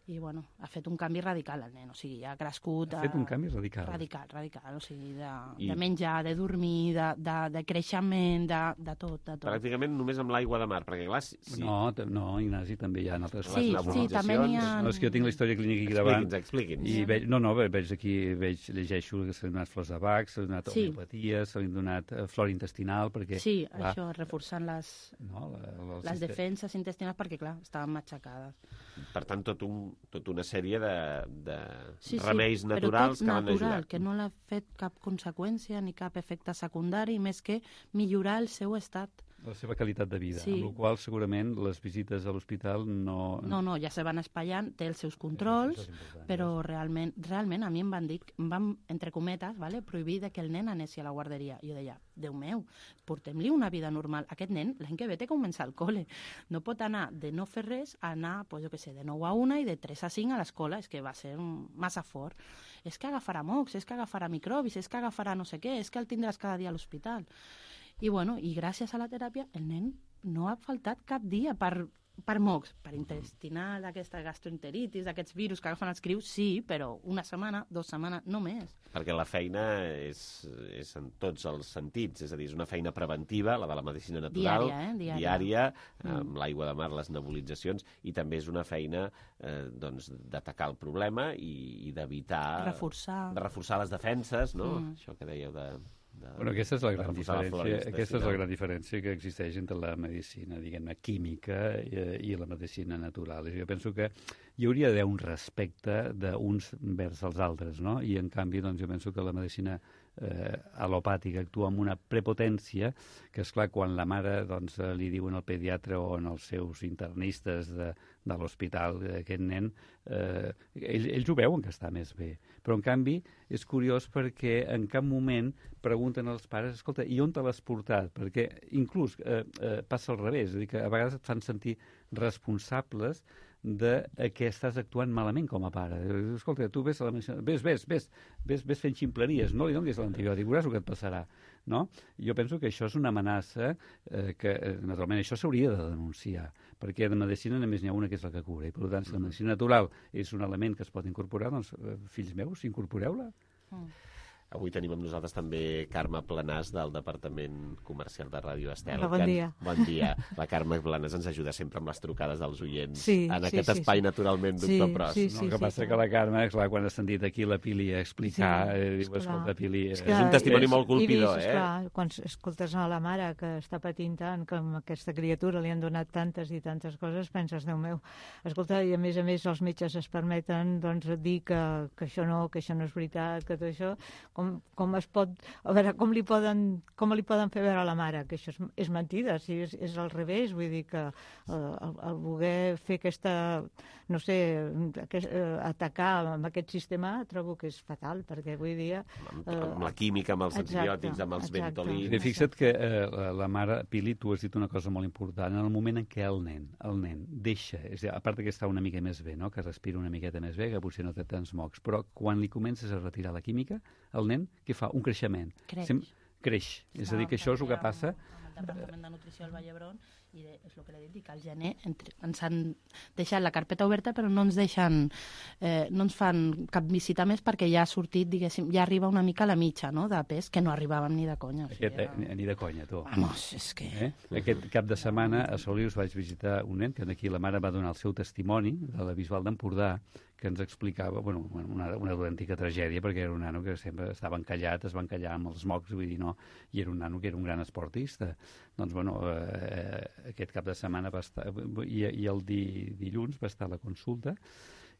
I, bueno, ha fet un canvi radical el nen, o sigui, ha crescut... Ha fet un canvi radical. Radical, o sigui, de menjar, de dormir, de creixement, de tot. Pràcticament només amb l'aigua de mar, perquè clar... No, Ignasi, també hi ha altres coses. Sí, també n'hi ha... No, és que jo tinc la història clínica aquí davant. Expliqui'ns. I veig aquí, llegeixo que s'han donat flors de Bach, s'han donat homeopaties, s'han donat flora intestinal, perquè... Sí, això, reforçant les defenses intestinals, perquè, clar, estaven matxacades. Per tant, tota una sèrie de remeis naturals que van ajudar. Que no l'ha fet cap conseqüència ni cap efecte secundari, més que millorar el seu estat. La seva qualitat de vida, amb la qual segurament les visites a l'hospital no... No, ja se van espatllant, té els seus controls, però realment a mi em van dir, entre cometes, prohibir que el nen anés a la guarderia. Jo deia, Déu meu, portem-li una vida normal. Aquest nen, l'any que ve té que començar al col·le. No pot anar de no fer res a anar, jo què sé, de 9 a 1 i de 3 a 5 a l'escola. És que va ser massa fort. És que agafarà mocs, és que agafarà microbis, és que agafarà no sé què, és que el tindràs cada dia a l'hospital. I gràcies a la teràpia el nen no ha faltat cap dia per mocs, per intestinal, d'aquesta gastroenteritis, d'aquests virus que agafen els crius, sí, però una setmana, 2 setmanes, no més. Perquè la feina és en tots els sentits, és a dir, és una feina preventiva, la de la medicina natural, diària, amb l'aigua de mar, les nebulitzacions, i també és una feina d'atacar el problema i d'evitar... Reforçar les defenses, no? Això que dèieu de... Aquesta és la gran diferència. Aquesta és la gran diferència que existeix entre la medicina, diguem-ne, química i la medicina natural. Jo penso que hi hauria d'haver un respecte d'uns vers als altres, no? I en canvi, doncs, jo penso que la medicina alopàtica actua amb una prepotència que, esclar, quan la mare li diuen al pediatre o als seus internistes de l'hospital aquest nen, ells ho veuen que està més bé. Però, en canvi, és curiós perquè en cap moment pregunten als pares, escolta, i on te l'has portat? Perquè inclús passa al revés, és a dir, que a vegades et fan sentir responsables de que estàs actuant malament com a pare. Escolta, tu ves fent ximpleries, no li donis l'antibiòtic, veuràs el que et passarà. No? Jo penso que això és una amenaça que, naturalment, això s'hauria de denunciar, perquè de medicina només n'hi ha una que és la que cura, i per tant, si la medicina natural és un element que es pot incorporar, doncs, fills meus, incorporeu-la. Avui tenim amb nosaltres també Carme Planàs, del Departament Comercial de Ràdio Estel. Hola, bon dia. Bon dia. La Carme Planàs ens ajuda sempre amb les trucades dels oients en aquest espai, naturalment, doctor Pros. El que passa que la Carme, clar, quan ha sentit aquí la Pili explicar, diu, escolta, Pili... És un testimoni molt colpidor, Quan escoltes a la mare que està patint tant, que a aquesta criatura li han donat tantes i tantes coses, penses, Déu meu, escolta, i a més els metges es permeten dir que això no és veritat, que tot això... Com es pot... A veure, com li poden fer veure a la mare que això és mentida, si és al revés, vull dir que el voler fer aquesta, no sé, atacar amb aquest sistema trobo que és fatal, perquè avui dia... Amb la química, amb els antibiòtics, amb els ventolins... Fixa't que la mare, Pili, tu has dit una cosa molt important, en el moment en què el nen deixa, és a dir, a part que està una mica més bé, no? Que respira una miqueta més bé, que potser no té tants mocs, però quan li comences a retirar la química, el nen, què fa? Un creixement. Creix. És a dir, que això és el que passa... Amb el Departament de Nutrició al Vall d'Hebron, i és el que l'he dit, que al gener ens han deixat la carpeta oberta, però no ens deixen, no ens fan cap visita més perquè ja ha sortit, diguéssim, ja arriba una mica a la mitja, no?, de pes, que no arribàvem ni de conya. Ni de conya, tu. Vamos, és que... Aquest cap de setmana a Solius vaig visitar un nen, que aquí la mare va donar el seu testimoni de la Bisbal d'Empordà, que ens explicava una autèntica tragèdia, perquè era un nano que sempre estava encallat, es va encallar amb els mocs, vull dir, no, i era un nano que era un gran esportista. Doncs, aquest cap de setmana va estar, i el dilluns va estar a la consulta,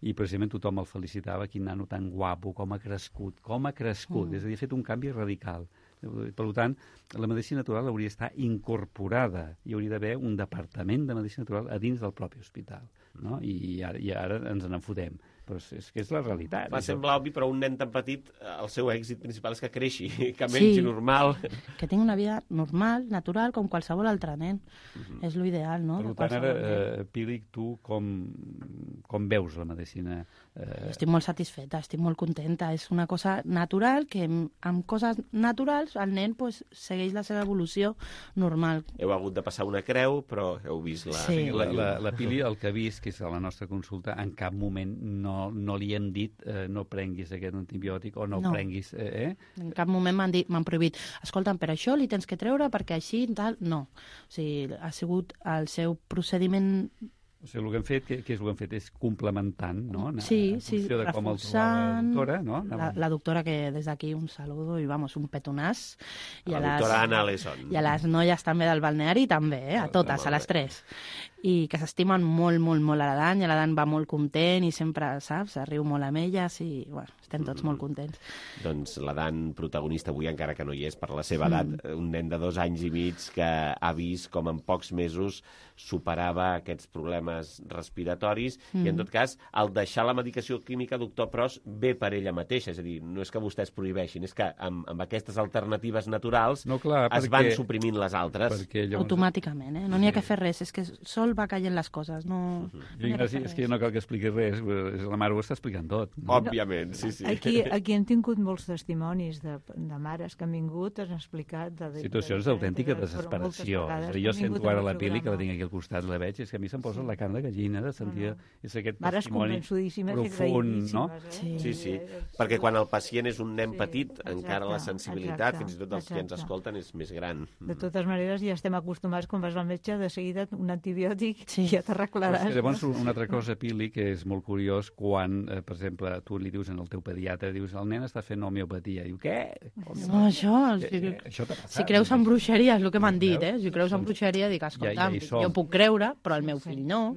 i precisament tothom el felicitava, quin nano tan guapo, com ha crescut, és a dir, ha fet un canvi radical. Per tant, la medicina natural hauria d'estar incorporada, hi hauria d'haver un departament de medicina natural a dins del propi hospital, no? I ara ens n'enfotem. però és que és la realitat. Va semblar obvi, però un nen tan petit, el seu èxit principal és que creixi, que mengi normal. Que tingui una vida normal, natural, com qualsevol altre nen. És l'ideal, no? Per tant, ara, Pili, tu com veus la medicina? Estic molt satisfeta, estic molt contenta. És una cosa natural que amb coses naturals el nen segueix la seva evolució normal. Heu hagut de passar una creu, però heu vist la... Sí. La Pili, el que ha vist, que és a la nostra consulta, en cap moment no li hem dit no prenguis aquest antibiòtic o no prenguis... En cap moment m'han prohibit. Escolta'm, per això li tens que treure perquè així tal... No. O sigui, ha sigut el seu procediment... O sigui, el que hem fet, què és el que hem fet? És complementant, no? Sí, reforçant... La doctora, no? La doctora, que des d'aquí un saludo i, vamos, un petonàs. La doctora Anna Lesson. I a les noies també del balneari, també, a totes, a les 3. I que s'estimen molt, molt, molt a la Dan, i la Dan va molt content i sempre, saps, riu molt amb elles i, bueno, estem tots molt contents. Doncs la Dan, protagonista avui, encara que no hi és per la seva edat, un nen de 2 anys i mig que ha vist com en pocs mesos superava aquests problemes respiratoris i, en tot cas, al deixar la medicació química, doctor Pros, ve per ella mateixa. És a dir, no és que vostès prohibeixin, és que amb aquestes alternatives naturals es van suprimint les altres. Automàticament, no n'hi ha que fer res, és que sol va caient les coses. No, és que no cal que expliqui res, la mare ho està explicant tot. Òbviament, sí. Aquí hem tingut molts testimonis de mares que han vingut, han explicat... Situacions d'autèntica desesperació. Jo sento ara la Pili, que la tinc aquí al costat, la veig, és que a mi se'm posa la carn de gallina de sentir aquest testimoni profund, no? Sí, perquè quan el pacient és un nen petit, encara la sensibilitat, fins i tot els que ens escolten, és més gran. De totes maneres, ja estem acostumats, quan vas al metge, de seguida un antibiòtic ja t'arreglaràs. Llavors, una altra cosa, Pili, que és molt curiós, quan, per exemple, tu li dius al teu pediatre, dius, el nen està fent homeopatia. Diu, què? No, això... Si creus en bruixeria, és el que m'han dit, Si creus en bruixeria, dic, escolta'm, jo puc creure, però el meu fill no.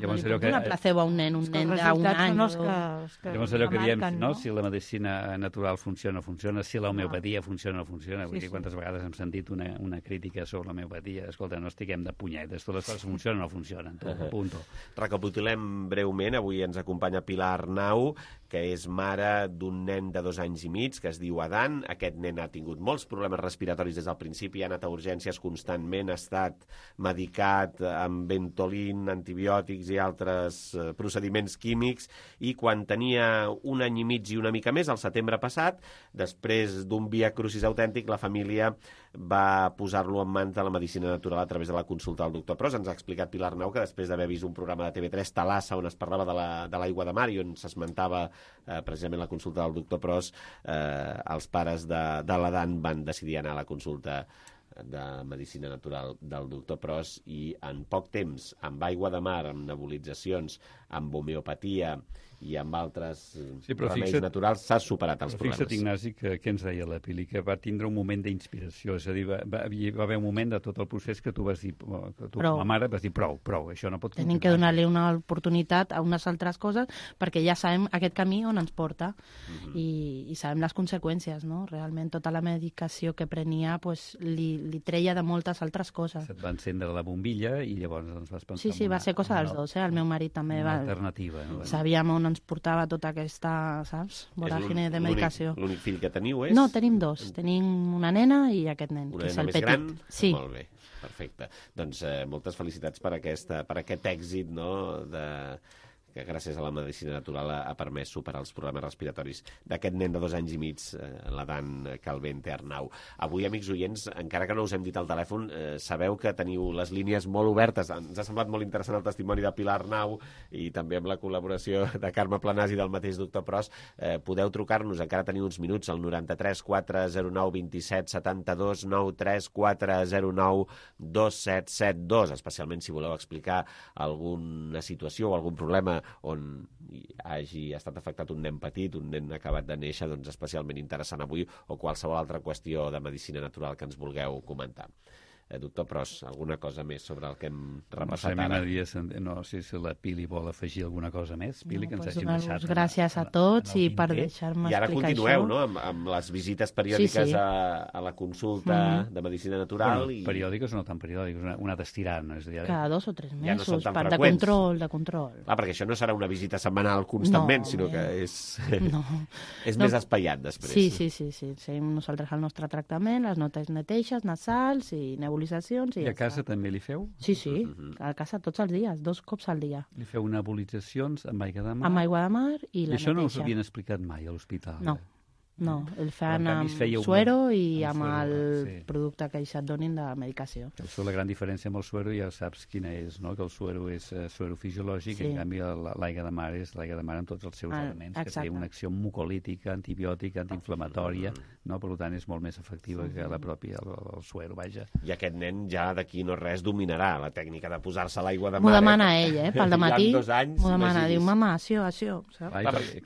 Llavors, allò que... una placebo a un nen d'un any. Llavors, allò que diem, no? Si la medicina natural funciona o funciona, si l'homeopatia funciona o funciona. Vull dir, quantes vegades hem sentit una crítica sobre l'homeopatia. Escolta, no estiguem de punyetes, totes les coses funcionen o no funcionen. Punto. Recapitulem breument. Avui ens acompanya Pilar Arnau, que és mare d'un nen de 2 anys i mig, que es diu Adan. Aquest nen ha tingut molts problemes respiratoris des del principi, ha anat a urgències constantment, ha estat medicat amb Ventolin, antibiòtics i altres procediments químics, i quan tenia 1 any i mig i una mica més, al setembre passat, després d'un via crucis autèntic, la família va posar-lo en mans de la medicina natural a través de la consulta del doctor Pros. Ens ha explicat Pilar Arnau que després d'haver vist un programa de TV3, Talassa, on es parlava de l'aigua de mar i on s'esmentava precisament la consulta del doctor Pros, els pares de l'Adan van decidir anar a la consulta de medicina natural del doctor Pros i en poc temps, amb aigua de mar, amb nebulitzacions, amb homeopatia i amb altres remeis naturals, s'ha superat els problemes. Fixa't, Ignasi, que ens deia la Pili, que va tindre un moment d'inspiració, és a dir, va haver un moment de tot el procés que tu vas dir, que tu, com a mare, vas dir prou, això no pot continuar. Tenim que donar-li una oportunitat a unes altres coses perquè ja sabem aquest camí on ens porta i sabem les conseqüències, no? Realment tota la medicació que prenia li treia de moltes altres coses. Se't va encendre la bombilla i llavors ens vas pensar... Sí, va ser cosa dels dos, el meu marit també va... Alternativa. Sabíem on ens portava tota aquesta, saps, voràgine de medicació. L'únic fill que teniu és? No, tenim 2. Tenim una nena i aquest nen, que és el petit. Una nena més gran? Sí. Molt bé, perfecte. Doncs moltes felicitats per aquest èxit, no?, que gràcies a la medicina natural ha permès superar els problemes respiratoris d'aquest nen de 2 anys i mig, l'Adan Calvente Arnau. Avui, amics oients, encara que no us hem dit al telèfon, sabeu que teniu les línies molt obertes. Ens ha semblat molt interessant el testimoni de Pilar Arnau i també amb la col·laboració de Carme Planàs i del mateix doctor Pros. Podeu trucar-nos, encara teniu uns minuts, al 93 409 27 72, 93 409 2772, especialment si voleu explicar alguna situació o algun problema on hagi estat afectat un nen petit, un nen acabat de néixer, doncs especialment interessant avui, o qualsevol altra qüestió de medicina natural que ens vulgueu comentar. Doctor Pros, alguna cosa més sobre el que hem repassat ara? No sé si la Pili vol afegir alguna cosa més. Pili, que ens hagin deixat... Gràcies a tots i per deixar-me explicar això. I ara continueu, no?, amb les visites periòdiques a la consulta de Medicina Natural. Periòdiques o no tan periòdiques, una d'estirant. Cada 2 o 3 mesos, de control. Clar, perquè això no serà una visita setmanal constantment, sinó que és més espaiat després. Sí. Nosaltres el nostre tractament, les notes neteixes, nasals i nebulizacions. I a casa també li feu? Sí, a casa tots els dies, 2 cops al dia. Li feu nebulitzacions amb aigua de mar? Amb aigua de mar i la neteixa. I això no us havien explicat mai a l'hospital? No, el fan amb suero i amb el producte que ells et donin de medicació. La gran diferència amb el suero ja saps quina és, no? Que el suero és suero fisiològic, en canvi l'aigua de mar és l'aigua de mar amb tots els seus elements, que té una acció mucolítica, antibiòtica, antiinflamatòria, no? Per tant és molt més efectiva que la pròpia, el suero, vaja. I aquest nen ja d'aquí no res dominarà la tècnica de posar-se l'aigua de mar. M'ho demana ell, pel dematí. M'ho demana, diu, mama, això.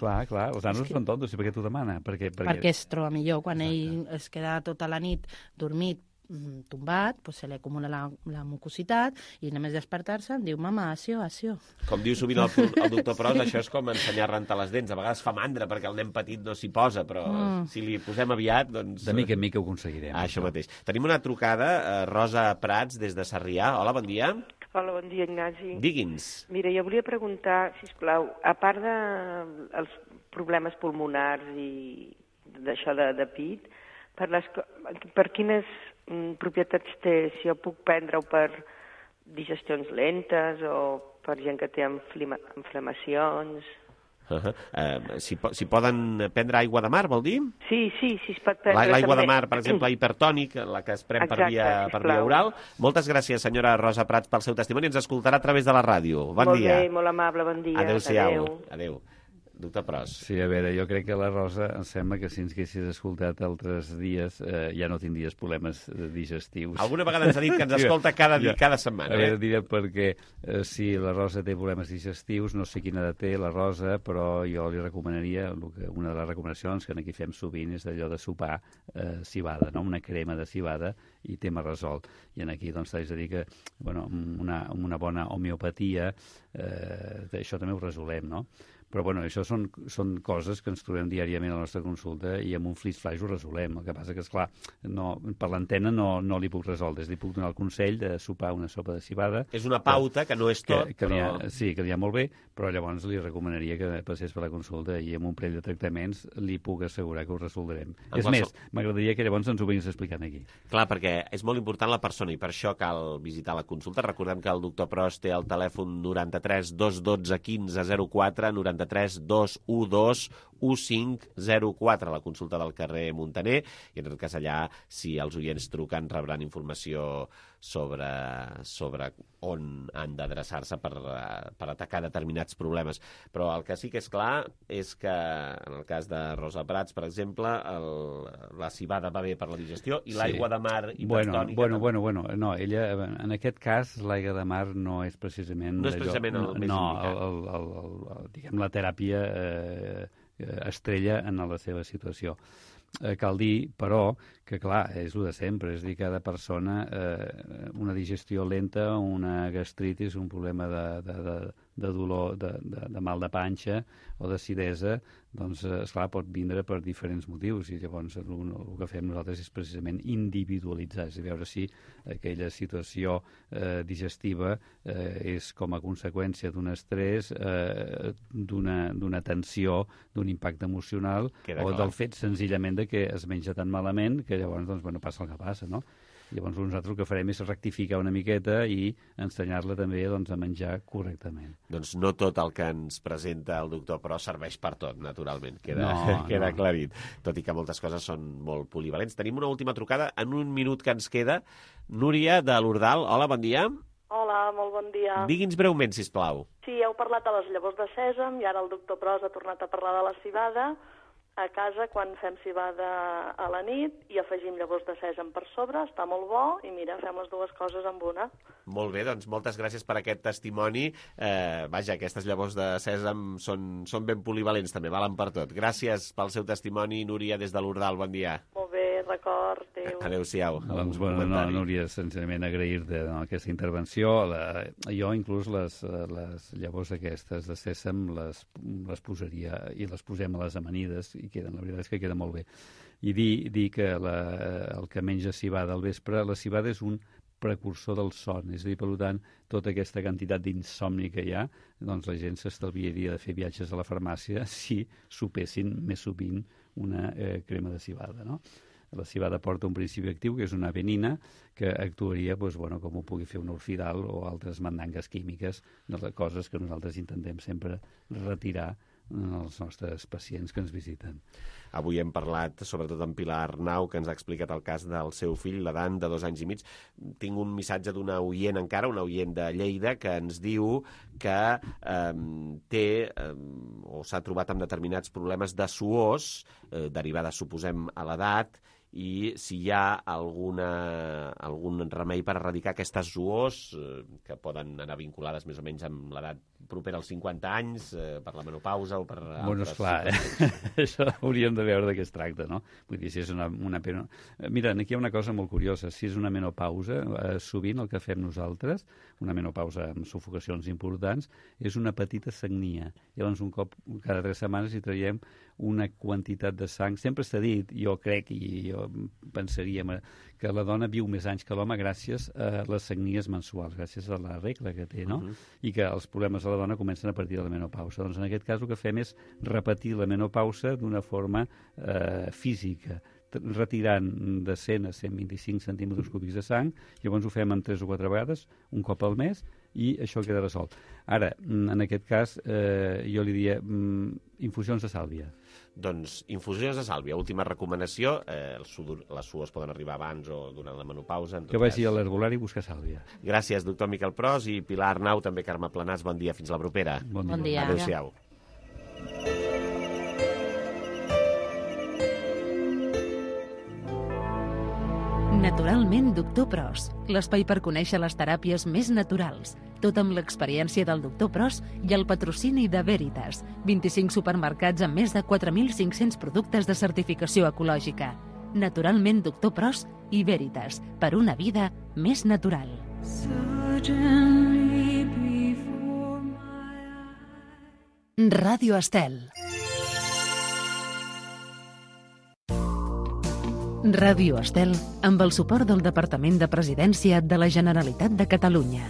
Clar, els nanos són tontos, i per què t'ho demana? Perquè es troba millor quan ell es queda tota la nit dormit, tombat, se li acumula la mucositat i només despertar-se em diu, mama, acció. Com diu sovint el doctor Pros, això és com ensenyar a rentar les dents. A vegades fa mandra perquè el nen petit no s'hi posa, però si li posem aviat, doncs... De mica en mica ho aconseguirem. Això mateix. Tenim una trucada, Rosa Prats, des de Sarrià. Hola, bon dia. Hola, bon dia, Ignasi. Digui'ns. Mira, jo volia preguntar, sisplau, a part dels problemes pulmonars i d'això de pit, per quines propietats té? Si jo puc prendre-ho per digestions lentes o per gent que té inflamacions... Si poden prendre aigua de mar, vol dir? Sí, es pot prendre també. L'aigua de mar, per exemple, hipertònic, la que es pren per via oral. Moltes gràcies, senyora Rosa Prats, pel seu testimoni. Ens escoltarà a través de la ràdio. Bon dia. Molt bé, molt amable, bon dia. Adéu-siau. Adéu. Doctor Pros. Sí, a veure, jo crec que la Rosa em sembla que si ens haguessis escoltat altres dies ja no tindries problemes digestius. Alguna vegada ens ha dit que ens escolta cada setmana. A veure, diré perquè si la Rosa té problemes digestius, no sé quina edat té la Rosa, però jo li recomanaria, una de les recomanacions que aquí fem sovint és allò de sopar civada, no? Una crema de civada i tema resolt. I aquí doncs t'haig de dir que una bona homeopatia, això també ho resolem, no? Però bueno, això són coses que ens trobem diàriament a la nostra consulta i amb un flash ho resolem. El que passa que, esclar, per l'antena no li puc resoldre. Li puc donar el consell de sopar una sopa de civada. És una pauta que no és tot, però... Sí, que li ha molt bé, però llavors li recomanaria que passés per la consulta i amb un parell de tractaments li puc assegurar que ho resoldrem. És més, m'agradaria que llavors ens ho vinguis explicant aquí. Clar, perquè és molt important la persona i per això cal visitar la consulta. Recordem que el doctor Pros té el telèfon 93 212 15 04, 93 212 1504, la consulta del carrer Muntaner, i en tot cas allà, si els oients truquen, rebran informació sobre on han d'adreçar-se per atacar determinats problemes. Però el que sí que és clar és que, en el cas de Rosa Prats, per exemple, la civada va bé per la digestió i l'aigua de mar hipertònica... Bueno, no, ella, en aquest cas, l'aigua de mar no és precisament... No és precisament el més indicat. Diguem, la teràpia estrella en la seva situació. Cal dir, però, que clar, és el de sempre, és a dir, cada persona, una digestió lenta, una gastritis, un problema de dolor, de mal de panxa o d'acidesa, doncs, esclar, pot vindre per diferents motius i llavors el que fem nosaltres és precisament individualitzar, és a dir, veure si aquella situació digestiva és com a conseqüència d'un estrès, d'una tensió, d'un impacte emocional o del fet senzillament de que es menja tan malament que llavors doncs, passa el que passa, no? Llavors nosaltres el que farem és rectificar una miqueta i ensenyar-la també doncs, a menjar correctament. Doncs no tot el que ens presenta el doctor Pros serveix per tot, naturalment. Queda aclarit. Tot i que moltes coses són molt polivalents. Tenim una última trucada en un minut que ens queda. Núria, de l'Ordal. Hola, bon dia. Hola, molt bon dia. Digui'ns breument, sisplau. Sí, heu parlat de les llavors de sèsam i ara el doctor Pros ha tornat a parlar de la civada. A casa, quan fem civada a la nit i afegim llavors de sèsam per sobre, està molt bo i mira, fem les dues coses amb una. Molt bé, doncs moltes gràcies per aquest testimoni. Vaja, aquestes llavors de sèsam són ben polivalents també, valen per tot. Gràcies pel seu testimoni, Núria, des de l'Ordal, bon dia. Molt bé, record, adéu. Adéu-siau. Doncs, bueno, Núria, senzillament agrair-te aquesta intervenció. Jo inclús les llavors aquestes de sèsam les posaria i les posem a les amanides i la veritat és que queda molt bé. I dir que el que menja civada al vespre, la civada és un precursor del son, és a dir, per tant, tota aquesta quantitat d'insomni que hi ha, doncs la gent s'estalviaria de fer viatges a la farmàcia si sopessin més sovint una crema de civada, no? La civada porta un principi actiu, que és una avenina, que actuaria com ho pugui fer un orfidal o altres mandangues químiques, de les coses que nosaltres intentem sempre retirar als nostres pacients que ens visiten. Avui hem parlat, sobretot amb Pilar Arnau, que ens ha explicat el cas del seu fill, l'Adan, de 2 anys i mig. Tinc un missatge d'una oient encara, una oient de Lleida, que ens diu que té o s'ha trobat amb determinats problemes de suors, derivades, suposem, a l'edat, i si hi ha algun remei per erradicar aquestes suors que poden anar vinculades més o menys amb l'edat propera als 50 anys, per la menopausa o per altres... Bueno, esclar, això hauríem de veure de què es tracta, no? Vull dir, si és una... Mira, aquí hi ha una cosa molt curiosa. Si és una menopausa, sovint el que fem nosaltres, una menopausa amb sufocacions importants, és una petita sagnia. Llavors, un cop cada 3 setmanes hi traiem una quantitat de sang. Sempre s'ha dit, jo crec i jo pensaria que la dona viu més anys que l'home gràcies a les sagnies mensuals, gràcies a la regla que té, no? I que els problemes de la dona comencen a partir de la menopausa. Doncs en aquest cas el que fem és repetir la menopausa d'una forma física, retirant de 100 a 125 centímetres cúbics de sang. Llavors ho fem en 3 o 4 vegades, un cop al mes, i això queda resolt. Ara, en aquest cas, jo li diria infusions de sàlvia. Doncs infusions de sàlvia, última recomanació. Les suors poden arribar abans o durant la menopausa. Que vagi a l'herbolari a buscar sàlvia. Gràcies, doctor Miquel Pros i Pilar Arnau, també Carme Planàs. Bon dia, fins la propera. Bon dia. Adéu-siau. Naturalment, doctor Pros, l'espai per conèixer les teràpies més naturals, tot amb l'experiència del doctor Pros i el patrocini de Veritas, 25 supermercats amb més de 4.500 productes de certificació ecològica. Naturalment, doctor Pros i Veritas, per una vida més natural. Ràdio Estel. Ràdio Estel, amb el suport del Departament de Presidència de la Generalitat de Catalunya.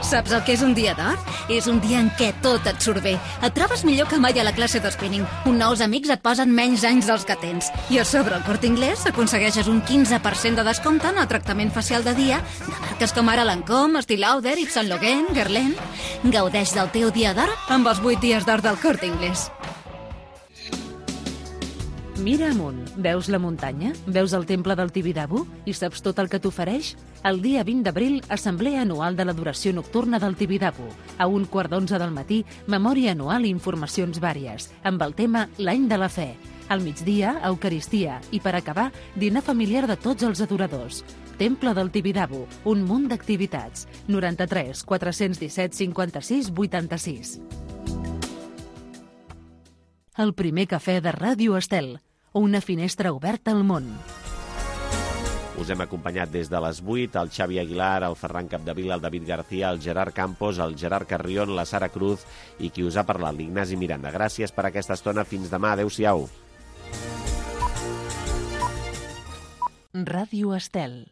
Saps el que és un dia d'or? És un dia en què tot et surt bé. Et trobes millor que mai a la classe d'espinning. Uns nous amics et posen menys anys dels que tens. I a sobre el Corte Inglés aconsegueixes un 15% de descompte en el tractament facial de dia de marques com ara Lancôme, Estée Lauder, Yves Saint Laurent, Guerlain. Gaudeix del teu dia d'or amb els 8 dies d'or del Corte Inglés. Mira amunt, veus la muntanya? Veus el temple del Tibidabo? I saps tot el que t'ofereix? El dia 20 d'abril, assemblea anual de l'adoració nocturna del Tibidabo. A 11:15 del matí, memòria anual i informacions vàries, amb el tema L'any de la fe. Al migdia, Eucaristia i, per acabar, dinar familiar de tots els adoradors. Temple del Tibidabo, un munt d'activitats. 93 417 56 86. El primer cafè de Ràdio Estel. Una finestra oberta al món. Us hem acompanyat des de les 8, el Xavi Aguilar, el Ferran Capdevila, el David García, el Gerard Campos, el Gerard Carrión, la Sara Cruz i qui us ha parlat, l'Ignasi Miranda. Gràcies per aquesta estona. Fins demà. Adéu-siau. Ràdio Estel.